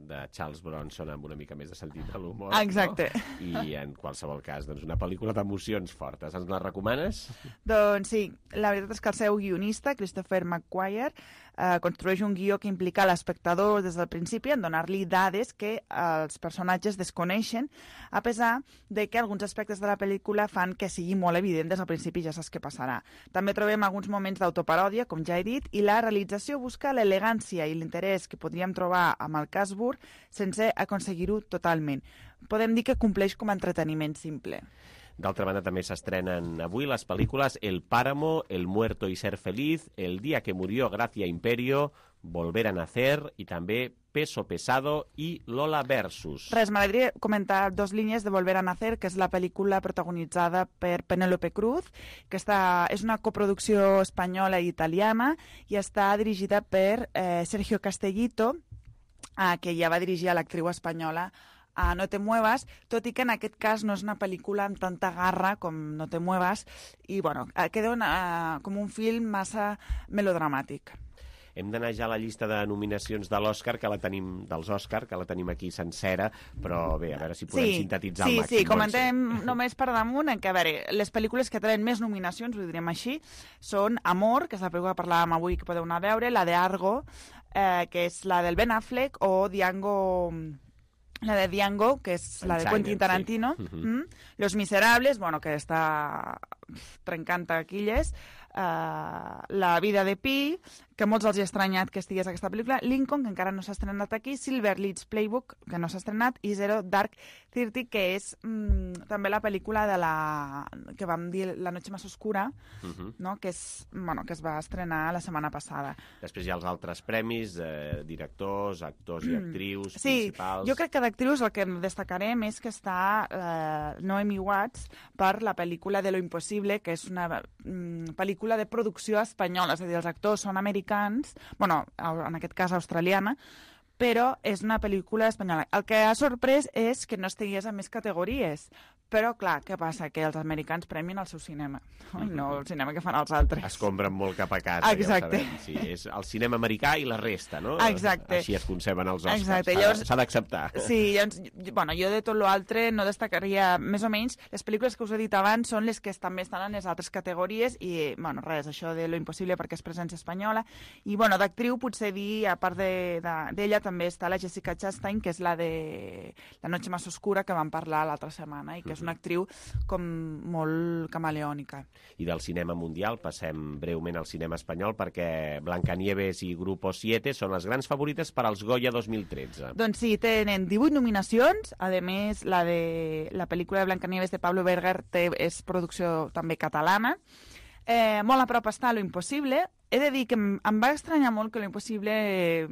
de Charles Bronson amb una mica més de sentit de l'humor. Exacte. No? I en qualsevol cas, doncs una pel·lícula d'emocions fortes. Ens la recomanes? Doncs sí, la veritat és que el seu guionista, Christopher McQuarrie, eh, construeix un guió que implica l'espectador des del principi en donar-li dades que els personatges desconeixen, a pesar de que alguns aspectes de la pel·lícula fan que sigui molt evident des del principi, ja saps què passarà. També trobem alguns moments d'autoparòdia, com ja he dit, i la realització busca l'elegància i l'interès que podríem trobar amb el cas Bourne sense aconseguir-ho totalment. Podem dir que compleix com a entreteniment simple. D'altra banda, també s'estrenen avui les pel·lícules El Páramo, El Muerto y Ser Feliz, El día que murió Gracia Imperio, Volver a Nacer i també Peso Pesado i Lola Versus. Res, m'agradaria comentar dos línies de Volver a Nacer, que és la pel·lícula protagonitzada per Penélope Cruz, que està, és una coproducció espanyola i italiana i està dirigida per eh, Sergio Castellito, eh, que ja va dirigir a l'actriu espanyola a No te muevas, tot i que en aquest cas no és una pel·lícula amb tanta garra com No te muevas, i bueno, queda una, com un film massa melodramàtic. Hem d'anar ja a la llista de nominacions de l'Òscar, que la tenim, dels Òscar, que la tenim aquí sencera, però bé, a veure si podem sí, sintetitzar sí, al màxim. Sí, sí, comentem només per damunt, en què, a veure, les pel·lícules que tenen més nominacions, ho direm així, són Amor, que és la pel·lícula que parlàvem avui que podeu anar a veure, la de Argo, eh, que és la del Ben Affleck, o Django... La de Django, que és la de Quentin Tarantino, sí. uh-huh. mm? Los Miserables, bueno, que està trencant taquilles, uh, La vida de Pi, que molts els ha estranyat que estigués aquesta pel·lícula, Lincoln, que encara no s'ha estrenat aquí, Silver Leeds Playbook, que no s'ha estrenat, i Zero Dark Thirty, que és mm, també la pel·lícula de la que vam dir La noche más oscura, uh-huh. no? que, és, bueno, que es va estrenar la setmana passada. Després hi ha els altres premis, eh, directors, actors i actrius, sí, principals... Jo crec que d'actrius el que destacarem és que està eh, Naomi Watts per la pel·lícula de Lo Imposible, que és una mm, pel·lícula de producció espanyola, és a dir, els actors són americans, bueno, en aquest cas australiana, però és una pel·lícula espanyola. El que ha sorprès és que no estigués en més categories, però, clar, què passa? Que els americans premien el seu cinema, i no el cinema que fan els altres. Es compren molt cap a casa, exacte. Ja ho sabem. Sí, és el cinema americà i la resta, no? Exacte. Així es conceben els Oscars. Exacte. S'ha, llavors, s'ha d'acceptar. Sí, llavors, bueno, jo de tot l'altre no destacaria, més o menys, les pel·lícules que us he dit abans són les que també estan en les altres categories i, bueno, res, això de Lo Imposible perquè és presència espanyola. I, bueno, d'actriu potser dir, a part d'ella, de, de, també està la Jessica Chastain, que és la de La noche más oscura, que vam parlar l'altra setmana, i que és una actriu com molt camaleònica. I del cinema mundial passem breument al cinema espanyol perquè Blancanieves i Grupo siete són les grans favorites per als Goya dos mil tretze. Doncs sí, tenen divuit nominacions, a més la de la pel·lícula de Blancanieves de Pablo Berger té, és producció també catalana. Eh, molt a prop està Lo Imposible. He de dir que em, em va estranyar molt que Lo Imposible... Eh,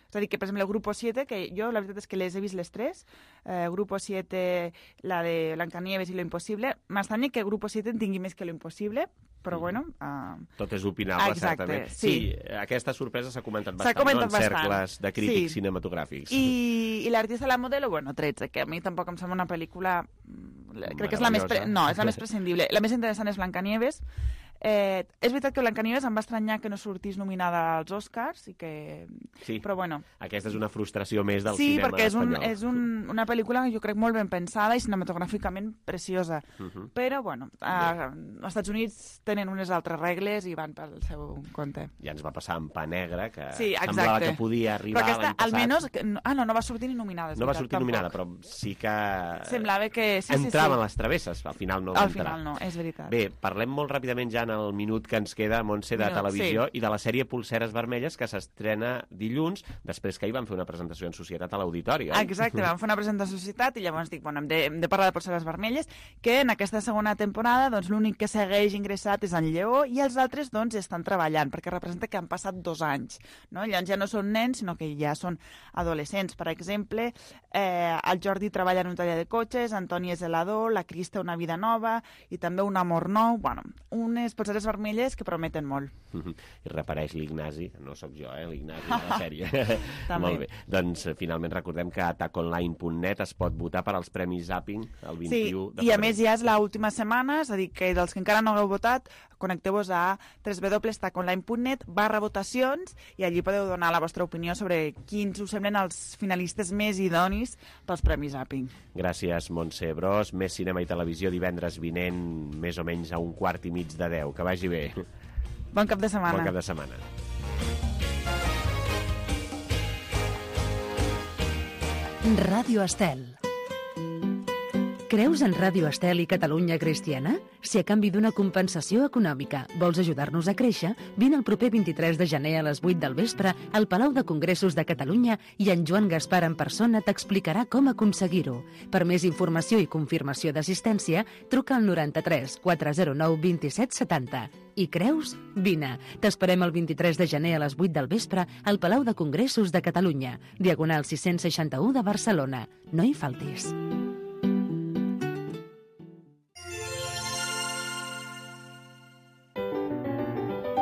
és a dir, que, per exemple, el Grupo siete, que jo la veritat és que les he vist les tres, eh, Grupo siete, la de Blancanieves i Lo Imposible, m'estranya que Grupo siete en tingui més que Lo Imposible, però bueno... Uh... Tot és opinable, exacte, certament. Sí. sí, aquesta sorpresa s'ha comentat bastant, comentat no? En cercles bastant. de crítics sí. cinematogràfics. I, i l'artista de la modelo, bueno, tretze, que a mi tampoc em sembla una pel·lícula... Crec que és la més... Pre... No, és la més prescindible. La més interessant és Blancanieves. Eh, és veritat que Blancanieves em va estranyar que no sortís nominada als Oscars i que... Sí, però bueno. Aquesta és una frustració més del sí, cinema perquè és, un, espanyol. és un, una pel·lícula que jo crec molt ben pensada i cinematogràficament preciosa. Uh -huh. Però, bueno, a, als Estats Units tenen unes altres regles i van pel seu compte. Ja ens va passar amb Pa Negre, que sí, semblava que podia arribar l'any passat. Almenys, ah, no, no va sortir ni nominada. No va sortir tampoc. nominada, però sí que... Semblava que... Sí, entrava sí, sí. en les travesses, al final no Al va entrar. final no, és veritat. Bé, parlem molt ràpidament ja en el minut que ens queda, Montse, de Minut, televisió, sí. i de la sèrie Polseres Vermelles, que s'estrena dilluns, després que ahir vam fer una presentació en societat a l'auditori, oi? Exacte, vam fer una presentació en societat i llavors dic, bueno, hem de, hem de parlar de Polseres Vermelles, que en aquesta segona temporada doncs, l'únic que segueix ingressat és en Lleó i els altres doncs, estan treballant, perquè representa que han passat dos anys. No? Llavors ja no són nens, sinó que ja són adolescents. Per exemple, eh, el Jordi treballa en un taller de cotxes, Antoni és helador, la Cris té una vida nova i també un amor nou. Bueno, unes Polseres Vermelles que prometen molt. I repareix l'Ignasi, no sóc jo, eh, l'Ignasi de la sèrie. També. Molt bé. Doncs finalment recordem que a attack online punt net es pot votar per als Premis Zapping el vint-i-u Sí, de i a febrer. més ja és l'última setmana, és a dir, que dels que encara no hagueu votat, connecteu-vos a w w w punt tac online punt net barra votacions i allí podeu donar la vostra opinió sobre quins us semblen els finalistes més idonis pels Premis Zapping. Gràcies, Montse Bros. Més cinema i televisió divendres vinent, més o menys a un quart i mig de deu. Que vagi bé. Bon cap de setmana. Bon cap de setmana. Ràdio Estel. Creus en Ràdio Estel i Catalunya Cristiana? Si a canvi d'una compensació econòmica vols ajudar-nos a créixer, vine el proper vint-i-tres de gener a les vuit del vespre al Palau de Congressos de Catalunya i en Joan Gaspar en persona t'explicarà com aconseguir-ho. Per més informació i confirmació d'assistència, truca al noranta-tres quatre zero nou vint-i-set setanta. I creus? Vine. T'esperem el vint-i-tres de gener a les vuit del vespre al Palau de Congressos de Catalunya, diagonal sis-cents seixanta-u de Barcelona. No hi faltis.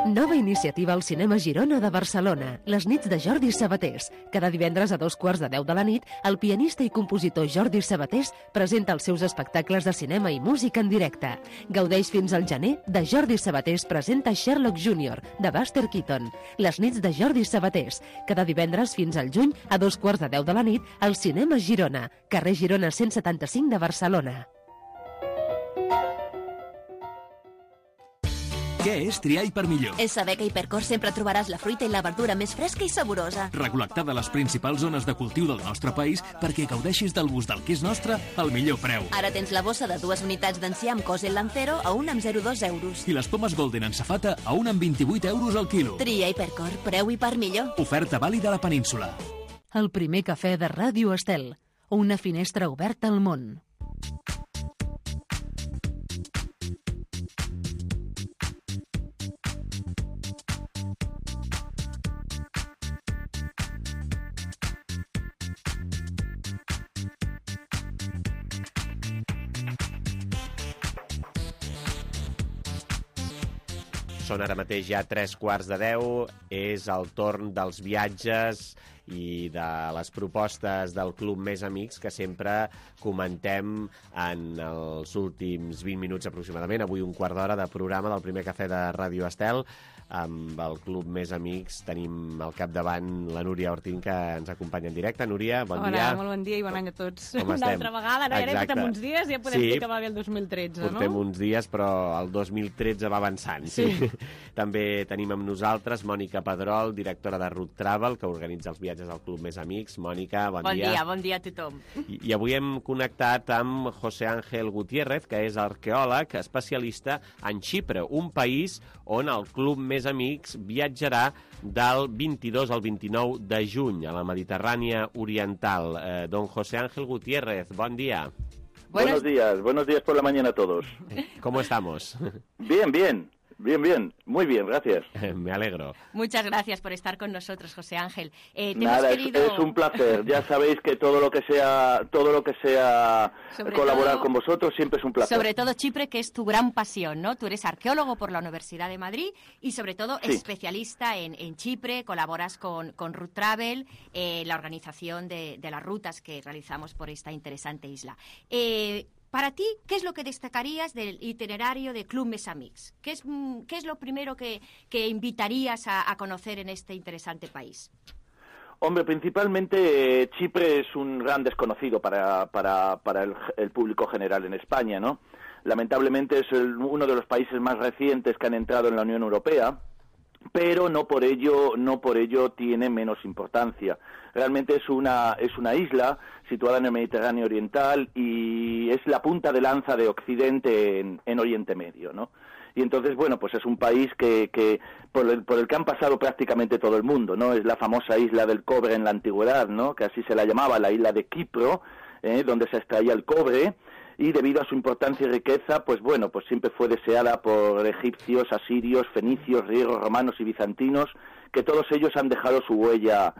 Nova iniciativa al Cinema Girona de Barcelona, les nits de Jordi Sabatés. Cada divendres a dos quarts de deu de la nit, el pianista i compositor Jordi Sabatés presenta els seus espectacles de cinema i música en directe. Gaudeix fins al gener de Jordi Sabatés presenta Sherlock júnior, de Buster Keaton. Les nits de Jordi Sabatés. Cada divendres fins al juny, a dos quarts de deu de la nit, al Cinema Girona, carrer Girona cent setanta-cinc de Barcelona. Què és triar i per millor? És saber que a Hipercor sempre trobaràs la fruita i la verdura més fresca i saborosa. Recol·lectada a les principals zones de cultiu del nostre país perquè gaudeixis del gust del que és nostre al millor preu. Ara tens la bossa de dues unitats d'enciam Cosel Lancero a un amb zero coma dos euros. I les pomes Golden en safata a un amb vint-i-vuit euros al quilo. Tria Hipercor, preu i per millor. Oferta vàlida a la península. El primer cafè de Ràdio Estel. Una finestra oberta al món. Són ara mateix ja tres quarts de deu, és el torn dels viatges i de les propostes del Club Més Amics que sempre comentem en els últims vint minuts aproximadament. Avui un quart d'hora de programa del primer cafè de Ràdio Estel. Amb el Club Més Amics tenim al capdavant la Núria Ortín, que ens acompanya en directe. Núria, bon Hola, dia. Hola, molt bon dia i bon any a tots. Com Una estem? altra vegada, no? Ja portem uns dies, ja podem Sí, dir que va bé el dos mil tretze, no? Portem uns dies, però el dos mil tretze va avançant. Sí. sí. També tenim amb nosaltres Mònica Pedrol, directora de Root Travel, que organitza els viatges al Club Més Amics. Mònica, bon, Bon dia. dia, bon dia a tothom. I, I avui hem connectat amb José Ángel Gutiérrez, que és arqueòleg especialista en Xipre, un país on el Club Més Amics viatjarà del vint-i-dos al vint-i-nou de juny a la Mediterrània Oriental. Eh, don José Ángel Gutiérrez, bon dia. Buenos días, buenos días por la mañana a todos. ¿Cómo estamos? Bien, bien, bien, bien, muy bien, gracias. Me alegro. Muchas gracias por estar con nosotros, José Ángel. Eh, te Nada, hemos es, querido... es un placer. Ya sabéis que todo lo que sea, todo lo que sea Sobre colaborar todo- con vosotros siempre es un placer. Sobre todo Chipre, que es tu gran pasión, ¿no? Tú eres arqueólogo por la Universidad de Madrid y sobre todo Sí. especialista en, en Chipre, colaboras con, con Root Travel, eh, la organización de, de las rutas que realizamos por esta interesante isla. Eh, para ti, ¿qué es lo que destacarías del itinerario de Club Més Amics? ¿Qué es, mm, qué es lo primero que, que invitarías a, a conocer en este interesante país? Hombre, principalmente eh, Chipre es un gran desconocido para, para, para el, el público general en España, ¿no? Lamentablemente es el- uno de los países más recientes que han entrado en la Unión Europea, pero no por ello, no por ello tiene menos importancia. Realmente es una, es una isla situada en el Mediterráneo Oriental y es la punta de lanza de Occidente en, en Oriente Medio, ¿no? Y entonces, bueno, pues es un país que, que por, el, por el que han pasado prácticamente todo el mundo, ¿no? Es la famosa isla del cobre en la antigüedad, ¿no? Que así se la llamaba, la isla de Quipro, ¿eh? Donde se extraía el cobre, y debido a su importancia y riqueza, pues bueno, pues siempre fue deseada por egipcios, asirios, fenicios, griegos, romanos y bizantinos, que todos ellos han dejado su huella,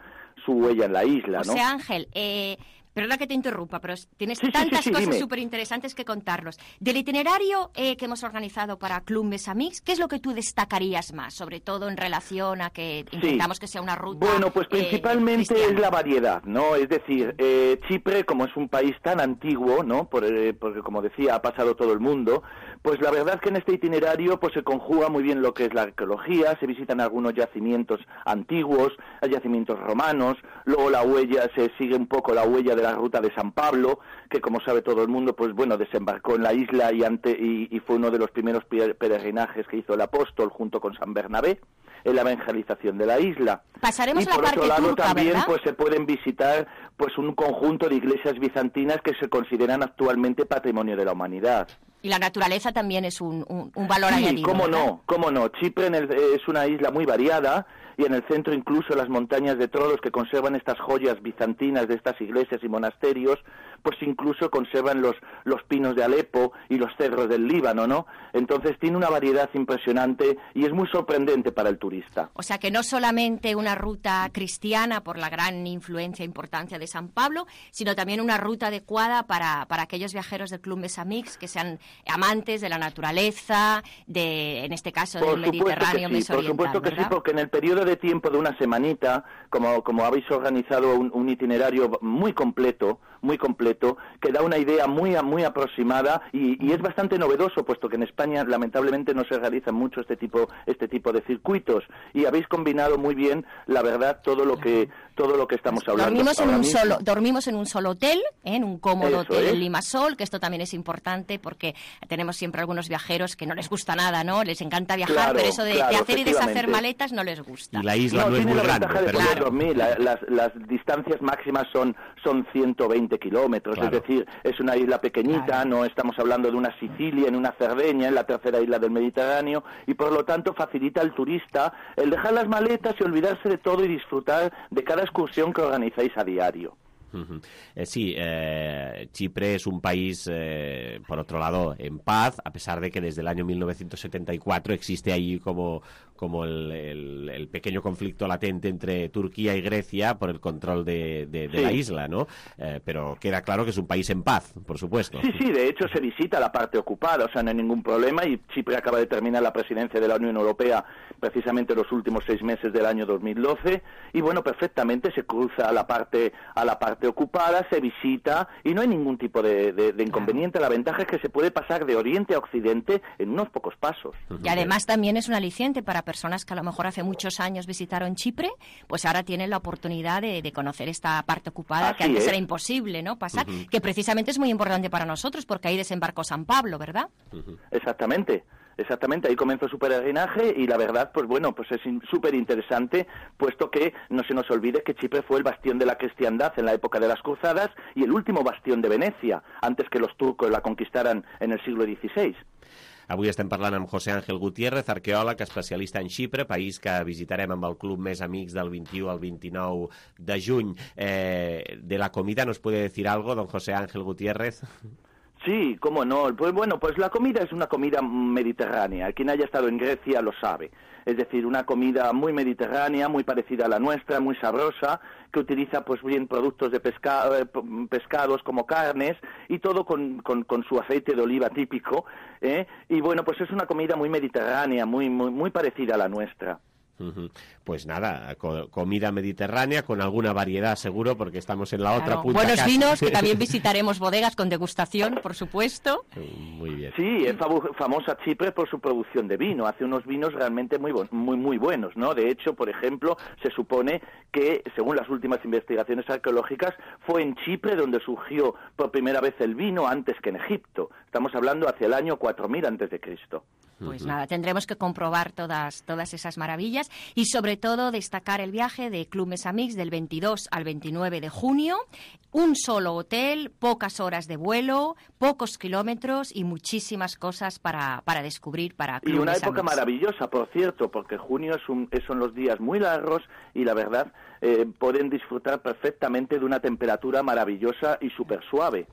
su huella en la isla, ¿no? José Ángel, eh... perdona que te interrumpa, pero tienes sí, tantas sí, sí, sí, cosas dime. súper interesantes que contarnos. Del itinerario eh, que hemos organizado para Club Mes Amics, ¿qué es lo que tú destacarías más? Sobre todo en relación a que intentamos sí. que sea una ruta Bueno, pues principalmente eh, es la variedad, ¿no? Es decir, eh, Chipre, como es un país tan antiguo, ¿no? Por, eh, porque, como decía, ha pasado todo el mundo, pues la verdad es que en este itinerario pues se conjuga muy bien lo que es la arqueología, se visitan algunos yacimientos antiguos, hay yacimientos romanos, luego la huella, se sigue un poco la huella de la ruta de San Pablo, que como sabe todo el mundo, pues bueno, desembarcó en la isla y, ante, y, y fue uno de los primeros peregrinajes que hizo el apóstol junto con San Bernabé en la evangelización de la isla. Pasaremos y la por parte otro lado turca, también ¿verdad? pues se pueden visitar pues un conjunto de iglesias bizantinas que se consideran actualmente patrimonio de la humanidad. Y la naturaleza también es un, un, un valor Sí, añadido. cómo ¿verdad? no, cómo no. Chipre en el, es una isla muy variada y en el centro incluso las montañas de Trolos que conservan estas joyas bizantinas de estas iglesias y monasterios, pues incluso conservan los, los pinos de Alepo y los cedros del Líbano, ¿no? Entonces tiene una variedad impresionante y es muy sorprendente para el turista. O sea que no solamente una ruta cristiana por la gran influencia e importancia de San Pablo, sino también una ruta adecuada para, para aquellos viajeros del Club Mes Amics que sean amantes de la naturaleza, de, en este caso del Mediterráneo sí, mesoriental, por supuesto que ¿verdad? sí, porque en el periodo de tiempo de una semanita, como, como habéis organizado un, un itinerario muy completo, muy completo, que da una idea muy muy aproximada y, y es bastante novedoso, puesto que en España lamentablemente no se realizan mucho este tipo este tipo de circuitos y habéis combinado muy bien, la verdad, todo lo que todo lo que estamos hablando. Dormimos en un mismo. solo dormimos en un solo hotel, ¿eh? en un cómodo Eso hotel es. en Limasol, que esto también es importante porque tenemos siempre algunos viajeros que no les gusta nada, ¿no? Les encanta viajar, Claro, pero eso de, claro, de hacer y deshacer efectivamente. maletas no les gusta. Y la isla No, no, es tiene muy la grande, ventaja de pero poder claro. dormir. La- las, las distancias máximas son, son ciento veinte kilómetros, Claro. es decir, es una isla pequeñita, no estamos hablando de una Sicilia, en una Cerdeña, en la tercera isla del Mediterráneo, y por lo tanto facilita al turista el dejar las maletas y olvidarse de todo y disfrutar de cada excursión que organizáis a diario. Ujú. Eh, sí, eh, Chipre es un país, eh, por otro lado, en paz, a pesar de que desde el año mil novecientos setenta y cuatro existe ahí como, como el, el, el pequeño conflicto latente entre Turquía y Grecia por el control de, de, de Sí. la isla, ¿no? Eh, pero queda claro que es un país en paz, por supuesto. Sí, sí, de hecho se visita la parte ocupada, o sea, no hay ningún problema y Chipre acaba de terminar la presidencia de la Unión Europea precisamente los últimos seis meses del año dos mil doce y bueno, perfectamente se cruza a la parte a la parte ocupada, se visita y no hay ningún tipo de, de, de inconveniente. La ventaja es que se puede pasar de oriente a occidente en unos pocos pasos. Y además también es un aliciente para personas que a lo mejor hace muchos años visitaron Chipre, pues ahora tienen la oportunidad de, de conocer esta parte ocupada que Así antes es. era imposible, ¿no? Pasar, Ujú. que precisamente es muy importante para nosotros porque ahí desembarcó San Pablo, ¿verdad? Exactamente. Exactamente, ahí comenzó su peregrinaje y la verdad, pues bueno, pues es súper interesante, puesto que no se nos olvide que Chipre fue el bastión de la cristiandad en la época de las cruzadas y el último bastión de Venecia, antes que los turcos la conquistaran en el siglo dieciséis. Avui estem parlant amb José Ángel Gutiérrez, arqueòleg especialista en Xipre, país que visitarem amb el Club Més Amics del vint-i-u al vint-i-nou de juny. Eh, de la comida, ¿nos puede decir algo, don José Ángel Gutiérrez? Sí, cómo no. Pues bueno, pues la comida es una comida mediterránea. Quien haya estado en Grecia lo sabe. Es decir, una comida muy mediterránea, muy parecida a la nuestra, muy sabrosa, que utiliza pues bien productos de pesca, eh, pescados como carnes y todo con, con, con su aceite de oliva típico. ¿eh? Y bueno, pues es una comida muy mediterránea, muy, muy, muy parecida a la nuestra. Uh-huh. Pues nada, co comida mediterránea con alguna variedad seguro, porque estamos en la otra Claro. punta. Buenos casi. vinos, que también visitaremos bodegas con degustación, por supuesto. Muy bien. Sí, es famosa Chipre por su producción de vino. Hace unos vinos realmente muy, muy, muy buenos, ¿no? De hecho, por ejemplo, se supone que, según las últimas investigaciones arqueológicas, fue en Chipre donde surgió por primera vez el vino antes que en Egipto. Estamos hablando hacia el año cuatro mil antes de Cristo. Pues nada, tendremos que comprobar todas, todas esas maravillas y sobre todo destacar el viaje de Club Més Amics del veintidós al veintinueve de junio. Un solo hotel, pocas horas de vuelo, pocos kilómetros y muchísimas cosas para, para descubrir para Club Y una Més época Amics. maravillosa, por cierto, porque junio es un, son los días muy largos y la verdad eh, pueden disfrutar perfectamente de una temperatura maravillosa y súper suave.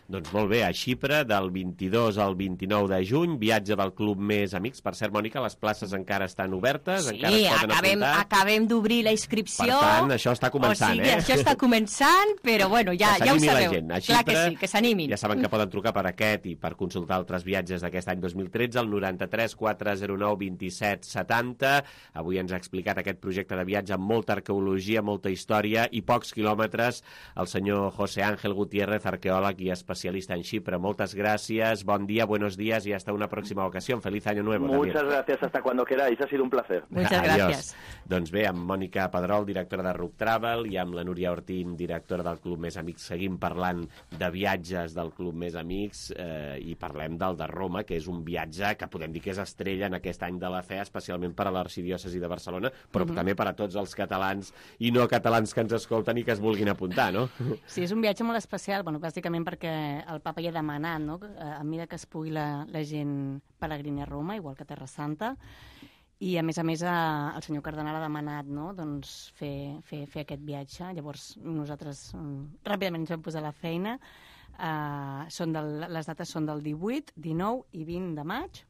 Doncs molt bé, a Xipre, del vint-i-dos al vint-i-nou de juny, viatge del Club Més Amics. Per cert, Mònica, les places encara estan obertes, Sí, encara es poden acabem, apuntar. acabem d'obrir la inscripció. Per tant, això està començant, o sigui, eh? Això està començant, però bueno, ja, Que ja ho s'animi la sabeu. gent. A Clar Xipre, que sí, que s'animin. Ja saben que poden trucar per aquest i per consultar altres viatges d'aquest any dos mil tretze al noranta-tres quatre zero nou vint-i-set setanta. Avui ens ha explicat aquest projecte de viatge amb molta arqueologia, molta història i pocs quilòmetres. El senyor José Ángel Gutiérrez, arqueòleg i especialista en Xipre. Muchas gracias, buen día, buenos días y hasta una próxima ocasión. Feliz año nuevo. Muchas también. gracias, hasta cuando queráis, ha sido un placer. Muchas Adiós. gracias. Doncs bé, amb Mònica Pedrol, directora de Ruc Travel, i amb la Núria Ortín, directora del Club Més Amics, seguim parlant de viatges del Club Més Amics eh, i parlem del de Roma, que és un viatge que podem dir que és estrella en aquest any de la fe, especialment per a l'arxidiòcesi de Barcelona, però Mhm. també per a tots els catalans i no catalans que ens escolten i que es vulguin apuntar, no? Sí, és un viatge molt especial, bueno, bàsicament perquè el papa ja ha demanat, no?, a mesura que es pugui la, la gent peregrini a Roma, igual que a Terra Santa, i a més a més a, el senyor cardenal ha demanat, no?, doncs fer, fer, fer aquest viatge. Llavors nosaltres um, ràpidament ens vam posar a la feina. Uh, són del, les dates són del divuit, dinou i vint de maig.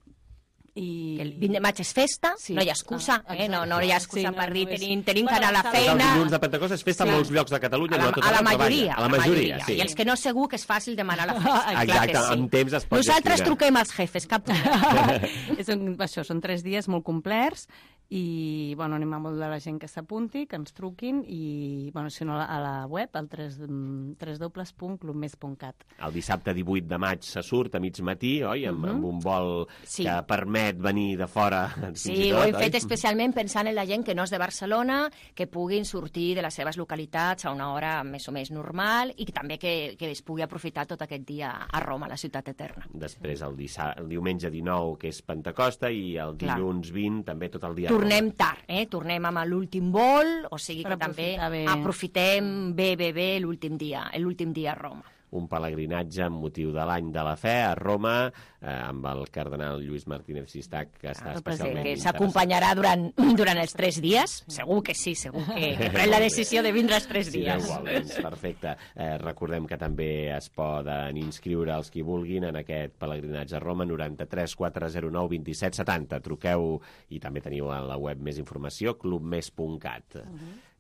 I... El vint de maig és festa, Sí. no hi ha excusa, Ah, eh? no, no hi ha excusa Sí, no, per dir no és- tenim, tenim que Bueno, anar a la saben- Els feina. dilluns de Pentecost és festa Sí. a molts llocs de Catalunya. A la, no tot a la arreu majoria, treballa. A la majoria, sí. I els que no segur que és fàcil demanar la festa. Clar Exacte, que sí. amb temps es pot Nosaltres gestionar. truquem als jefes, cap problema. és un, això, són tres dies molt complets i bueno, anem a molt de la gent que s'apunti, que ens truquin i bueno, si no a la web al w w w punt club mes punt cat. El dissabte divuit de maig se surt a mig matí, oi? Amb, Mhm. amb un vol Sí. que permet venir de fora. fins Sí, i tot, ho hem oi? fet especialment pensant en la gent que no és de Barcelona, que puguin sortir de les seves localitats a una hora més o més normal i que també que, que es pugui aprofitar tot aquest dia a Roma, la ciutat eterna. Després el, dissa... el diumenge dinou, que és Pentecosta, i el Clar. dilluns vint, també tot el dia. Tornem tard, eh? Tornem amb l'últim vol, o sigui Per que també aprofitar bé. aprofitem bé, bé, bé l'últim dia, l'últim dia a Roma. Un pelegrinatge amb motiu de l'any de la fe a Roma, eh, amb el cardenal Lluís Martínez Sistac, que està El especialment que interessat. s'acompanyarà durant, durant els tres dies, segur que sí, segur que, que pren la decisió de vindre els tres Si dies. no ho vol, doncs perfecte. Eh, recordem que també es poden inscriure els qui vulguin en aquest pelegrinatge a Roma, noranta-tres quatre zero nou vint-i-set setanta. Truqueu i també teniu a la web més informació, club mes punt cat.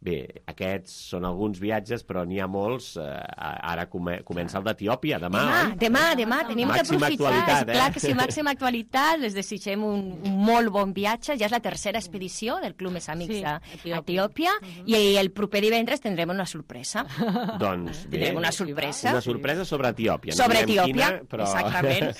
Bé, aquests són alguns viatges, però n'hi ha molts. Eh, ara come comença el d'Etiòpia, demà, Demà, oi? demà, demà, tenim que Màxima aprofitar. actualitat, eh? Clar que sí, màxima actualitat. Les desitgem un, un molt bon viatge. Ja és la tercera expedició del Club Més Amics Sí, a, Etiòpia. a Etiòpia i el proper divendres tindrem una sorpresa. Doncs bé, Tindrem una sorpresa. Una sorpresa sobre Etiòpia. Sobre direm Etiòpia, quina, però exactament.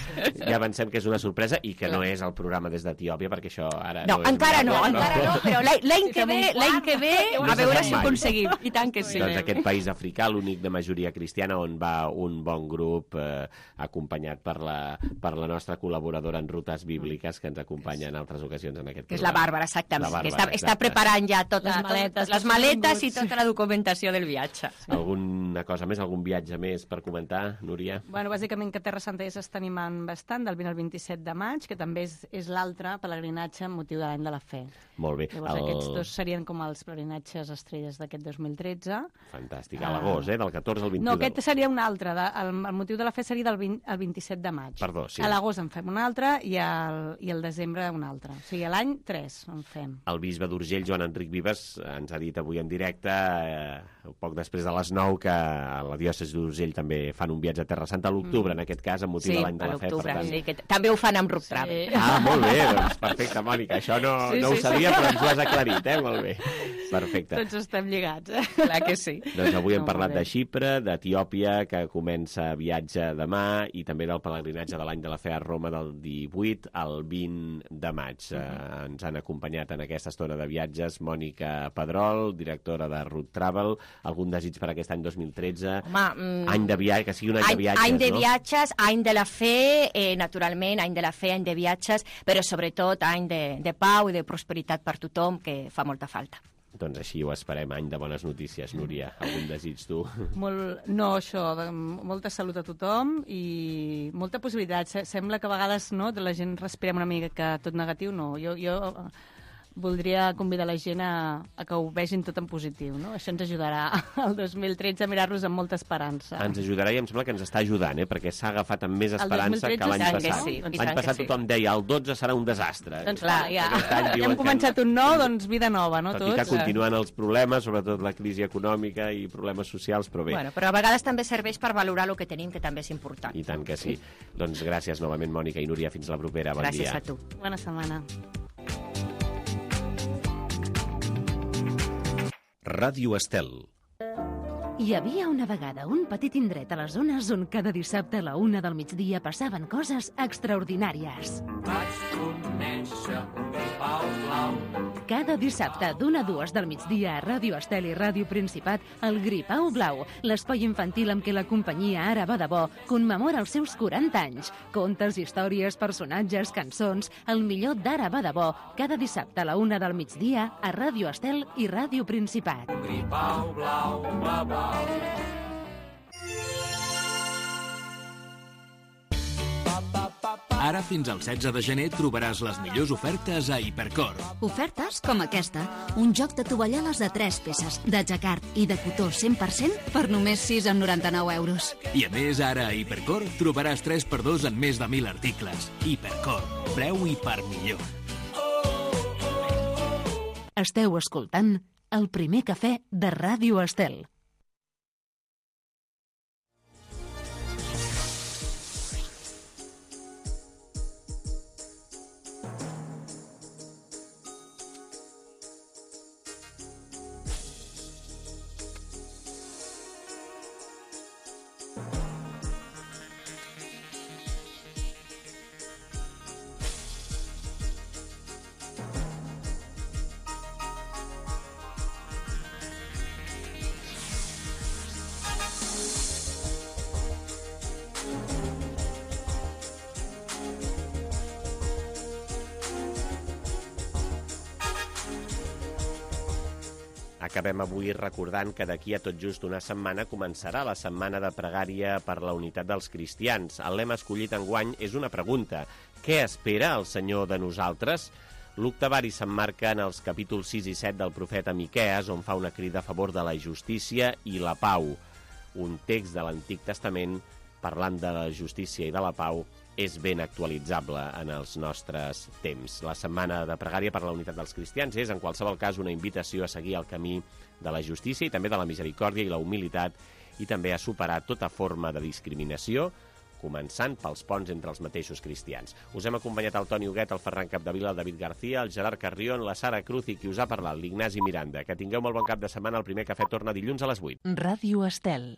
ja avancem que és una sorpresa i que no és el programa des d'Etiòpia, perquè això ara No, no és encara no, viable, encara no, però l'any l'any que ve, l'any que ve, a veure si ho aconseguim. I tant que sí. Doncs aquest país africà, l'únic de majoria cristiana, on va un bon grup eh, acompanyat per la, per la nostra col·laboradora en rutes bíbliques, que ens acompanya en altres ocasions en aquest Que és la programa. Bàrbara, exactament. La Bàrbara, que està, està exacte. preparant ja tota, Les maletes, les els maletes i continguts. tota la documentació del viatge. Alguna cosa més, algun viatge més per comentar, Núria? Bueno, bàsicament que Terra Santa ja s'està animant bastant, del vint al vint-i-set de maig, que també és, és l'altre pelegrinatge amb motiu de l'any de la fe. Molt bé. Llavors el... aquests dos serien com els pelegrinatges estrelles d'aquest dos mil tretze. Fantàstic. A l'agost, eh? Del catorze al vint-i-u. No, aquest seria un altre. De, el, el motiu de la fe seria del vint al vint-i-set de maig. Perdó, sí. A l'agost en fem un altre i al, i al desembre un altre. O sigui, a l'any tres en fem. El bisbe d'Urgell, Joan Enric Vives, ens ha dit avui en directe, eh, poc després de les nou, que a la diòcesi d'Urgell també fan un viatge a Terra Santa a l'octubre, mm. en aquest cas, amb motiu Sí, de l'any de a la fe. l'octubre, tant... sí, que també ho fan amb Ruc Travel. Ah, molt bé, doncs perfecte, Mònica. Això no, Sí, no sí, ho sabia, sí. però ens ho has aclarit, eh? Molt bé. Perfecte. Tots tots estem lligats, eh? Clar que sí. Doncs avui hem No, parlat molt bé. de Xipre, d'Etiòpia, que comença viatge demà, i també del pelegrinatge de l'any de la fe a Roma del divuit al vint de maig. Uh -huh. eh, ens han acompanyat en aquesta estona de viatges Mònica Pedrol, directora de Root Travel. Algun desig per aquest any dos mil tretze? Home, mm, any de viatge, que sigui un any, any, de viatges, any de no? viatges, any de la fe, eh, naturalment, any de la fe, any de viatges, però sobretot any de, de pau i de prosperitat per tothom, que fa molta falta. Doncs així ho esperem, any de bones notícies. Núria, algun desig tu? Molt, no, això, de, molta salut a tothom i molta possibilitat. Se- Sembla que a vegades no, de la gent respirem una mica tot negatiu, no. Jo, jo voldria convidar la gent a, a que ho vegin tot en positiu, no? Això ens ajudarà al dos mil tretze a mirar-los amb molta esperança. Ens ajudarà i em sembla que ens està ajudant, eh? Perquè s'ha agafat amb més El esperança que l'any dos mil tretze passat. sí, doncs L'any tant que passat sí. tothom deia el dotze serà un desastre. Doncs clar, ja, Aquest any ja diuen hem que començat un nou, doncs vida nova, no? Tot Tots. i que continuen els problemes, sobretot la crisi econòmica i problemes socials, però bé, Bueno, però a vegades també serveix per valorar el que tenim, que també és important. i tant que sí. Doncs gràcies novament, Mònica i Núria. Fins la propera. Bon Gràcies dia. a tu. Bona setmana. Ràdio Estel. Hi havia una vegada un petit indret a les zones on cada dissabte a la una del migdia passaven coses extraordinàries. Cada dissabte d'una a dues del migdia a Ràdio Estel i Ràdio Principat, el Gripau Blau, l'espai infantil amb què la companyia Ara va de bo commemora els seus quaranta anys. Contes, històries, personatges, cançons, el millor d'Ara va de bo, cada dissabte a la una del migdia a Ràdio Estel i Ràdio Principat. Gripau blau, blau, blau. Ara fins al setze de gener trobaràs les millors ofertes a Hipercor. Ofertes com aquesta. Un joc de tovalloles de tres peces, de jacquard i de cotó cent per cent per només sis coma noranta-nou euros. I a més, ara a Hipercor trobaràs tres per dos en més de mil articles. Hipercor. Preu i per millor. Esteu escoltant el primer cafè de Ràdio Estel. Acabem avui recordant que d'aquí a tot just una setmana començarà la setmana de pregària per la unitat dels cristians. El lema escollit enguany és una pregunta. Què espera el Senyor de nosaltres? L'octavari s'emmarca en els capítols sis i set del profeta Miquees, on fa una crida a favor de la justícia i la pau. Un text de l'Antic Testament parlant de la justícia i de la pau és ben actualitzable en els nostres temps. La setmana de pregària per la unitat dels cristians és, en qualsevol cas, una invitació a seguir el camí de la justícia i també de la misericòrdia i la humilitat, i també a superar tota forma de discriminació, començant pels ponts entre els mateixos cristians. Us hem acompanyat el Toni Huguet, el Ferran Capdevila, el David García, el Gerard Carrion, la Sara Cruz i qui us ha parlat, l'Ignasi Miranda. Que tingueu molt bon cap de setmana. El primer cafè torna dilluns a les vuit. Ràdio Estel.